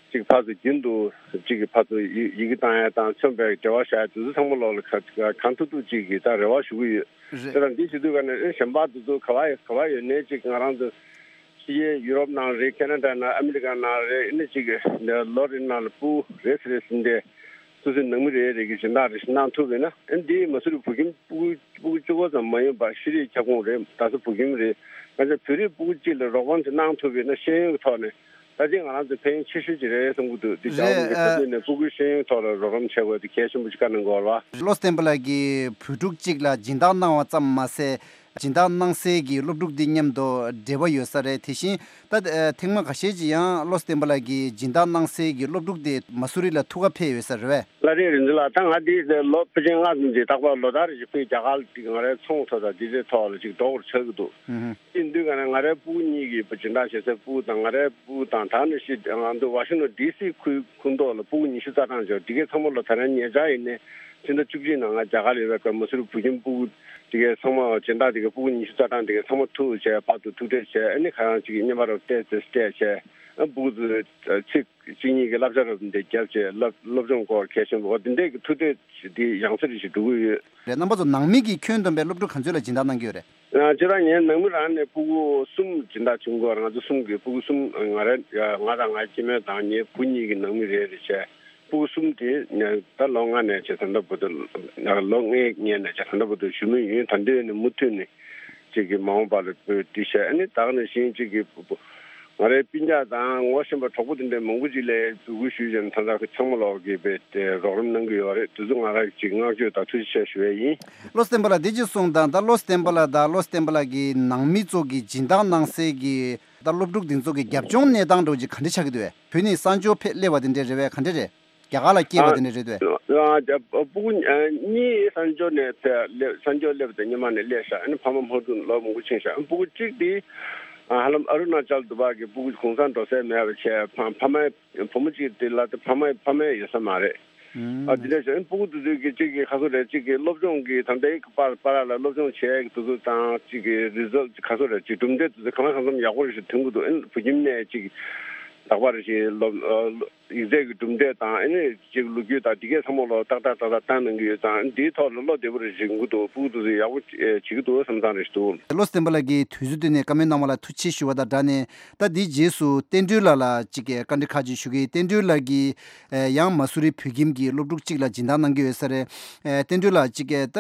གཅིག་ཕར་ཚུར་རྒྱུན་དུ་གཅིག་གི་ཕར་ཚུར་ཡི་ཡི་གེ་བཏང་ཡ་དང་མཚོན་པའི་འབྲེལ་བ་བཞག་ཡ་དེ་ཚོ་ཚང་མ་ལོག་ལ་ག་ག་གང་ཐུབ་ཐུབ་གཅིག་གིས་ད་རེ་བ་ཞུ་གི་ཡོད། རེད། དེ་དང་འདི་བྱེད་དུས་ག་ནས་ཨེ་གཞན་པ་དེ་ཚོ་ག་བ་ཡོད་ག་བ་ཡོད་ནའི་གཅིག་ང་རང་ཚོ་ཕྱི་རྒྱལ་ཡུ་རོབ་ནང་རེད། ཁེ་ན་ཌ་ནང་། ཨ་མི་རི་ཀ་ནང་རེད། ཨ་ནི་གཅིག་ལོ་རེ་ནང་ལ་སྤུ་གུ་རེ་ཟེར་རེ་ཟིན་ཏེ་སོ་སོའི་ནང་མི་རེ་རེ་གི་སྦྱིན་བདག་རེ་ཞིག་གནང་ཐུབ་པ་ཡིན་ན། ཨ་ནི་འདི་མ་སུ་རི་བུ་ཁྱིམ་སྤུ་གུ་སྤུ་གུ་བཅུ་གོ་ཙམ་མ་ཡིན་པར་ཤེས་རིག་ཁྱབ་ཁོངས་རེད། ད་ས་བུ་ཁྱིམ་རེད། ང་ཚོ་བོད་རིགས་སྤུ་གུ་གཅིག་ལ་རོགས་རམ་ཅིག་གནང་ཐུབ་པ་ཡིན་ན་ཤེས་ཡོན་གྱི་ཐོག་ནས། ད་ལྟའི་ང་རང་ཚོ་ཕན་ཡོན་ཆེ་ཤོས་ཅིག་རེད་བསམ་གྱི་འདུག་འདི་རྒྱ་གར་རེད། མི་ཁ་ཨ། ཐུག་ནས་སྤུ་གུའི་ཤེས་ཡོན་ཐོག་ལ་རོགས་རམ་བྱེད་དགོས་དེ་གལ་ཆེན་པོ་ཅིག་བཀའ་གནང་དགོས་པ། བློ་བརྟན་པ་ལགས་ཀྱིས་བོད་ཕྲུག་ཅིག་ལ་སྦྱིན་བདག་གནང་བ་ཙམ་མ་ཟད། སྦྱིན་བདག་གནང་སའི་གི་སློབ་ཕྲུག་འདི་མཉམ་དུ་འབྲེལ་བ་ཡོད་ས་རེད། དེ་བཞིན་ད་ཨ་ཐེངས་མ་ཁ་ཤས་ཅིག་ཡང་བློ་བརྟན་པ་ལགས་ཀྱིས་སྦྱིན་བདག་གནང་སའི་གི་སློབ་ཕྲུག་དེ་མ་སུ་རི་ལ་ཐུག་ག་ཕེབས་ཡོད་ས་རེད་པས། ལགས་རེད། རིན་ཆེན་ལགས། ད་ང་འདི་ལོ་ཕལ་ཆེར་ལྔ་ཙམ་འདི་རྟག་པར་ལོ་ལྟར་རེ་བཞིན་ཁོའི་རྒྱ་གར་ལ་འགྲིག་ང་རའི་ཚོང་ཐོག་དང་འདི་ཚོའི་ཐོག་ལ་ཅིག་འགྲོ་དགོས་ཆགས་ཀྱི་འདུག་ཨུ་ཧུ། དེ་དུས་ག་ནས་ང་རའི་སྤུ་གུ་གཉིས་ཀྱི་སྦྱིན་བདག་བྱེད་སའི་སྤུ་གུ་དང་། ང་རའི་སྤུ་གུ་དང་། ད་ནི་ཤི་ང་ཚོ་ཝ་ཤིང་ཊོན་ཌི་སི་ཁུལ་ཁོངས་གཏོགས་ལ་སྤུ་གུ་ཉི་ཤུ་རྩ་གྲངས་ཅིག་འདི་གའི་ཚང་མ་ལོ་ད་རེས་ཉེ་ཆར་ཡིན་ནའི་ཕྱི་ཟླ་བཅུ་གཅིག་ནང་ང་རྒྱ་གར་ལ་ཡོད་པའི་སྐབས་མ་སུ་རི་བུ་ཁྱིམ་སྤུ་གུ་འདི་གའི་ཚང་མ་སྦྱིན་བདག་འདི་གའི་སྤུ་གུ་ཉི་ཤུ་རྩ་གྲངས་འདི་གའི་ཚང་མ་ཐུག་བྱས་བར་དུ་ཐུག་འཕྲད་བྱས། ཨ་ནི་ཁ་རང་གཅིག་གི་བརྙན་པར་རོབ་སྤྲད་ཚེ་སྤྲད་བྱས། ཨ་སྤུ་གུ་ཚོས་ཚིག་གཅིག་གཉིས་ཀྱི་བསླབ་བྱ་རབ་འདི་བརྒྱབ་བྱས་སློབ་སློབ་སྦྱོང་སྐོར་གལ་ཆེན་པོ་འོ་འདི་འདྲས་ཀྱི་ཐུག་འཕྲད་འདི་ཡང་སེ་རེ་ཞིག་འགྲོ་གི་ཡོད། རེད། རྣམ་པ་ཚོ་ནང་མི་གི་ཁྱོན་བསྡོམས་པའི་སློབ་ཕྲུག་ག་ཚོད་ལ་སྦྱིན་བདག་གནང་གི་ཡོད་རེད། ང་ཁྱེད་རང་ངའི་ནང་མི་རང་ནས་སྤུ་གུ་གསུམ་སྦྱིན་བདག་བྱུང་གི་ཡོད་རེད། ང་ཚོ་གསུམ་གི་སྤུ་གུ་གསུམ། ང་རེད། ང་དང་ངའི་སྐྱེ་དམན་དང་ངའི་བུ་གཉིས་ཀྱི་ནང་མི་རེ་རེ་བྱས། སྤུ་གུ་གསུམ་དེ་ད་ལོ་ལྔ་ནས་བྱས་ད་ལྟ་བར་དུ། ལོ་ལྔའི་སྔོན་ནས་བྱས་ད་ལྟ་བར་དུ་ཞུ་མུས་ཡིན། ད་འདོད་ནས་མུ་མཐུད་ནས་ཅིག་གི་མ་འོངས་པ་ལ་འབོད་འདི་བྱས། ཨ་ནི་ད་ག་ནང་བཞིན་ཅིག་གི་ང་རའི་སྤུན་ཀྱག་དང་ངོ་ཤེས་པ་གྲོགས་པོ་དེ་འདྲའི་མང་པོ་ཅིག་ལ་འབོད་སྐུལ་ཞུས་བྱས་ནས་ད་ལྟ་ཚང་མ་ལོག་གིས་བས་དེ་རོགས་རམ་གནང་གི་ཡོད་རེད། དེ་ཚོ་ང་རང་ཅིག་བསྔགས་བརྗོད་དང་ཐུགས་རྗེ་ཆེ་ཞུ་ཡས་ཡིན། བློ་བརྟན་པ་ལགས་འདི་ཅིག་གསུངས་དང་། ད་བློ་བརྟན་པ་ལགས་དང་བློ་བརྟན་པ་ལགས་ཀྱི་ནང་མི་ཚོ་གི་སྦྱིན་བདག་གནང་སའི་གི་ད་སློབ་ཕྲུག་འདི་ཚོ་གི་རྒྱབ་ལྗོངས་གནས་སྟངས་འདྲ་བོ་ཅིག་ག་འདྲ་ཆགས་ཀྱི་འདུག་བས། བོད་ནས་གསར་འབྱོར་ཕེབས་སླེབས་པ་དེ་འདྲ་རེད་པས། ག་འདྲ་རེད། རྒྱ་གར་ལ་སྐྱེས་པ་དེ་འདྲ་རེད་འདུག་བས། ཨ་ཨ་སྤུ་གུ་ཨ་གཉིས་གསར་འབྱོར་ནས་ཕེབས་སླེབས། གསར་འབྱོར་སླེབས་པ་དང་སྔོན་མ་ནས་སླེབས་ཤག་ཨ་ནི་ཕ་མ་ཕར་ཚུར་ལོ་མང་པོ་ཕྱིན་ཤག་ཨ་ནི་སྤུ་གུ་གཅིག་དེ་ཨ་ཧ་ལམ་ཨ་རུ་ན་ཅལ་དུ་བ་གི་སྤུ་གུ་གུང་སེང་འགྲོ་ས་མེད་པ་བྱས། ཕ་ཕ་མ་བུ་མོ་གཅིག་དེ་ལ་དེ་ཕ་མ་ཕ་མ་ཡོད་ས་མ་རེད། ཨ་དེ་འདྲ་བྱས་ཨ་ནི་སྤུ་གུ་དེ་ཚོ་གི་གཅིག་གི་ག་ཚོད་རེད། གཅིག་གི་སློབ་སྦྱོང་གི་ད་ལྟའི་པར་པར་ལ་སློབ་སྦྱོང་བྱས་ཀྱི་དེ་ཚོ་དང་། གཅིག་གི་རི་ཛལ་ག་ཚོད་རེད། གཅིག་གྲུབ་འབྲས་དེ་ཚོ་གང་ལ་གང་འཚམ་ཡག་པོ་རེ་ཞིག་ཐོན་གྱི་འདུག་ཨ་ནི་བུ་ཁྱིམ་ནས་གཅིག་ལག་པ་རེ་ཞིག་སློབ་ཡིག་ཚད་ཀྱི་གྲུབ་འབྲས་དང་། ཨ་ནི་གཅིག་ལོ་རྒྱུས་དང་དེ་གས་ཚང་མ་ལོ་ཏག་ཏག་ཏག་ཏག་བཏང་གནང་གི་ཡོད་ཙང་། འདིའི་ཐོག་ལ་བློ་བདེ་པོ་རེ་ཞིག་ཡོང་གི་འདུག་སྤུ་གུ་དེ་ཚོ་ཡག་པོ་བྱེད་ཀྱི་འདུག་བསམ་བསམ་རེ་ཞིག་འདུག་བློ་བརྟན་པ་ལགས་ཀྱིས་དུས་ཚོད་བཏོན་ནས་བཀའ་མོལ་གནང་བ་ལ་ཐུགས་རྗེ་ཆེ་ཞུ་བ་དང་སྦྲགས་ནས། ད་འདིའི་རྗེས་སུ་བསྟན་སྒྲོལ་ལགས་ལ་གཅིག་གི་བཀའ་འདྲི་ཁག་ཅིག་ཞུ་གི་ཡིན། བསྟན་སྒྲོལ་ལགས་ཀྱིས་ཡང་མ་སུ་རི་བོད་ཁྱིམ་གྱི་སློབ་ཕྲུག་གཅིག་ལ་སྦྱིན་བདག་གནང་གི་ཡོད་ས་རེད། བསྟན་སྒྲོལ་ལགས་གཅིག་གི་ད་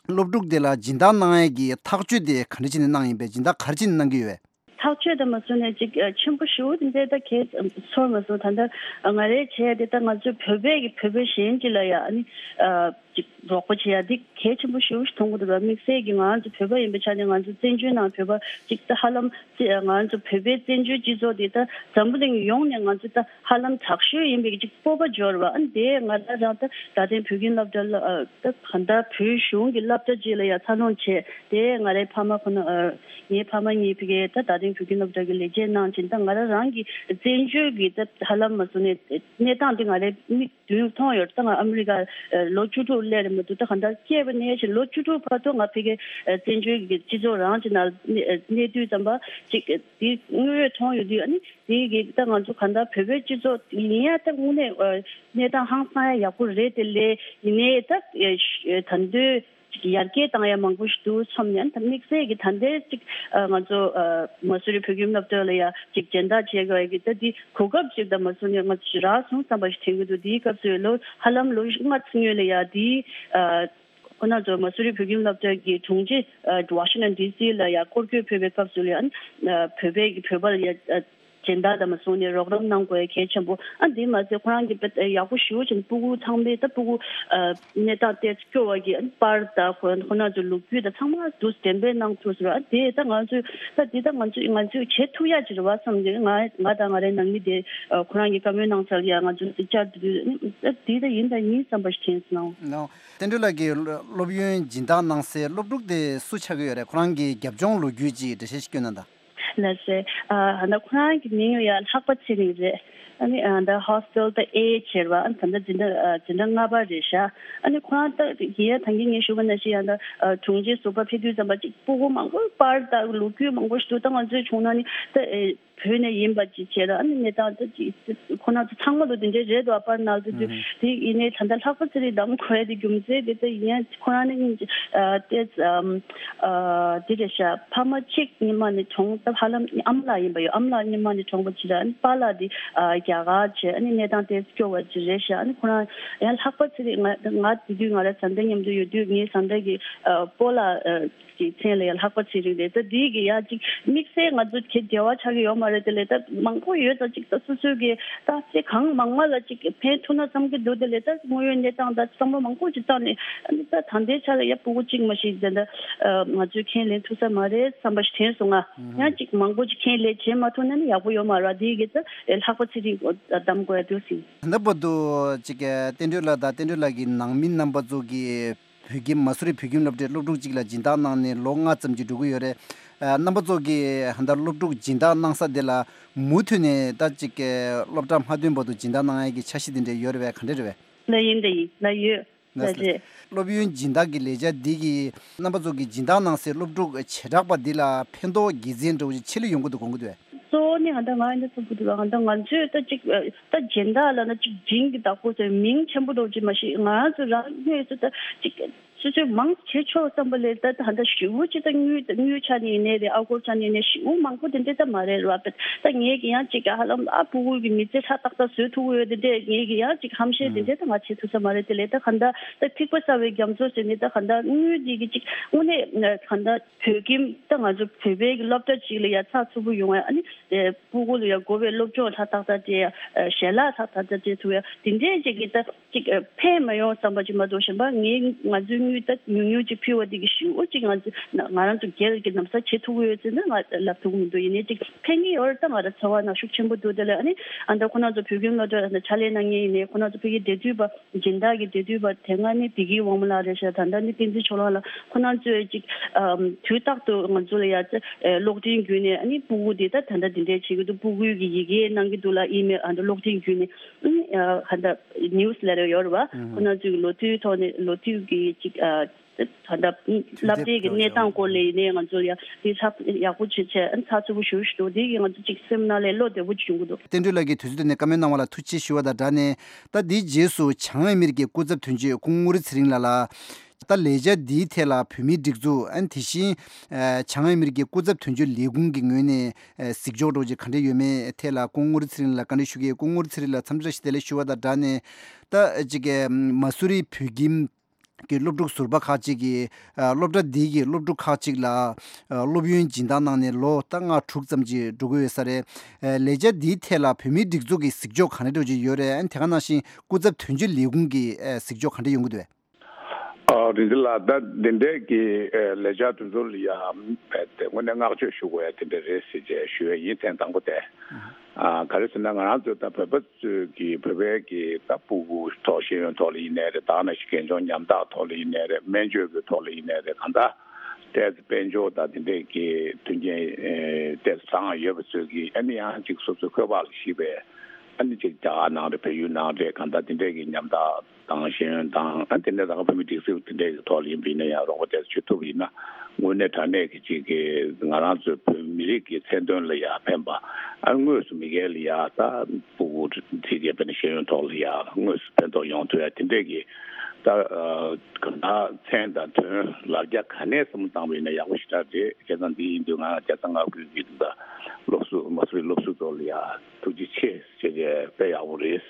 སློབ་ཕྲུག་དེ་ལ་སྦྱིན་བདག་གནང་ཡས་ཀྱི་ཐག་གཅོད་དེ་ག་འདྲ་བྱས་ནས་གནང་ཡིན་པས། སྦྱིན་བདག་ག་རེ་བྱས་ནས་གནང་གི་ཡོད་པས། ཐག་གཅོད་དང་མ་སོང་ནས་ཅིག་ཨ་ཆེན་པོ་ཞེ་པོ་དེ་འདྲ་ད་གས་ཚོར་མ་སོང་། ད་ལྟ་ང་རའི་བྱས་ཏེ་ད་ང་ཚོའི་བོད་པའི་གི་བོད་པ་གཞན་གཅིག་ལ་ཡ་ཨ་ནི་ཨ་ཅིག་རོགས་པ་བྱེད་ཡ་འདི་གལ་ཆེན་པོ་ཞེ་པོ་ཞིག་མཐོང་གི་འདུག་བ། དམིགས་བསལ་གྱི་ང་རང་ཚོ་བོད་པ་ཡིན་པའི་ཆ་ནས་ང་ཚོ་བཙན་བྱོལ་ནང་བོད་པ་ཅིག་ད་ཧ་ལམ་ང་རང་ཚོ་བོད་པའི་བཙན་བྱོལ་སྤྱི་ཚོགས་འདི་ད་འཛམ་བུ་གླིང་ཡོངས་ནས་ང་ཚོ་ད་ཧ་ལམ་དྲག་ཤོས་ཡིན་པའི་ཅིག་སྤོབས་པ་འབྱོར་བ། ཨ་ནི་དེ་ང་རང་རང་ད་རྡ་སྟེང་བོད་ཁྱིམ་སློབ་གྲྭ་ལ་ཨ་ད་གང་ལྟར་བོད་གཞུང་གི་སློབ་གྲྭ་ཅིག་ལ་ཡ་འཚར་ལོངས་བྱས། དེ་ང་རའི་ཕ་མ་ཁོ་ན་ཨ་ངའི་ཕ་མ་གཉིས་ཕ་གིར་ད་རྡ་སྟེང་བོད་ཁྱིམ་སློབ་གྲྭ་གི་ལས་བྱེད་གནང་བྱས། ད་ང་རང་རང་གི་བཙན་བྱོལ་གྱི་ད་ཧ་ལམ་མ་སོང་ནས་གནས་སྟངས་དེ་ང་རའི་མིག་མདུན་མཐོང་ཡོད། ད་ང་ཨ་མི་རི་ཀ་ལོ་བཅུ་དྲུག་སླེབས་རེད་མ་གཏོགས། ད་གང་ལྟར་སྐྱེས་པ་ནས་བྱས་ལོ་བཅུ་དྲུག་བར་དུ་ང་ཕ་གིར་བཙན་བྱོལ་གྱི་སྤྱི་ཚོགས་རང་གི་ནང་གནས་དུས་ཙམ་པ་ཅིག་དེ་དངོས་ཡོད་མཐོང་ཡོད་དུས། ཨ་ནི་དེ་གི་ད་ང་ཚོ་གང་ལྟར་བོད་པའི་སྤྱི་ཚོགས་ཡིན་ཡ་ད་དངོས་གནས་གནས་སྟངས་ཧང་སང་ཡ་ཡག་པོ་རེད། དེ་ལས་ཡིན་ནའི་ད་ད་དུང་ཅིག་ཡར་རྒྱས་བཏང་ཡ་མང་པོ་ཞིག་འདུག་བསམ་ནས། ད་དམིགས་བསལ་གྱི་ད་ལྟའི་ཅིག་ང་ཚོ་མ་སུ་རི་བོད་ཁྱིམ་སློབ་གྲྭ་ལ་ཡ་ཅིག་སྦྱིན་བདག་བྱེད་དགོས་ཀྱི་ད་འདི་གོ་སྐབས་ཅིག་ད་མ་སུ་ནས་ང་ཚོ་རག་སོང་བསམ་པ་ཞིག་དྲན་གྱི་འདུག་དེའི་སྐབས་སུ་ལོ་ཧ་ལམ་ལོ་ལྔ་ཙམ་སྔོན་ལ་ཡ་དེའི་ཁོ་ན་ཚོ་མ་སུ་རི་བོད་ཁྱིམ་སློབ་གྲྭ་གི་དྲུང་ཆེ་ཝ་ཤིང་ཊོན་ཌི་སི་ལ་ཡ་སྐོར་སྐྱོད་ཕེབས་པའི་སྐབས་སུ་ལ་ཡ་བོད་པའི་གི་བོད་པ་ལ་ཡ་སྦྱིན་བདག་དང་མ་སོང་ནས་རོགས་རམ་གནང་དགོས་གལ་ཆེན་པོ། ཨ་འདི་མ་ཟད་ཁོ་རང་གི་ཡག་པོ་ཞེ་པོ་ཅིག་སྤུ་གུ་ཚང་མའི་ད་སྤུ་གུ་གནས་སྟངས་ཏོག་ཙམ་སྐྱོ་བ་གི་པར་དང་ཁོ་ཁོ་ན་ཚོའི་ལོ་རྒྱུས་དང་ཚང་མ་འདུག་འགྲེམས་སྤེལ་གནང་ཐུབ་ཟེར་བ། ཨ་དེ་ད་ང་ཚོས་ད་འདི་ད་ང་ཚོས་ང་ཚོས་བྱེད་ཐུབ་ཡ་ཅིག་རེད་བ་བསམ་གི། ང་ང་དང་ང་རའི་ནང་མི་དེ་ཁོ་རང་གི་བཀའ་མོལ་གནང་ས་ལ་ཡ་ང་ཚོས་བཅར་དུས་ཨ་འདི་ད་ཡིན་ད་ཡིན་བསམ་པ་ཞིག་དྲན་སོང་། བསྟན་སྒྲོལ་ལགས་ཀྱིས་སློབ་ཡོན་སྦྱིན་བདག་གནང་སའི་སློབ་ཕྲུག་དེ་སུ་ཆགས་ཀྱི་ཡོད་རེད། ཁོ་རང་གི་རྒྱབ་ལྗོངས་ལོ་རྒྱུས་ཅིག་འགྲེལ་བཤད་ཞིག་སྐྱོན་གནང་དང་། ལགས་སེ། ཨ་ད་ཁོ་རང་གི་མིང་ཡང་ལྷག་པ་ཚེ་རིང་རེད། ཨ་ནི་ཨ་ད་ཧོ་སི་ཊེལ་ད་ཨེ་བྱས་པ། ཨ་ད་ད་འཛིན་གྲྭ་ཨ་འཛིན་གྲྭ་ལྔ་པ་རེད་ཤག་ཨ་ནི་ཁོ་རང་ད་ཡིན་ཡང་ད་གིན་ངས་ཞུ་བ་ནང་བཞིན་ཡང་ད་ཨ་དྲུང་ཆེ་ཟུར་པ་ཕེབས་དུས་ཙམ་པ་ཅིག་སྤུ་གུ་མང་པོ་པར་ད་ལོ་རྒྱུས་མང་པོ་ཞིག་འདུག་ད་ང་ཚོའི་ཆུང་ན་ནི་ད་ཨེ། བོད་ནས་ཡིན་པ་ཅིག་བྱས་ལ། ཨ་ནི་གནས་སྟངས་དེ་ཅིག་ཁོ་རང་ཚོ་ཚང་མ་ལོ་དེ་འདྲའི་རེད་འདུག་ཨ་པར་ནང་དུ་དུས་དེ་ཡིན་ནའི་ད་ལྟ་ལྷག་པ་ཚེ་རིང་བདམས་དགོས་ཡ་དེ་རྒྱུ་མཚན་དེ་ད་ཡིན་ཡང་ཁོ་རང་ནི་ཏེ་དེ་རེད་ཤག་ཕ་མ་གཅིག་ཉི་མ་ནས་གྲོངས། ད་ཧ་ལམ་ཨ་མ་ལགས་ཡིན་པ་ཡོད། ཨ་མ་ལགས་ཉི་མ་ནས་གྲོངས་པ་ཅིག་ར། ཨ་ནི་པཱ་ལགས་དེ་རྒྱ་གར་བྱས། ཨ་ནི་གནས་སྟངས་དེ་སྐྱོ་བ་ཅིག་རེད་ཤག་ཨ་ནི་ཁོ་རང་ཡང་ལྷག་པ་ཚེ་རིང་ང་ང་དེ་དུས་ང་ར་བཟའ་ཟླ་མཉམ་དུ་ཡོད་དུས་ངའི་བཟའ་ཟླ་གི་སྤོ་ལགས་ཀྱི་མཚན་ལ་ཡང་ལྷག་པ་ཚེ་རིང་རེད། ད་འདི་གི་ཡང་ཅིག་དམིགས་བསལ་ང་ཚོ་གི་འབྲེལ་བ་ཆགས་ཀྱི་ཡོད་མ་རེད། དེ་ལས་ད་མང་པོ་ཡོད་ཙང་ཅིག་ད་སོ་སོའི་གི་ད་ཚེ་གང་མང་མ་ལ་ཅིག་ཕན་ཐོགས་ན་བསམ་གྱི་འདུག་དེ་ལས་ད་དངོས་ཡོད་གནས་སྟངས་ད་བསམ་བློ་མང་པོ་ཅིག་བཏང་ནས། ཨ་ནི་ད་ད་ལྟའི་ཆ་ལ་ཡ་ཕྲུ་གུ་གཅིག་མ་ཞིག་ད་ད་ང་ཚོས་ཁས་ལེན་ཐུབ་ས་མ་རེད་བསམ་པ་ཞིག་དྲན་སོང་ང་། ཡང་ཅིག་མང་པོ་ཅིག་ཁས་ལེན་བྱེད་མ་ཐུབ་ན་ནི་ཡག་པོ་ཡོད་མ་རེད། དེ་གི་ད་ལྷག་པ་ཚེ་རིང་བདམས་དགོས་ཡ་འདུག་ཟིན། ད་བར་དུ་ཅིག་བསྟན་སྒྲོན་ལགས་དང་བསྟན་སྒྲོན་ལགས་ཀྱི་ནང་མི་རྣམ་པ་ཚོ་གིས་བོད་ཁྱིམ་མ་སུ་རི་བོད་ཁྱིམ་སློབ་གྲྭའི་སློབ་ཕྲུག་ཅིག་ལ་སྦྱིན་བདག་གནང་ནས་ལོ་ལྔ་ཙམ་ཅིག་འགྲོ་གི་ཡོད་རེད། ཨ། རྣམ་པ་ཚོ་གིས་ཧ་ད་སློབ་ཕྲུག་སྦྱིན་བདག་གནང་ས་དེ་ལ་མུ་མཐུད་ནས་ད་ཅིག་སློབ་གྲྭ་མ་ཐོན་བར་དུ་སྦྱིན་བདག་གནང་ཡ་གི་འཆར་གཞི་དེ་འདྲ་ཡོད་རེད་པས། ག་འདྲ་རེད་པས། ལ་ཡིན་ད་ཡིན་ལ་ཡོད་ལ་རེད། སློབ་ཡོན་སྦྱིན་བདག་གི་ལས་འཆར་འདི་གིས་རྣམ་པ་ཚོ་གིས་སྦྱིན་བདག་གནང་སའི་སློབ་ཕྲུག་བྱེ་བྲག་པ་འདི་ལ་ཕན་ཐོགས་དགེ་མཚན་འདྲ་བོ་ཞིག་ཆེ་ལ་ཡོང་གི་འདུག་དགོངས་ཀྱི་འདུག་པས། གཙོ་བོ་ནི་ང་ད་ང་ཡིན་ད་ཚོགས་པ་འདུག་ང་ད་ང་ཚོས་ད་ཅིག་ད་སྦྱིན་བདག་ལ་ན་ཅིག་སྦྱིན་གྱི་བདག་པོ་ཟེར་མིང་ཆེན་པོ་འདྲ་བོ་ཅིག་མ་ཤེས། ང་རང་ཚོ་རང་ངོས་སུ་ད་ཅིག་སོ་སོས་མང་བྱེད་ཆོག་བསམ་པ་ལས་ད་ད་ད་ཞེ་པོ་ཅིག་ད་དངུལ་དངུལ་ཆ་ནས་ཡིན་ནའི་རེད། ཨ་སྒོར་ཆ་ནས་ཡིན་ནའི་ཞེ་པོ་མང་པོ་དེ་འདྲ་ད་མ་རེད་ར། ད་ངས་ཀྱི་ཡང་ཅིག་ཧ་ལམ་ཨ་ཕྲུ་གུ་གི་མི་ཚེ་ཧྲ་ཏག་ཏག་བཟོ་ཐུབ་ཀྱི་ཡོད་དེ་འདྲས། ངས་ཀྱི་ཡང་ཅིག་ཧམ་བཤད་དེ་འདྲས་ད་ང་བྱེད་ཐུབ་ས་མ་རེད། དེ་ལས་ད་ག་ད་ད་ཐིགས་པ་གསར་བའི་རྒྱ་མཚོ་ཟེར་ནས་ད་ག་ད་དངུལ་འདི་གི་ཅིག་དངོས་གནས་ག་ད་བོད་ཁྱིམ་ད་ང་ཚོ་བོད་པའི་གི་སློབ་གྲྭ་ཅིག་ལ་ཡ་ཚགས་ཚུད་པོ་ཡོང་བ། ཨ་ནི་ཕྲུ་གུ་ལ་ཡ་དགོས་པའི་སློབ་སྦྱོང་ཧྲ་ཏག་ཏག་སྤྲད་ཡ། ཞལ་ལག་ཧྲ་ཏག་ཏག་སྤྲད་ཐུབ་ཡ་དེ་འདྲས་ཅིག་གི་ད་ཅིག་ཨ། ཕན་མ་ཡོང་བསམ་པ་ཅིག་མ་གཏོགས་གཞན་པ་ངས་ང་ཚོའི་དངུལ་ད་ཉུང་ཉུང་ཅིག་ཕུལ་བ་དེ་གི་ཞེ་པོ་ཅིག་ང་ཚོ་ང་རང་ཚོ་སྒེར་གྱི་ལམ་སང་བྱེད་ཐུབ་ཀྱི་ཡོད་ཚེ་ན་ང་ལབ་ཐུབ་ཀྱི་མི་འདུག་ཡིན་ནའི་ཅིག་ཕན་གྱི་ཡོད་རེད། ད་ང་རང་ཚོར་བ་ནང་ཤུགས་ཆེན་པོ་འདུག་དེ་ལ་ཨ་ནི་ཨ་ད་ཁོ་ན་ཚོ་བོད་ཁྱིམ་སློབ་གྲྭ་ཕྱག་ལས་གནང་མཁན་ཡིན་ནའི་ཁོ་ན་ཚོ་ཕ་གིའི་འབྲེལ་མཐུད་པ་སྦྱིན་བདག་གི་འབྲེལ་མཐུད་པ་དེ་སྔ་ནི་བདེ་སྐྱིད་དབང་མོ་ལགས་རེད་ཤག་ད་ལྟ་ནི་བསྟན་འཛིན་ཕྱོགས་གླང་ལགས། ཁོ་ན་ཚོས་ཅིག་ཨ། དུས་རྟག་ཏུ་ང་ཚོ་ལ་ཡ་ཨ། གློག་འཕྲིན་བརྒྱུད་ནས་ཨ་ནི་སྤུ་གུ་དེ་ད་ད་ལྟ་འདི་འདྲས་བྱེད་ཀྱི་འདུག་སྤུ་གུའི་གི་ཡི་གེ་གནང་གི་འདུག་ལ་ཨི་མེལ་ཨ་ད་གློག་འཕྲིན་བརྒྱུད་ནས། ཨ་ནི་ཨ་ད་ནིའུ་སི་ལེ་ཊར་ཡོད་རེད་པ། ཁོ་ན་ཚོའི་གི་ལོ་དུས་ཐོག་ནས་ལོ་དུས་ཀྱི་ཅིག་ཨ། ད་ལྟ་སློབ་གྲྭའི་གི་གནས་སྟངས་སྐོར་ལ་ཡིན་ནའི་ང་ཚོ་ཡ་དེ་ཚགས་ཡག་པོ་བྱེད་ཆེད་ཨ་ནི་ཚགས་ཚུད་པོ་ཞུ་ཞུ་འདུག་དེ་གི་ང་ཚོ་ཅིག་སེམས་ནང་ལ་བློ་བདེ་པོ་བྱུང་གི་འདུག་བསྟན་སྒྲོལ་ལགས་ཀྱིས་དུས་ཚོད་བཏོན་ནས་བཀའ་མོལ་གནང་བ་ལ་ཐུགས་རྗེ་ཆེ་ཞུ་བ་དང་སྦྲགས་ནས། ད་འདིའི་རྗེས་སུ་བྱང་ཨ་མི་རི་ཀའི་སྐུ་ཚབ་དོན་གཅོད་སྐུ་ངོ་རི་ཚེ་རིང་ལགས་ལ། ད་ལས་འཆར་འདིའི་ཐད་ལ་བོད་མིའི་སྒྲིག་འཛུགས་ཨ་ནི་དེ་བཞིན་བྱང་ཨ་མི་རི་ཀའི་སྐུ་ཚབ་དོན་གཅོད་ལས་ཁུངས་ཀྱི་ངོས་ནས་གཟིགས་ཕྱོགས་འདྲ་བོ་ཅིག་ག་འདྲ་ཡོད་མེད་ཐད་ལ་སྐུ་ངོ་རི་ཚེ་རིང་ལགས་བཀའ་འདྲི་ཞུ་གི་ཡོད། སྐུ་ངོ་རི་ཚེ་རིང་ལགས་འཚམས་འདྲི་བཀྲ་ཤིས་བདེ་ལེགས་ཞུ་བ་དང་སྦྲགས་ནས། ད་ཅིག་མ་སུ་རི་བོད་ཁྱིམ་གྱི་སློབ་ཕྲུག་ཟུར་པ་ཁག་ཅིག་གིས་སློབ་གྲྭ་འདི་གི་སློབ་ཕྲུག་ཁག་ཅིག་ལ་སློབ་ཡོན་སྦྱིན་བདག་གནང་ནས་ལོ་ད་ལྔ་དྲུག་ཙམ་ཅིག་འགྲོ་གི་ཡོད་ས་རེད། ལས་འཆར་འདིའི་ཐད་ལ་བོད་མིའི་སྒྲིག་འཛུགས་ཀྱི་གཟིགས་ཕྱོགས་ག་འདྲ་འདྲ་ཅིག་ཡོད་རེད། དེ་ག་ནང་བཞིན་སྐུ་ཚབ་དོན་གཅོད་ལས་ཁུངས་ཀྱི་གཟིགས་ཕྱོགས་ག་འདྲ་ཡོང་གི་འདུག་རིན་ཆེན་ལགས། ད་འདི་འདྲའི་གི་ལས་འཆར་དེ་ཚོ་ལ་ཡ་དངོས་གནས་བསྔགས་བརྗོད་ཞུ་དགོས་ཡ་དེ་འདྲ་རེད་ཟེར་བྱས་ཞུ་ཡ་ཡིན། ཐེངས་དང་པོ་དེ། ཨ། ག་རེ་ཟེར་ན་ང་རང་ཚོ་ད་བོད་པ་ཚོས་ཀྱི་བོད་པའི་གི་ད་སྤུ་གུ་ཐོག་ཤེས་ཡོན་ཐོག་ལ་ཡིན་ནའི་རེད། ད་ནང་བཞིན་རྒན་གཞོན་མཉམ་ཐག་ཐོག་ལ་ཡིན་ནའི་རེད། སྨན་བཅོས་ཀྱི་ཐོག་ལ་ཡིན་ནའི་རེད། གང་ལྟར་ཏོག་ཙམ་དཔལ་འབྱོར་དང་དེ་འདྲའི་གི་མཐུན་རྐྱེན་ཨེ་ཏོག་ཙམ་བཟང་ཡོད་པ་ཚོས་ཀྱི་ཨ་ནི་ཡང་ཅིག་སོ་སོའི་འཁོས་དཔག་ལ་གཞིགས་པའི་ཨ་ནི་ཅིག་རྒྱ་གར་ནང་རེད། བལ་ཡུལ་ནང་རེད། གང་ལྟར་དེ་འདྲའི་གི་མཉམ་ཐག་དང་ཤེས་ཡོན་དང་ཨ་དེ་འདྲའི་ད་ག་བོད་མི་སྒྲིག་འཛུགས་དེ་འདྲའི་གི་ཐོག་ལ་ཡིན་པ་ཡིན་ན་ཡང་རོགས་པ་དེ་ཚོ་བྱེད་ཐུབ་ཡིན་ན། དངོས་གནས་དྲང་གནས་ཀྱི་ཅིག་གི་ང་རང་ཚོའི་བོད་མི་རིགས་ཀྱི་མཚན་དོན་ལ་ཡ་ཕན་པ། ཨ་དངོས་སུ་མི་སྒེར་ལ་ཡ་ད་སྤུ་གུ་དེ་གའི་དཔེར་ན་ཤེས་ཡོན་ཐོག་ལ་ཡ་དངོས་སུ་ཕན་ཐོགས་ཡོང་ཐུབ་ཡ་དེ་འདྲས་ཀྱི་ད་གང་ལྟར་མཚན་དང་དོན་ལ་རྒྱ་ག་ནས་བསམ་བློ་བཏང་བ་ཡིན་ན་ཡག་པོ་ཞེ་དྲག་རེད། བྱས་ཙང་འདི་ཡིན་དུས་ང་རྒྱལ་ས་མངའ་ཁུལ་གྱི་ད་སློབ་ཟུར་མ་སུ་རི་སློབ་ཟུར་ཚོ་ལ་ཡ་ཐུགས་རྗེ་ཆེ་ཞེས་བྱས་དཔེ་ཡག་པོ་རེད་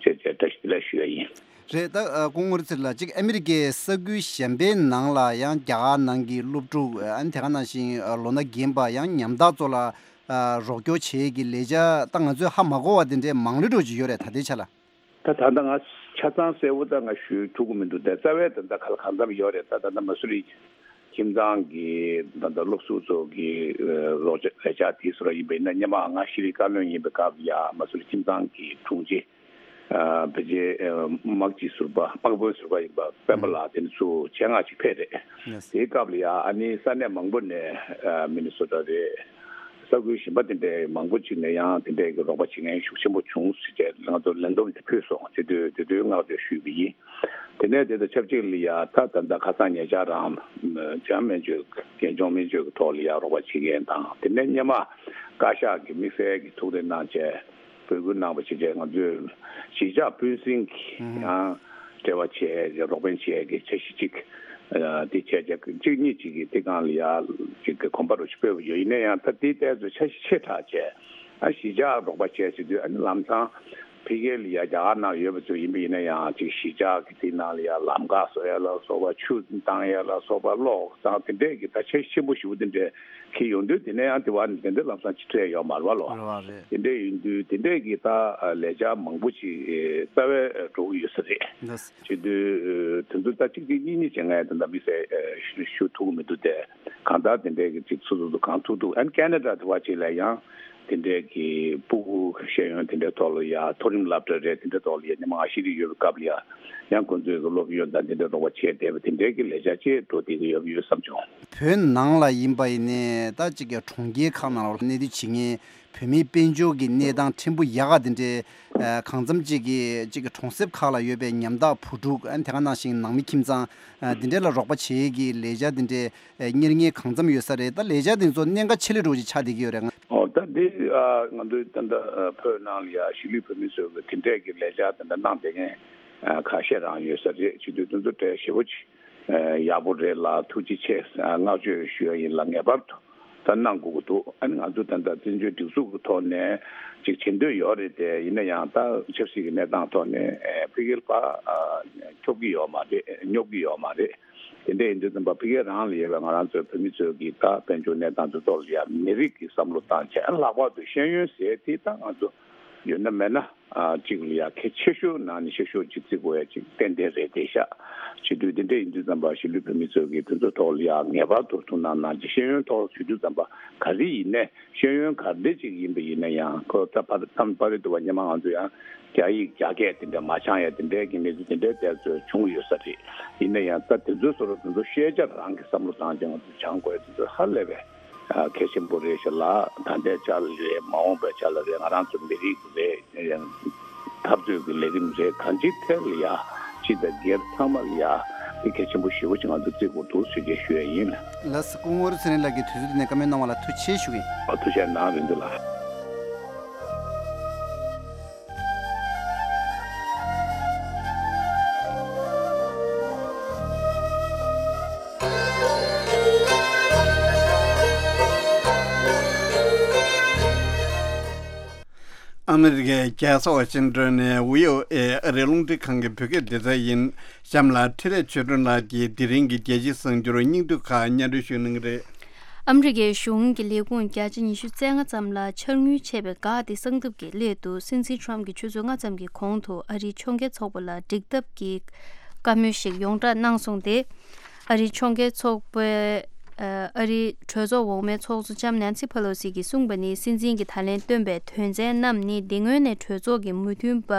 ཞེས་བྱས་བཀྲ་ཤིས་བདེ་ལེགས་ཞུ་ཡ་ཡིན། རེད། ད་སྐུ་ངོ་རི་ཚེ་རིང་ལགས། གཅིག་ཨ་མི་རི་ཀའི་ས་ཁུལ་གཞན་པའི་ནང་ལ་ཡང་རྒྱ་གར་ནང་གི་སློབ་ཕྲུག་ཨ་ནི་དེ་ག་ནང་བཞིན་ལོ་ན་རྒན་པ་ཡང་ཉམ་ཐག་ཚོ་ལ་རོགས་སྐྱོར་བྱེད་ཀྱི་ལས་འཆར་ད་ང་ཚོས་ཧ་མ་གོ་བ་དེ་འདྲའི་མང་རིགས་འགྲོ་གི་ཡོད་རེད། ད་ལྟའི་ཆ་ལ། ད་ད་ལྟ་ང་ཆ་ཚང་གསལ་བོ་ད་ང་ཞུ་ཐུབ་ཀྱི་མི་འདུག་ད་རྩ་བའི་ད་ལྟ་ག་ལ་གང་འཚམ་ཡོད་རེད། ད་ད་ལྟ་མ་སུ་རི་ཁྱིམ་ཚང་གི་ད་ལྟ་སློབ་ཟུར་ཚོ་གི་རོགས་ལས་འཆར་དེ་ཚོ་ཡིན་པ་ཡིན་ན་སྔོན་མ་ང་ཤེས་རིག་བཀའ་བློན་ཡིན་པའི་སྐབས་ལ་ཡ་མ་སུ་རི་ཁྱིམ་ཚང་གི་དྲུང་ཆེ། ཨ་ཕལ་ཆེར་ཨ་དམག་སྤྱི་ཟུར་པ་དམག་དཔོན་ཟུར་པ་ཡིན་པ་སྤེན་པ་ལགས་དེ་ནི་ཚུར་ཆེད་མངགས་ཅིག་ཕེབས་རེད། དེའི་སྐབས་ལ་ཡང་ཨ་ནི་ས་གནས་མང་པོ་ནས་ཨ་མི་ནི་སོ་ཊ་རེད། ས་ཁུལ་གཞན་པ་དེ་འདྲའི་མང་པོ་ཅིག་ནས་ཡང་དེ་འདྲའི་གི་རོགས་པ་བྱེད་མཁན་ཤུགས་ཆེན་པོ་བྱུང་ཟེར་བྱས་ང་ཚོར་ལན་འདེབས་དེ་ཕུལ་སོང་། དེ་དུས་དེ་དུས་བསྔགས་བརྗོད་ཞུས་པ་ཡིན། དེ་ནས་དེ་དང་ཆབས་ཅིག་ལ་ཡང་ད་ད་ལྟ་ཁ་སང་ཉེ་ཆར་རང་ལྗང་སྨན་བཅོས་རྒན་གཞོན་སྨན་བཅོས་ཀྱི་ཐོག་ལ་ཡང་རོགས་པ་བྱེད་མཁན་དང་དེ་ནས་སྔོན་མ་ བཀའ་ཤག་གི་དམིགས་བསལ་གྱི་ཐུགས་རེ་གནང་བྱས་འབོད་སྐུལ་གནང་བ་ཞིག་བྱས། ང་ཚོས་གཞིས་ཆགས་སྤུན་སྲིང་གི་ཡང་འབྲེལ་བ་བྱས། རོགས་ཕན་བྱས་ཀྱི་འཆར་གཞི་གཅིག་དེ་བྱས་རྗེས་གཅིག་གཉིས་གཅིག་གི་དེ་སྒང་ལ་ཡ་གཅིག་གི་གོམ་པ་རུ་ཞིག་སྤོས་པ་ཡོད། ཡིན་ན་ཡང་ད་དེའི་ཐད་དུ་འཆར་གཞི་ཆེ་དྲགས་བྱས། ཨ་གཞིས་ཆགས་རོགས་པ་བྱས་བྱེད་དུས་ཨ་ནི་ལམ་སང་ཕ་གིར་ལ་ཡ་རྒྱ་གར་ནང་ཡོད་པ་ཚོ་ཡིན་པ་ཡིན་ན་ཡང་གཅིག་གཞིས་ཆགས་ཀྱི་དེ་ནང་ལ་ཡ་ལམ་ཁ་བཟོ་ཡ་ལ་སོགས་པ། ཆུ་བཏང་ཡ་ལ་སོགས་པ། གློག་བཏང་། དེ་འདྲས་ཀྱི་ད་འཆར་གཞི་ཆེན་པོ་ཞེ་པོ་དེ་འདྲས་འཁྱེར་ཡོང་དུས་དེ་ནས་ཡང་དེ་བ་ནི་དེ་འདྲས་ལམ་སང་ཅིག་འཕྲད་ཡོད་མ་རེད་བ་ལོ། རེད་བ་རེད། དེ་འདྲས་ཡིན་དུས་དེ་འདྲས་ཀྱི་ད་ལས་འཆར་མང་པོ་ཅིག་རྩ་བའི་འགྲོ་གི་ཡོད་ས་རེད། འདི་བྱེད་དུས་དེ་ཚོ་ད་གཅིག་གཅིག་གཉིས་གཉིས་བྱེད་མཁན་དེ་འདྲ་དམིགས་བསལ་ཞུ་ཐུབ་ཀྱི་མི་འདུག་སྟེ། གང་ལྟར་དེ་འདྲས་ཀྱི་ཅིག་སོ་སོ་སོ་གང་ཐུབ་ཐུབ། ཨན་ཁེ་ན་ཌ་དེ་བ་ཅིག་ལ་ཡང་དེ་འདྲས་ཀྱི་ཕྲུ་གུ་ཤེས་ཡོན་དེ་འདྲས་ཐོག་ལ་ཡ་མཐོ་རིམ་སློབ་གྲྭ་རེད། དེ་འདྲས་ཐོག་ལ་ཡ་ཉི་མ་ང་ཤི་རི་ཡོད་པའི་སྐབས་ལ་ཡ་ཡང་ཁོང་ཚོའི་གི་སློབ་ཡོན་དང་དེ་འདྲས་རོགས་པ་བྱས་བསྡད་པ་དེ་འདྲས་ཀྱི་ལས་འཆར་ཅིག་འགྲོ་བསྡད་ཀྱི་ཡོད་ཡོད་བསམ་བྱུང་། བོད་ནང་ལ་ཡིན་པ་ཡིན་ནའི་ད་ཅིག་གི་གྲོང་ཁྱེར་ཁག་ནང་ལ་གནས་སྡོད་བྱེད་མཁན་བོད་མིའི་དཔལ་འབྱོར་གྱི་གནས་སྟངས་ཕྲན་བུ་ཡག་ག་དེ་འདྲའི་ཨ་གང་འཚམ་ཅིག་གི་ཅིག་གི་གྲོང་གསེབ་ཁག་ལ་ཡོད་པའི་ཉམ་ཐག་བུ་ཕྲུག་ཨ་དེ་ག་ནང་བཞིན་ནང་མི་ཁྱིམ་ཚང་ཨ་དེ་འདྲ་ལ་རོགས་པ་བྱེད་ཀྱི་ལས་འཆར་དེ་འདྲའི་ཨ་གཉེར་མཁན་གང་འཚམ་ཡོད་ས་རེད། ད་ལས་འཆར་དེ་ཚོ་གནད་འགག་ཆེ་ལོས་འགྲོ་ཅིག་ཆགས་བསྡད་ཀྱི་ཡོད་རེད། ཨོ་ད་འདི་ཨ་ང་ཚོའི་ད་ལྟ་ཨ་བོད་ནང་ལ་ཡ་གཞིས་ལུས་བོད་མི་ཚོས་གི་དེ་འདྲས་ཀྱི་ལས་འཆར་དེ་འདྲ་གནང་བསྡད་མཁན་ཨ་ཁ་ཤས་རང་ཡོད་ས་རེད། བྱེད་དུས་དེ་ཚོ་གྲས་ཞེ་པོ་ཅིག་ཡག་པོ་རེད་ལ། ཐུགས་རྗེ་ཆེ། བསྔགས་བརྗོད་ཞུ་ཡ་ཡིན་ལ། ངེས་པར་དུ་ད་གནང་དགོས་ཀྱི་འདུག་ཨ་ནི་ང་ཚོ་ད་ལྟ་བཙན་བྱོལ་སྒྲིག་འཛུགས་ཀྱི་ཐོག་ནས་ཅིག་བྱེད་འདོད་ཡོད་རེད་དེ། ཡིན་ན་ཡང་ད་ཆབ་སྲིད་ཀྱི་གནས་སྟངས་ཐོག་ནས་ཕ་གིར་ཕར་སྐྱོབ་ཀྱི་ཡོད་མ་རེད། སྙོབ་ཀྱི་ཡོད་མ་རེད། དེ་འདྲ་ཡིན་དུས་ཙམ་པ་ཕ་གིར་རང་ལ་ཡོད་པའི་ང་རང་ཚོའི་བོད་མི་ཚོའི་གི་ད་དཔལ་འབྱོར་གནས་སྟངས་དེ་ཚོ་ལ་ཡ་མི་རིགས་ཀྱི་བསམ་བློ་བཏང་བྱས། ལྷག་པར་དུ་ཤེས་ཡོན་ཟེར་དེ་ད་ང་ཚོ་ཡོད་ན་མེད་ན་ཨ་གཅིག་ལ་ཡ་གལ་ཆེ་ཤོས་ནང་ནས་ཆེ་ཤོས་ཅིག་བརྩི་དགོས་ཡ་ཅིག་ཏན་ཏན་རེད་དེ་ཤག་བྱེད་དུས་དེ་འདྲ་ཡིན་དུས་ཙམ་པ་གཞིས་ལུས་བོད་མི་ཚོ་གིས་དེ་ཚོ་ཐོག་ལ་ཡ་ངེས་པར་དུ་ཐུགས་སྣང་གནང་རྗེས། ཤེས་ཡོན་ཐོག་བྱེད་དུས་ཙམ་པ་ག་རེ་ཡིན་ནའི་ཤེས་ཡོན་ག་འདྲ་ཅིག་ཡིན་པ་ཡིན་ན་ཡང་ཁོ་ད་ཕར་མཚམས་ཕ་རི་དུ་བ་སྔོན་མ་ང་ཚོ་ཡང་རྒྱ་ཡིག་རྒྱ་སྐད་དེ་འདྲ་མ་སྦྱང་ཡ་དེ་འདྲའི་གི་གནས་ཚུལ་དེ་འདྲའི་དེ་ཚོ་བྱུང་ཡོད་ས་རེད། ཡིན་ན་ཡང་ད་དེ་ཚོའི་བཟོ་འདྲ་དེ་ཚོ་ཤེས་བྱ་རང་གི་བསམ་བློ་བཏང་བྱས་ང་ཚོ་སྦྱང་དགོས་ཡ་དེ་ཚོ་ཧ་ལས་པའི་ཨ་གལ་ཆེན་པོ་རེད་ཤག་ལ། ད་ལྟའི་ཆ་ལ་རེད། མ་འོངས་པའི་ཆ་ལ་རེད། ང་རང་ཚོ་མི་རིགས་རེད། འཐབ་རྩོད་ཀྱི་ལས་རིམ་རེད། གང་ཅིའི་ཐད་ལ་ཡ་སྤྱི་དང་སྒེར་ཚང་མ་ལ་ཡ་དེ་གལ་ཆེན་པོ་ཞེ་པོ་ཅིག་ང་ཚོ་བརྩི་དགོས་འདུག་ཟེར་བྱས་ཞུ་ཡ་ཡིན། ལགས་སོ། སྐུ་ངོ་ཚེ་རིང་ལགས་ཀྱིས་དུས་ཚོད་འདི་ནས་བཀའ་མོལ་གནང་བ་ལ་ཐུགས་རྗེ་ཆེ་ཞུ་གི་ཡིན། ཨ་ཐུགས་རྗེ་གནང་རིན་འདུག་ལགས། ཨ་མི་རི་ཀའི་རྒྱལ་ས་ཝ་ཤིང་ཏོན་ནས་བྷི་ཨོ་ཨེ་ཨ་རིའི་རླུང་འཕྲིན་ཁང་གི་བོད་སྐད་སྡེ་ཚན་ཡིན། གཤམ་ལ་འཕྲིན་ལས་ཆོས་སྒྲོན་ལགས་ཀྱིས་དེ་རིང་གི་རྒྱལ་སྤྱིའི་གསར་འགྱུར་སྙིང་བསྡུས་ཁག་སྙན་སྒྲོན་ཞུ་གནང་གི་རེད། ཨ་མི་རི་ཀའི་གཞུང་གི་ལས་ཁུངས་བརྒྱ་ཆ་ཉི་ཤུ་རྩ་ལྔ་ཙམ་ལ་འཆར་དངུལ་ཆད་པའི་འགག་དེ་གསང་ཐབས་ཀྱི་སླད་དུ། སྲིད་འཛིན་ཊམ་གྱིས་ཆུ་ཚོད་ལྔ་ཙམ་གྱི་གོང་དུ་ཨ་རིའི་ཕྱོགས་འགལ་ཚོགས་པ་ལ་འགྲིག་ཐབས་ཀྱི་བཀའ་མོལ་ཞིག་ཡོངས་བསྒྲགས་གནང་སོང་སྟེ། ཨ་རིའི་ཕྱོགས་འགལ་ཚོགས་པའི་ཨ་རིའི་གྲོས་ཚོགས་འོག་མའི་ཚོགས་གཙོ་ལྕམ་ནན་སི་ཕེ་ལོ་སི་གིས་གསུངས་པ་ནི། སྲིད་འཛིན་གྱིས་ད་ལན་བཏོན་པའི་དོན་ཚན་རྣམས་ནི་དེ་སྔོན་ནས་གྲོས་ཚོགས་ཀྱི་མོས་མཐུན་པ།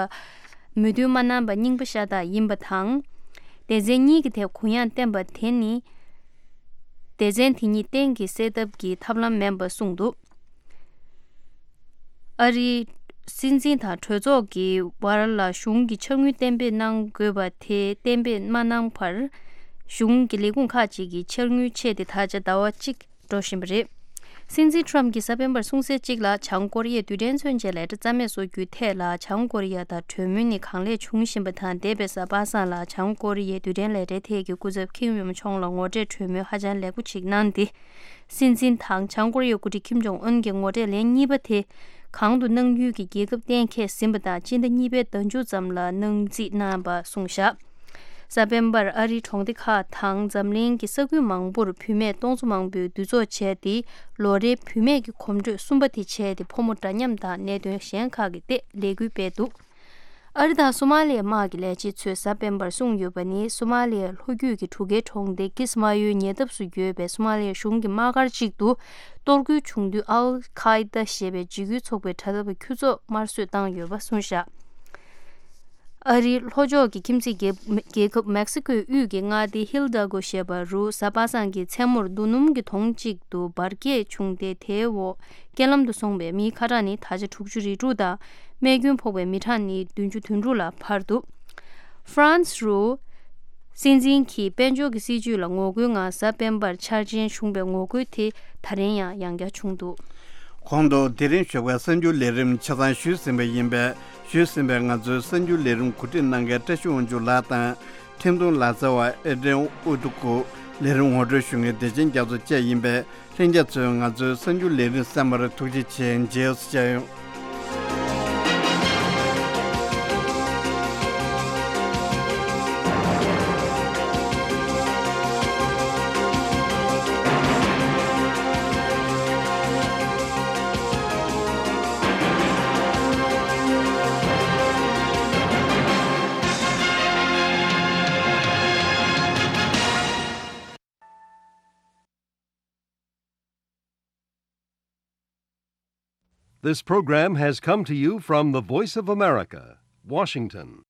མོས་མཐུན་མ་གནང་པ་རྙིང་པ་ཤ་སྟག་ཡིན་པ་དང་། སྡེ་ཚན་གཉིས་ཀྱི་ཐད་གུ་ཡངས་བསྟན་པ་དེ་ནི། སྡེ་ཚན་དེ་གཉིས་གཏན་གྱི་སེལ་ཐབས་ཀྱི་ཐབས་ལམ་མིན་པ་གསུངས་འདུག་ཨ་རིའི་སྲིད་འཛིན་དང་གྲོས་ཚོགས་ཀྱི་བར་ལ་གཞུང་གི་འཆར་དངུལ་གཏན་འབེབས་གནང་དགོས་པ་དེ་གཏན་འབེབས་མ་གནང་བར། གཞུང་གི་ལས་ཁུངས་ཁག་ཅིག་གི་འཆར་དངུལ་ཆད་དེ་ད་ཆ་ཟླ་བ་གཅིག་འགྲོ་བཞིན་པ་རེད། སྲིད་འཛིན་ཊམ་གྱིས་གཟའ་སྤེན་པར་གསུངས་གསལ་གཅིག་ལ། བྱང་ཀོ་རི་ཡས་རྡུལ་ཕྲན་མཚོན་ཆའི་ལས་གྲྭ་རྩ་མེད་བཟོ་རྒྱུའི་ཐད་ལ་བྱང་ཀོ་རི་ཡ་དང་གྲོས་མོལ་ནི་གང་ལེགས་བྱུང་བཞིན་པ་དང་། འདས་པའི་གཟའ་པ་སངས་ལ་བྱང་ཀོ་རི་ཡས་རྡུལ་ཕྲན་ལས་གྲྭའི་ཐད་ཀྱི་སྐུ་ཚབ་ཁིམ་ཡུམ་ཆོང་ལ་ངོ་འཕྲད་གྲོས་མོལ་ཧ་ཅང་ལེགས་པོ་ཞིག་གནང་སྟེ། སྲིད་འཛིན་དང་བྱང་ཀོ་རི་ཡའི་འགོ་ཁྲིད་ཁིམ་ཇོང་ཨུན་གྱི་ངོ་འཕྲད་ལན་གཉིས་པ་དེ་གང་དུ་གནང་རྒྱུའི་གི་རྒྱལ་ཁབ་གཏན་འཁེལ་ཟིན་པ་དང་། སྤྱི་ཟླ་གཉིས་པའི་ཟླ་མཇུག་ཙམ་ལ་གནང་རྩིས་གནང་བ་གསུངས་བཞག་གཟའ་སྤེན་པར་ཨ་རིའི་གྲོང་སྡེ་ཁག་དང་འཛམ་གླིང་གི་ས་ཁུལ་མང་པོར་བུད་མེད་སྟོང་ཚོ་མང་པོས་འདུ་ཚོགས་བྱས་ཏེ། ལོ་རེའི་བུད་མེད་ཀྱི་གོམ་བགྲོད་གསུམ་པ་དེ་བྱས་ཏེ། ཕོ་མོ་འདྲ་མཉམ་དང་གནད་དོན་གཞན་ཁག་གི་ཐད་ལས་འགུལ་སྤེལ་འདུག་ཨ་རི་དང་སོ་མ་ལི་ཡའི་དམག་གི་ལས་བྱེད་ཚོས་གཟའ་སྤེན་པར་གསུངས་ཡོད་པ་ནི། སོ་མ་ལི་ཡའི་ལྷོ་རྒྱུད་ཀྱི་གྲུ་ཁའི་གྲོང་སྡེ་ཀིས་མ་ཡོའི་ཉེ་འདབས་སུ་ཡོད་པའི་སོ་མ་ལི་ཡའི་གཞུང་གི་དམག་སྒར་གཅིག་ཏུ་གཏོར་རྒོལ་བྱུང་དུས། ཨལ་ཁ་ཨི་ད་ཞེས་པའི་འཇིགས་སྐུལ་ཚོགས་པའི་དྲ་ཐག་པའི་ཁྱུ་ཚོགས་དམར་གསོད་བཏང་ཡོད་པ་གསུངས་བཞག་ཨ་རིའི་ལྷོ་ཕྱོགས་ཀྱི་ཁྱིམ་མཚེས་རྒྱལ་རྒྱལ་ཁབ་མེག་སི་ཀོའི་དབུས་ཀྱི་མངའ་སྡེ་ཧིལ་ཌ་གོ་ཞེས་པ་རུ་གཟའ་པ་སངས་ཀྱི་མཚན་མོར་རྡོ་སྣུམ་གྱི་དོང་གཅིག་ཏུ་འབར་གས་བྱུང་སྟེ། དེའི་འོག་རྐྱེན་ལམ་དུ་སོང་བའི་མིའི་ཁ་གྲངས་ནི་ད་ཆ་དྲུག་ཅུ་རེ་དྲུག་དང་། རྨས་སྐྱོན་ཕོག་པའི་མི་གྲངས་ནི་བདུན་ཅུ་དོན་དྲུག་ལ་འཕར་འདུག་ཧྥ་རན་སི་རུ་སྲིད་འཛིན་གྱིས་དཔལ་འབྱོར་གྱི་སྲིད་ཇུས་ལ་ངོ་རྒོལ་ངང་གཟའ་སྤེན་པར་འཆར་ཅན་བྱུང་བའི་ངོ་རྒོལ་དེ་ད་རིང་ཡང་ཡང་བསྐྱར་བྱུང་འདུག་གོང་དུ་དེ་རིང་ཞོགས་པའི་གསར་འགྱུར་ལས་རིམ་ཆ་ཚང་ཞུས་ཟིན་པ་ཡིན་པས། ཞུས་ཟིན་པའི་ང་ཚོའི་གསར་འགྱུར་ལས་རིམ་གོ་སྒྲིག་གནང་མཁན་བཀྲ་ཤིས་དབང་ཕྱུག་ལགས་དང་། འཕྲིན་གཏོང་ལག་རྩལ་བ་ཨེ་ཌྲེན་ཨུ་ཏུ་ཀུ། ལས་རིམ་ངོ་སྤྲོད་ཞུ་མཁན་བདེ་ཆེན་རྒྱ་མཚོ་བཅས་ཡིན་པས། ལྷན་རྒྱས་ཚོས་ང་ཚོའི་གསར་འགྱུར་ལས་རིམ་གསན་པར་ཐུགས་རྗེ་ཆེ། མཇལ་ཡོང་། This program has come to you from the Voice of America, Washington.